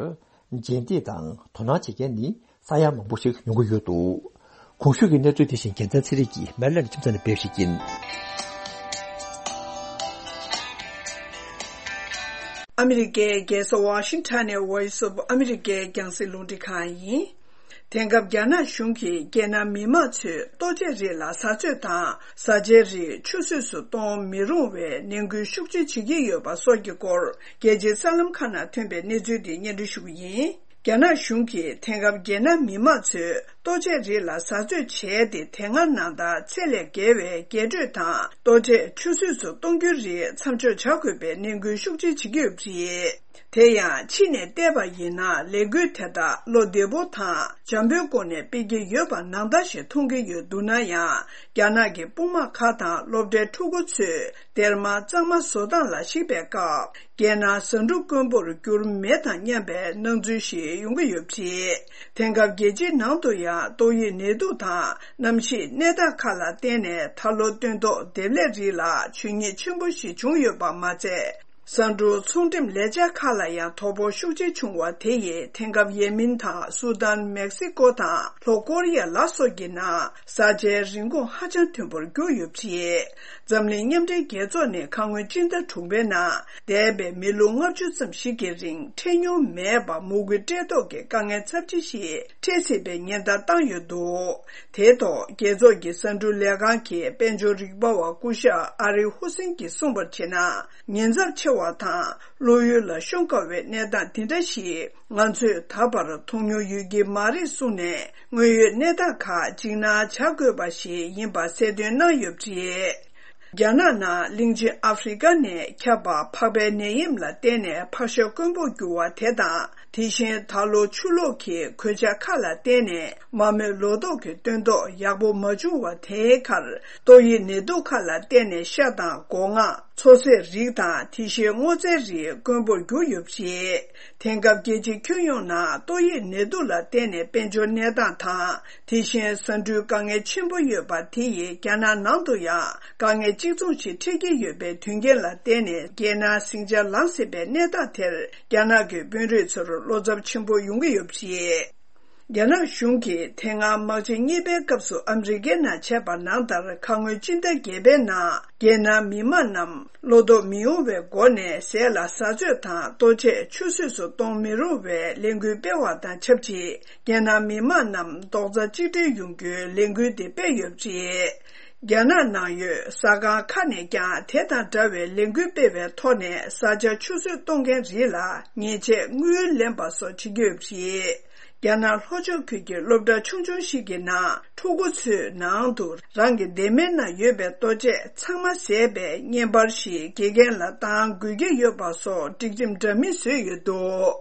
རྗེས་འདེད་དང་དོ་སྣང་བྱེད་མཁན་ནི་ས་ཡ་མང་པོ་ཞིག་ཡོང་གི་ཡོད་འདུག། གོང་ཞུས་ཀྱི་གནས་ཚུལ་དེ་བཞིན་རྒྱལ་མཚན་ཚེ་རིང་གིས་མེ་ལན་ཁྱིམ་ཚང་ནས་སྤེལ་ཞིག་ཡིན། ཨ་མི་རི་ཀའི་རྒྱལ་ས་ཝ་ཤིང་ཊོན་ནས་Voice of America རྒྱང་སྲིང་རླུང་འཕྲིན་ཁང་ཡིན། དེང་སྐབས་རྒྱ་ནག་གཞུང་གིས་རྒྱལ་ནང་མི་མང་ཚོས་ལྟོ་ཆས་རིགས་ལ་བཟའ་ཚོས་དང་བཟའ་བཅའི་རིགས་ཆུད་ཟོས་སུ་གཏོང་མི་རུང་བའི་ནན་སྐུལ་ཤུགས་ཆེ་བྱེད་ཀྱི་ཡོད་པ་སོགས་ཀྱི་སྐོར་རྒྱལ་སྤྱིའི་གསར་ལམ་ཁག་ནང་ཐོན་པའི་གནས་ཚུལ་དེ་སྙན་སྒྲོན་ཞུ་གི་ཡིན། རྒྱ་ནག་གཞུང་གིས་དེང་སྐབས་རྒྱལ་ནང་མི་མང་ཚོས་ལྟོ་ཆས་རིགས་ལ་བཟའ་ཚོས་བྱས་ཏེ། དེ་སྔ་ནང་ལྟར་ཚད་ལས་བརྒལ་བའི་རྒྱས་སྤྲོས་དང་ལྟོ་ཆས་ཆུད་ཟོས་སུ་གཏོང་རྒྱུའི་རིགས་མཚམས་འཇོག་བྱ་དགོས་པའི་ནན་སྐུལ་ཤུགས་ཆེ་བྱེད་ཀྱི་ཡོད་པ་རེད། དེ་ཡང་ཕྱི་ནས་བལྟས་པ་ཡིན་ན། ལས་འགུལ་དེ་དག་བློ་བདེ་པོ་དང་འཇམ་པོའི་སྒོ་ནས་སྤེལ་གྱི་ཡོད་པ་ནང་ལྟར་ཞིག་མཐོང་གི་ཡོད་འདུག་ན་ཡང་། རྒྱ་ནག་གི་དཔུང་དམག་ཁག་དང་སློབ་གྲྭའི་ཕྲུ་གུ་ཚོས་སྡེར་མ་གཙང་མ་བཟོ་སྟངས་ལ་གཞིགས་པའི་སྐབས། རྒྱལ་ནང་ཟ་འབྲུ་དཀོན་པོར་གྱུར་མེད་དང་མཉམ་པའི་སྣང་ཚུལ་ཞིག་ཡོང་གི་ཡོད་པ་རེད། དེང་སྐབས་རྒྱལ་སྤྱིའི་ནང་དུ་ཡང་ཏོག་དབྱིབས་ནད་དུག་དང་གནམ་གཤིས་གནས་སྟངས་ཁག་ལ་བརྟེན་ནས། ད་ལོ་སྟོན་ཐོག་འདེབས་ལས་རིགས་ལ་ཇུས་ཉེས་ཆེན་པོ་ཞིག་བྱུང་ཡོད་པ་མ་ཚད། ཟ་འབྲུ་ཚོང་འགྲེམས་ལས་འཆར་ཁག་ལ་ཡང་དོ་ཕོག་ཤུགས་ཆེ་བྱུང་བ་དེ་ཡིས། དེང་སྐབས་ཡེ་མིན་དང་སུ་དཱན། མེག་སི་ཀོ་དང་ལྷོ་ཀོ་རི་ཡ་ལ་སོགས་ཀྱི་ནང་བཟའ་བཅའི་རིན་གོང་ཧ་ཅང་མཐོན་པོར་གྱུར་ཡོད་པ་རེད། འཛམ་གླིང་མཉམ་འབྲེལ་རྒྱལ་ཚོགས་ནས་ཁ་སྔོན་སྤྱི་ཟླ་དྲུག་པའི་ནང་འདས་པའི་མི་ལོ་ལྔ་བཅུ་ཙམ་ཞིག་གི་རིང་འཕྲད་མྱོང་མེད་པར་མོས་གུས་སྤྲད་ཐོག་གི་དཀའ་ངལ་ཚབས་ཆེ་ཞིག་འཕྲད་སྲིད་པའི་ཉེན་བརྡ་བཏང་ཡོད་འདུག། དེའི་ཐོག་རྒྱལ་ཚོགས་ཀྱི་ཟ་འབྲུ་ལས་ཁང་གི་དཔལ་འབྱོར་རིག་པ་བ་སྐུ་ཞབས་ཨ་རི་ཧུ་སིན་གྱིས་གསུངས་པར་བྱས་ན། ཉེན་ཚབས་ཆེ་བ་དང་བློ་ཡུལ་ལ་ཤོང་དཀའ་བའི་གནས་སྟངས་འདི་འདྲ་ཞིག་ང་ཚོས་ད་བར་མཐོང་མྱོང་ཡོད་ཀྱི་མ་རེད་གསུངས་ནས། དངོས་ཡོད་གནས་སྟངས་ཁག་འཇིགས་སྣང་བྱ་དགོས་པ་ཞིག་ཡིན་པ་གསལ་སྟོན་གནང་ཡོད་པ་རེད། རྒྱ་ནག་ནང་གླིང་ཆེན་ཨ་ཧྥེ་རི་ཀ་ནས་ཁྱབ་པ་ཕག་པའི་ནད་ཡམས་ལ་བརྟེན་ནས་ཕག་ཤ་དཀོན་པོར་གྱུར་བ་དེ་དང་། དེ་བཞིན་ད་ལོ་ཆུ་ལོག་གི་གོད་ཆག་ཁག་ལ་བརྟེན་ནས་མ་རྨོས་ལོ་ཏོག་གི་སྟོན་ཐོག་ཡག་པོ་མ་བྱུང་བ་དེའི་ཁར། ཏོག་དབྱིབས་ནད་དུག་ཁག་ལ་བརྟེན་ནས་ཤ་དང་སྒོ་ང་། མཚོ་ཟས་རིགས་དང་དེ་བཞིན་སྔོ་ཚལ་རིགས་དཀོན་པོར་གྱུར་ཡོད་པ་རེད། དེང་སྐབས་རྒྱལ་སྤྱིའི་ཁྱོན་ཡོངས་ནང་ཏོག་དབྱིབས་ནད་དུག་ལ་བརྟེན་ནས་དཔལ་འབྱོར་གནས་སྟངས་དང་། དེ་བཞིན་ཟ་འབྲུའི་དཀའ་ངལ་ཆེན་པོ་ཡོད་པ་དེ་ཡིས་རྒྱ་ནག་ནང་དུ་ཡང་དཀའ་ངལ་གཅིག་མཚུངས་ཤིག་འཕྲད་ཀྱི་ཡོད་པའི་དོན་རྐྱེན་ལ་བརྟེན་ནས། རྒྱལ་ནང་ཟིང་ཆ་ལངས་སྲིད་པའི་གནས་སྟངས་དེར་རྒྱ་ནག་གི་དཔོན་རིགས་ཚོར་བློ་འཚབ་ཆེན་པོ་ཡོང་གི་ཡོད་པ་རེད། རྒྱ་ནག་གཞུང་གིས་དེ་སྔ་དམག་ཆེན་གཉིས་པའི་སྐབས་སུ་ཨ་མི་རི་ཀའི་ནང་བྱས་པ་ནང་ལྟར། ཁ་སྔོན་སྤྱི་ཟླ་བརྒྱད་པའི་ནང་རྒྱལ་ནང་མི་མང་རྣམས་བློ་དོགས་མི་ཡོང་བའི་སྒོ་ནས་ཟས་ལ་བཟའ་ཚོས་དང་ལྟོ་ཆས་ཆུད་ཟོས་སུ་གཏོང་མི་རུང་བའི་ལས་འགུལ་སྤེལ་བ་དང་ཆབས་ཅིག་རྒྱལ་ནང་མི་མང་རྣམས་རྡོག་རྩ་གཅིག་སྒྲིལ་ཡོང་རྒྱུའི་ལས་འགུལ་དེ་སྤེལ་ཡོད་པ་རེད། རྒྱ་ནག་ནང་ཡོད་ཟ་ཁང་ཁག་ནས་ཀྱང་དེ་དང་འདྲ་བའི་ལས་འགུལ་སྤེལ་བའི་ཐོག་ནས། བཟའ་བཅའ་ཆུད་ཟོས་གཏོང་མཁན་རིགས་ལ་ཉེས་ཆད་དངུལ་ལེན་པ་སོགས་བྱེད་ཀྱི་ཡོད་པ་རེད། རྒྱ་ནག་ལྷོ་ཕྱོགས་ཁུལ་གྱི་སློབ་གྲྭ་ཆུང་ཆུང་ཞིག་གི་ནང་ཕྲུ་གུ་ཚོའི་ནང་དུ་རང་གི་སྡེར་མའི་ནང་ཡོད་པའི་ལྟོ་ཆས་ཚང་མ་ཟས་པའི་བརྙན་པར་ཞིག་དགེ་རྒན་ལ་བཏང་དགོས་ཀྱི་ཡོད་པ་སོགས་སྒྲིག་ཁྲིམས་འདྲ་མིན་བཟོས་ཡོད་འདུག།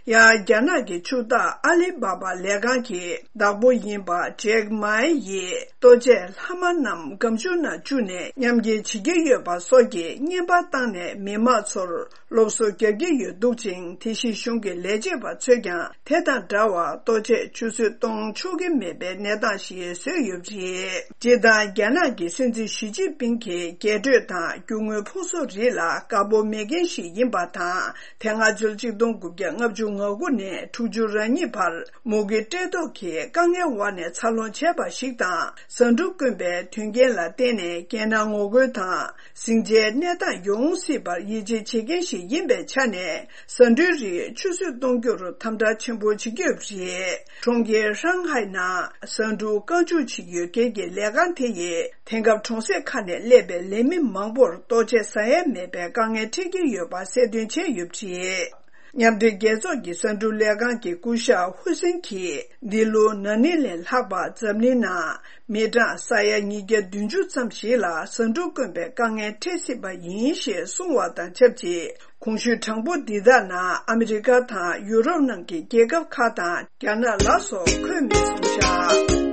ཡང་རྒྱ་ནག་གི་ཕྱུག་བདག་ཨ་ལི་བྷ་བྷ་ལས་ཁང་གི་བདག་པོ་ཡིན་པ་ཇེག་མཱའེ་ཡིས། ལྟོ་ཆས་ལྷག་མ་རྣམས་སྒམ་ཆུང་ནང་བཅུག་ནས་མཉམ་འཁྱེར་བྱེད་ཀྱི་ཡོད་པ་སོགས་ཀྱི་བརྙན་པར་བཏང་ནས། མི་མང་ཚོར་སློབ་གསོ་རྒྱག་གི་ཡོད་འདུག་ཅིང་། དེ་བཞིན་གཞུང་གི་ལས་བྱེད་པ་ཚོས་ཀྱང་དེ་དང་འདྲ་བར་ལྟོ་ཆས་ཆུད་ཟོས་གཏོང་ཆོག་གི་མེད་པའི་གནས་སྟངས་ཤིག་བཟོས་ཡོད་པ་རེད། སྤྱིར་བཏང་རྒྱ་ནག་གི་སྲིད་འཛིན་ཞི་ཅིན་ཕིང་གིས་རྒྱས་སྤྲོས་དང་རྒྱུ་དངོས་ཕུང་གསོག་རིགས་ལ་དགའ་པོ་མེད་མཁན་ཞིག་ཡིན་པ་དང་། དེ་སྔ་ཕྱི་ལོ་གཅིག་སྟོང་དགུ་བརྒྱ་ལྔ་ བཅུ་ང་དགུ་ནས་དྲུག་ཅུ་རེ་གཉིས་བར་མུ་གེ་བཀྲེས་ལྟོགས་ཀྱི་དཀའ་ངལ་འོག་ནས་འཚར་ལོངས་བྱས་པ་ཞིག་དང་། ཟ་འབྲུ་དཀོན་པའི་དོན་རྐྱེན་ལ་བརྟེན་ནས་རྒྱལ་ནང་ངོ་རྒོལ་དང་ཟིང་ཆའི་གནས་སྟངས་ཡོང་སྲིད་པར་ཡིད་ཆེས་བྱེད་མཁན་ཞིག་ཡིན་པའི་ཆ་ནས། ཟ་འབྲུའི་རིགས་ཆུད་ཟོས་གཏོང་རྒྱུར་དམ་དྲག་ཆེན་པོ་བྱེད་ཀྱི་ཡོད་པ་རེད། གྲོང་ཁྱེར་ཧྲང་ཧའེ་ནང་ཟ་འབྲུ་རྐང་བཅུག་བྱེད་ཀྱི་ཡོད་མཁན་གྱི་ལས་ཁང་དེ་ཡིས་དེང་སྐབས་གྲོང་གསེབ་ཁག་ནས་སླེབས་པའི་ལས་མི་མང་པོར་ལྟོ་ཆས་ཟ་ཡས་མེད་པའི་དཀའ་ངལ་འཕྲད་ཀྱི་ཡོད་པ་གསལ་སྟོན་བྱས་ཡོད་པ་རེད། མཉམ་འབྲེལ་རྒྱལ་ཚོགས་ཀྱི་ཟ་འབྲུ་ལས་ཁང་གི་སྐུ་ཞབས་ཧུ་སིན་གྱིས། འདི་ལོ་ན་ནིང་ལས་ལྷག་པར་འཛམ་གླིང་ནང་མི་གྲངས་ས་ཡ་ཉིས་བརྒྱ་བདུན་ཅུ་ཙམ་ཞིག་ལ་ཟ་འབྲུ་དཀོན་པའི་དཀའ་ངལ་འཕྲད་སྲིད་པ་ཡིན་ཞེས་གསུངས་པ་དང་ཆབས་ཅིག་གོང་ཞུས་གྲངས་འབོར་འདི་དག་ནང་ཨ་མི་རི་ཀ་དང་ཡུ་རོབ་ནང་གི་རྒྱལ་ཁབ་ཁག་དང་རྒྱ་ནག་ལ་སོགས་འཁོད་མེད་གསུངས་བཞག་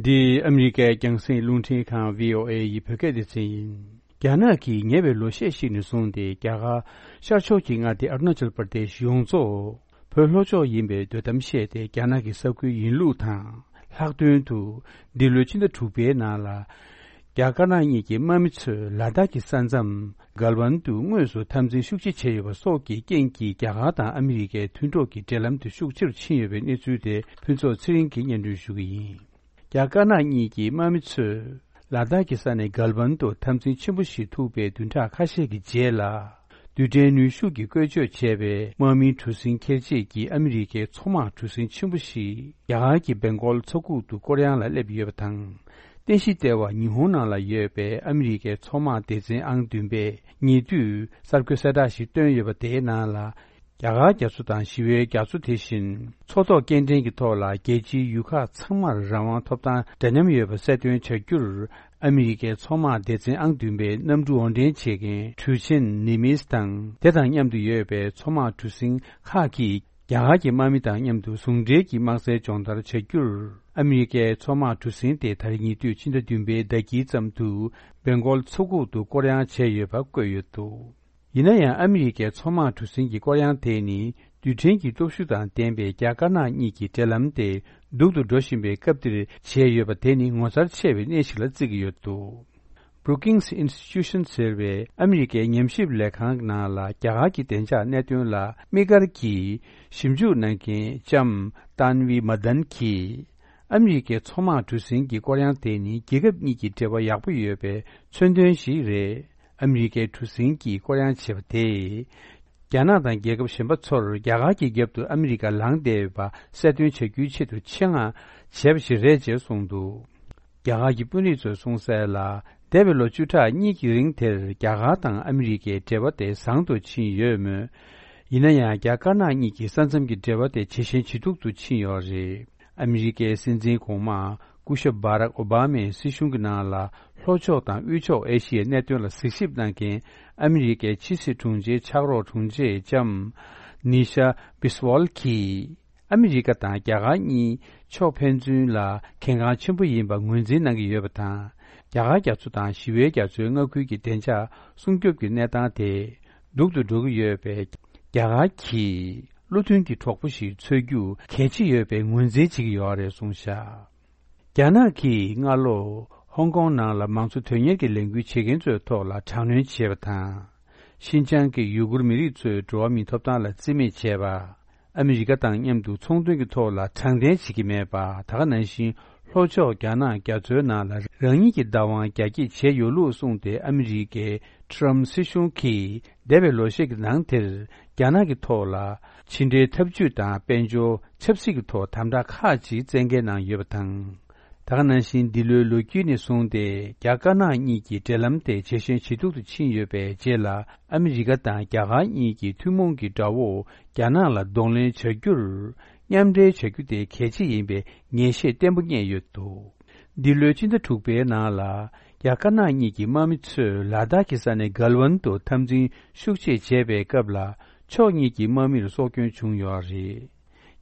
འདི་ཨ་མི་རི་ཀའི་རྒྱང་སྲིང་རླུང་འཕྲིན་ཁང་བྷི་ཨོ་ཨེ་ཡི་བོད་སྐད་སྡེ་ཚན་ཡིན། རྒྱ་ནག་གིས་ཉེ་བའི་ལོ་ཤས་ཤིག་ནས་བཟུང་སྟེ་རྒྱ་གར་ཤར་ཕྱོགས་ཀྱི་མངའ་སྡེ་ཨ་རུ་ན་ཅལ་པར་དེ་ཤི་ཡོངས་རྫོགས་བོད་ལྷོ་ཕྱོགས་ཡིན་པའི་འདོད་གཏམ་བཤད་དེ་རྒྱ་ནག་གི་ས་ཁུལ་ཡིན་ལུགས་དང་། ལྷག་དོན་དུ་འདི་ལོའི་ཕྱི་ཟླ་དྲུག་པའི་ནང་ལ། རྒྱ་དཀར་ནག་གཉིས་ཀྱི་དམག་མི་ཚོས་ལ་དྭགས་ཀྱི་ས་མཚམས་གལ་ཝན་དུ་དངོས་སུ་འཐབ་འཛིང་ཤུགས་ཆེ་བྱས་ཡོད་པ་སོགས་ཀྱི་རྐྱེན་གྱིས་རྒྱ་གར་དང་ཨ་མི་རི་ཀའི་མཐུན་གྲོགས་ཀྱི་འབྲེལ་ལམ་དེ་ཤུགས་ཆེ་རུ་ཕྱིན་ཡོད་པའི་གནས་ཚུལ་དེ་ཕུན་ཚོགས་ཚེ་རིང་གིས་སྙན་སྒྲོན་ཞུ་གི་ཡིན། རྒྱ་དཀར་ནག་གཉིས་ཀྱི་དམག་མི་ཚོས་ལ་དྭགས་ཀྱི་ས་ནས་གལ་ཝན་དུ་འཐབ་འཛིང་ཆེན་པོ་ཞིག་ཐུག་པའི་བདུན་ཕྲག་ཁ་ཤས་ཀྱི་རྗེས་ལ། རྡུལ་ཕྲན་ནུས་ཤུགས་ཀྱིས་བཀོལ་སྤྱོད་བྱས་པའི་དམག་མིའི་གྲུ་གཟིངས་འཁྱེར་བྱེད་ཀྱི་ཨ་མི་རི་ཀའི་མཚོ་དམག་གྲུ་གཟིངས་ཆེན་པོ་ཞིག་རྒྱ་གར་གྱི་སྦེང་གོལ་མཚོ་ཁུག་ཏུ་སྐོར་གཡང་ལ་སླེབས་ཡོད་པ་དང་། རྟེན་གཞི་ལྟེ་བ་ཉི་ཧོང་ནང་ལ་ཡོད་པའི་ཨ་མི་རི་ཀའི་མཚོ་དམག་སྡེ་ཚན་ཨང་བདུན་པས་ཉེ་དུས་གསར་འགོད་གསལ་བསྒྲགས་ཤིག་བཏོན་ཡོད་པ་དེའི་ནང་ལ། རྒྱ་གར་རྒྱ་མཚོ་དང་ཞི་བའི་རྒྱ་མཚོ་དེ་བཞིན་མཚོ་ཐོག་སྐྱེལ་འདྲེན་གྱི་ཐོག་ལ་རྒྱལ་སྤྱིའི་ཡུལ་ཁག་ཚང་མར་རང་དབང་ཐོབ་ཐང་འདྲ་མཉམ་ཡོད་པ་གསལ་སྟོན་བྱ་རྒྱུར། ཨ་མི་རི་ཀའི་མཚོ་དམག་སྡེ་ཚན་ཨང་བདུན་པའི་གནམ་གྲུ་དབོར་འདྲེན་བྱེད་མཁན་གྲུ་ཆེན་ནི་མིས་དང་དེ་དང་མཉམ་དུ་ཡོད་པའི་མཚོ་དམག་གྲུ་གཟིངས་ཁག་གིས་རྒྱ་གར་གྱི་དམག་མི་དང་མཉམ་དུ་ཟུང་འབྲེལ་གྱིས་དམག་རྩལ་སྦྱོང་བརྡར་བྱ་རྒྱུར། ཨ་མི་རི་ཀའི་མཚོ་དམག་གྲུ་གཟིངས་དེ་ད་རེས་ཉེ་དུས་ཕྱི་ཟླ་བདུན་པའི་ཟླ་དཀྱིལ་ཙམ་དུ་སྦེང་གོལ་མཚོ་ཁུག་ཏུ་སྐོར་གཡང་བྱས་ཡོད་པ་བཀོད་ཡོད་འདུག་ཡིན་ན་ཡང་ཨ་མི་རི་ཀའི་མཚོ་དམག་གྲུ་གཟིངས་ཀྱི་སྐོར་གཡང་དེ་ནི་རྡུལ་ཕྲན་གྱི་སྟོབས་ཤུགས་དང་ལྡན་པའི་རྒྱ་དཀར་ནག་གཉིས་ཀྱི་འབྲེལ་ལམ་དེ་སྡུག་ཏུ་འགྲོ་བཞིན་པའི་སྐབས་འདིར་བྱས་ཡོད་པ་དེ་ནི་ངོ་མཚར་ཆེ་བའི་གནས་ཤིག་ལ་བརྩི་གི་ཡོད་འདུག Brookings Institution ཟེར་བའི་ཨ་མི་རི་ཀའི་ཉམས་ཞིབ་ལས་ཁང་ནང་ལ་རྒྱ་གར་གྱི་བདེ་འཇགས་གནད་དོན་ལ་དམིགས་བཀར་གྱིས་ཞིབ་འཇུག་གནང་མཁན་ལྕམ་ཏཱན་ཝི་མ་དན་གྱིས། ཨ་མི་རི་ཀའི་མཚོ་དམག་གྲུ་གཟིངས་ཀྱི་སྐོར་གཡང་དེ་ནི་རྒྱལ་ཁབ་གཉིས་ཀྱི་འབྲེལ་བ་ཡག་པོ་ཡོད་པའི་མཚོན་དོན་ཞིག་རེད། ཨ་མི་རི་ཀའི་གྲུ་གཟིངས་ཀྱིས་སྐོར་གཡང་བྱས་པ་དེས། རྒྱ་ནག་དང་རྒྱལ་ཁབ་གཞན་པ་ཚོར་རྒྱ་གར་གྱི་རྒྱབ་ཏུ་ཨ་མི་རི་ཀ་ལངས་བསྡད་ཡོད་པ་གསལ་སྟོན་བྱ་རྒྱུའི་ཆེད་དུ་ཆེད་མངགས་བྱས་པ་ཞིག་རེད་ཅེས་གསུངས་འདུག་རྒྱ་གར་གྱི་དཔོན་རིགས་ཚོས་གསུངས་གསལ་ལ། འདས་པའི་ལོ་བཅུ་ཕྲག་གཉིས་ཀྱི་རིང་དེར་རྒྱ་གར་དང་ཨ་མི་རི་ཀའི་འབྲེལ་བ་དེ་བཟང་དུ་ཕྱིན་ཡོད་མོད། ཡིན་ན་ཡང་རྒྱ་དཀར་ནག་གཉིས་ཀྱི་ས་མཚམས་ཀྱི་འབྲེལ་བ་དེ་ཇེ་ཞན་ཇེ་སྡུག་ཏུ་ཕྱིན་ཡོད་རེད། ཨ་མི་རི་ཀའི་སྲིད་འཛིན་གོང་མ་སྐུ་ཞབས་བྷ་རག་ཨོ་བྷ་མའི་སྲིད་གཞུང་གི་ནང་ལ་ལྷོ་ཕྱོགས་དང་དབུས་ཕྱོགས་ཨེ་ཤི་ཡའི་གནད་དོན་ལ་གཟིགས་ཞིབ་གནང་མཁན་ཨ་མི་རི་ཀའི་ཕྱི་སྲིད་དྲུང་ཆེའི་ཕྱག་རོགས་དྲུང་ཆེ་ལྕམ་ནི་ཤ་བྷི་སི་ཝལ་གྱིས། ཨ་མི་རི་ཀ་དང་རྒྱ་གར་གཉིས་ཕྱོགས་ཕན་ཚུན་ལ་གལ་འགངས་ཆེན་པོ་ཡིན་པ་ངོས་འཛིན་གནང་གི་ཡོད་པ་དང་། རྒྱ་གར་རྒྱ་མཚོ་དང་ཞི་བའི་རྒྱ་མཚོའི་མངའ་ཁུལ་གྱི་བདེ་འཇགས་སྲུང་སྐྱོབ་ཀྱི་གནས་སྟངས་དེ་སྡུག་ཏུ་འགྲོ་གི་ཡོད་པས། རྒྱ་གར་གྱིས་བློ་མཐུན་གྱི་གྲོགས་པོ་ཞིག་འཚོལ་རྒྱུ་གལ་ཆེ་ཡོད་པའི་ངོས་འཛིན་བྱེད་ཀྱི་ཡོད་རེད་གསུངས་བཞག་རྒྱ་ནག་གིས་སྔ་ལོ་ཧོང་ཀོང་ནང་ལ་མང་གཙོ་དོན་གཉེར་གྱི་ལས་འགུལ་བྱེད་མཁན་ཚོའི་ཐོག་ལ་དྲག་གནོན་བྱས་པ་དང་། ཤིན་ཅང་གི་ཡུ་གུར་མི་རིགས་ཚོའི་འགྲོ་བ་མིའི་ཐོབ་ཐང་ལ་བརྩི་མེད་བྱས་པ། ཨ་མི་རི་ཀ་དང་མཉམ་དུ་ཚོང་དོན་གྱི་ཐོག་ལ་དྲང་བདེན་བྱེད་ཀྱི་མེད་པ། ད་ག་ནང་བཞིན་ལྷོ་ཕྱོགས་རྒྱ་ནག་རྒྱ་མཚོའི་ནང་ལ་རང་ཉིད་ཀྱི་བདག་དབང་རྒྱ་སྐྱེད་བྱས་ཡོད་ལུགས་གསུངས་ཏེ། ཨ་མི་རི་ཀའི་ཊྲམ་སྲིད་གཞུང་གིས་འདས་པའི་ལོ་ཤས་ཀྱི་ནང་དེར་རྒྱ་ནག་གི་ཐོག་ལ་ཕྱི་འབྲེལ་འཐབ་ཇུས་དང་དཔལ་འབྱོར་ཆབ་སྲིད་ཀྱི་ཐོག་དམ་དྲག་ཁག་ཅིག་བཙན་འགེལ་གནང་ཡོད་པ་དང་། ད་ག་ནང་བཞིན་འདི་ལོའི་ལོ་དཀྱིལ་ནས་བཟུང་སྟེ་རྒྱ་དཀར་ནག་གཉིས་ཀྱི་འབྲེལ་ལམ་དེ་ཇེ་ཞན་ཇེ་སྡུག་ཏུ་ཕྱིན་ཡོད་པའི་རྗེས་ལ། ཨ་མི་རི་ཀ་དང་རྒྱ་གར་གཉིས་ཀྱིས་ཐུན་མོང་གི་དགྲ་བོ་རྒྱ་ནག་ལ་གདོང་ལེན་བྱ་རྒྱུར་མཉམ་འབྲེལ་བྱ་རྒྱུ་དེ་གལ་ཆེ་ཡིན་པའི་ངེས་ཤེས་བརྟན་པོ་རྙེད་ཡོད་འདུག་འདི་ལོའི་ཕྱི་ཟླ་དྲུག་པའི་ནང་ལ་རྒྱ་དཀར་ནག་གཉིས་ཀྱི་དམག་མི་ཚོས་ལ་དྭགས་ཀྱི་ས་ནས་གལ་ཝན་དུ་འཐབ་འཛིང་ཤུགས་ཆེ་བྱས་པའི་སྐབས་ལ་ཕྱོགས་གཉིས་ཀྱི་དམག་མིར་སྲོག་སྐྱོན་བྱུང་ཡོད་རེད།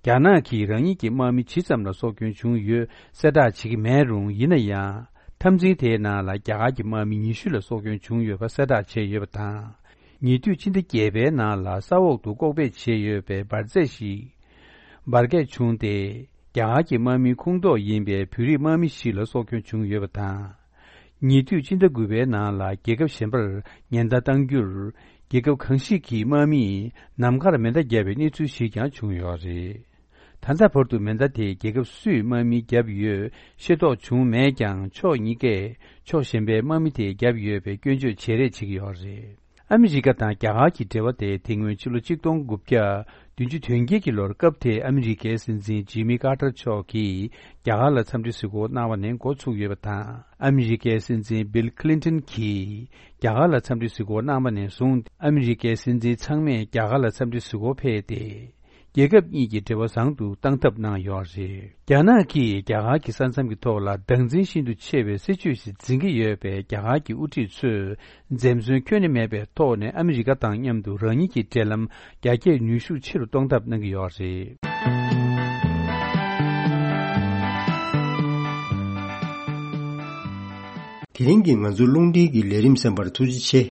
རྒྱ་ནག་གིས་རང་ཉིད་ཀྱི་དམག་མི་ཇི་ཙམ་ལ་སྲོག་སྐྱོན་བྱུང་ཡོད་གསལ་བསྒྲགས་བྱེད་ཀྱི་མེད་རུང་། ཡིན་ན་ཡང་འཐབ་འཛིང་དེའི་ནང་ལ་རྒྱ་གར་གྱི་དམག་མི་ཉི་ཤུ་ལ་སྲོག་སྐྱོན་བྱུང་ཡོད་པ་གསལ་བསྒྲགས་བྱས་ཡོད་པ་དང་། ཉེ་དུས་ཕྱི་ཟླ་བརྒྱད་པའི་ནང་ལ་ས་འོག་ཏུ་ལྐོག་སྦས་བྱས་ཡོད་པའི་འབར་རྫས་ཤིག་འབར་གས་བྱུང་སྟེ། རྒྱ་གར་གྱི་དམག་མིའི་ཁོངས་གཏོགས་ཡིན་པའི་བོད་རིགས་དམག་མི་ཞིག་ལ་སྲོག་སྐྱོན་བྱུང་ཡོད་པ་དང་། ཉེ་དུས་སྤྱི་ཟླ་དགུ་པའི་ནང་ལ་རྒྱལ་ཁབ་གཞན་པར་ཉེན་བརྡ་བཏང་རྒྱུར། རྒྱལ་ཁབ་གང་ཞིག་གི་དམག་མིས་ནམ་མཁར་མེ་མདའ་བརྒྱབ་པའི་གནས་ཚུལ་ཞིག་ཀྱང་བྱུང་ཡོད་རེད། ད་ལྟ་བར་དུ་མེ་མདའ་དེ་རྒྱལ་ཁབ་སུས་དམག་མི་བརྒྱབ་ཡོད་ཤེས་རྟོགས་བྱུང་མེད་ཀྱང་། ཕྱོགས་གཉིས་ཀས་ཕྱོགས་གཞན་པའི་དམག་མི་དེ་བརྒྱབ་ཡོད་པའི་སྐྱོན་བརྗོད་བྱེད་རེས་བྱེད་ཀྱི་ཡོད་རེད། ཨ་མི་རི་ཀ་དང་རྒྱ་གར་གྱི་འབྲེལ་བ་དེ་དེ་སྔོན་ཕྱི་ལོ་ཆིག་སྟོང་དགུ་བརྒྱ་བདུན་ཅུ་དོན་བརྒྱད་ཀྱི་ལོར་སྐབས་དེའི་ཨ་མི་རི་ཀའི་སྲིད་འཛིན་ཇི་མི་ཀར་ཏར་མཆོག་གིས་རྒྱ་གར་ལ་འཚམས་འདྲི་གཟིགས་སྐོར་གནང་བ་ནས་འགོ་ཚུགས་ཡོད་པ་དང་། ཨ་མི་རི་ཀའི་སྲིད་འཛིན་བིལ་ཁི་ལིན་ཏོན་གྱིས་རྒྱ་གར་ལ་འཚམས་འདྲི་གཟིགས་སྐོར་གནང་བ་ནས་བཟུང་། ཨ་མི་རི་ཀའི་སྲིད་འཛིན་ཚང་མས་རྒྱ་གར་ལ་འཚམས་འདྲི་གཟིགས་སྐོར་ཕེབས་ཏེ། རྒྱལ་ཁབ་གཉིས་ཀྱི་འབྲེལ་བ་བཟང་དུ་གཏང་ཐབས་གནང་ཡོད་རེད། རྒྱ་ནག་གིས་རྒྱ་གར་གྱི་ས་མཚམས་ཀྱི་ཐོག་ལ་བདག་འཛིན་ཤིན་ཏུ་ཆེ་བའི་སྲིད་ཇུས་ཤིག་འཛིན་གྱི་ཡོད་པས། རྒྱ་གར་གྱི་དབུ་ཁྲིད་ཚོས་འཛེམ་ཟོན་ཁྱོན་ནས་མེད་པའི་ཐོག་ནས་ཨ་མི་རི་ཀ་དང་མཉམ་དུ་རང་ཉིད་ཀྱི་འབྲེལ་ལམ་རྒྱ་སྐྱེད་ནུས་ཤུགས་ཆེ་རུ་གཏོང་ཐབས་གནང་གི་ཡོད་རེད། དེ་རིང་གི་ང་ཚོའི་རླུང་འཕྲིན་གྱི་ལས་རིམ་གསན་པར་ཐུགས་རྗེ་ཆེ།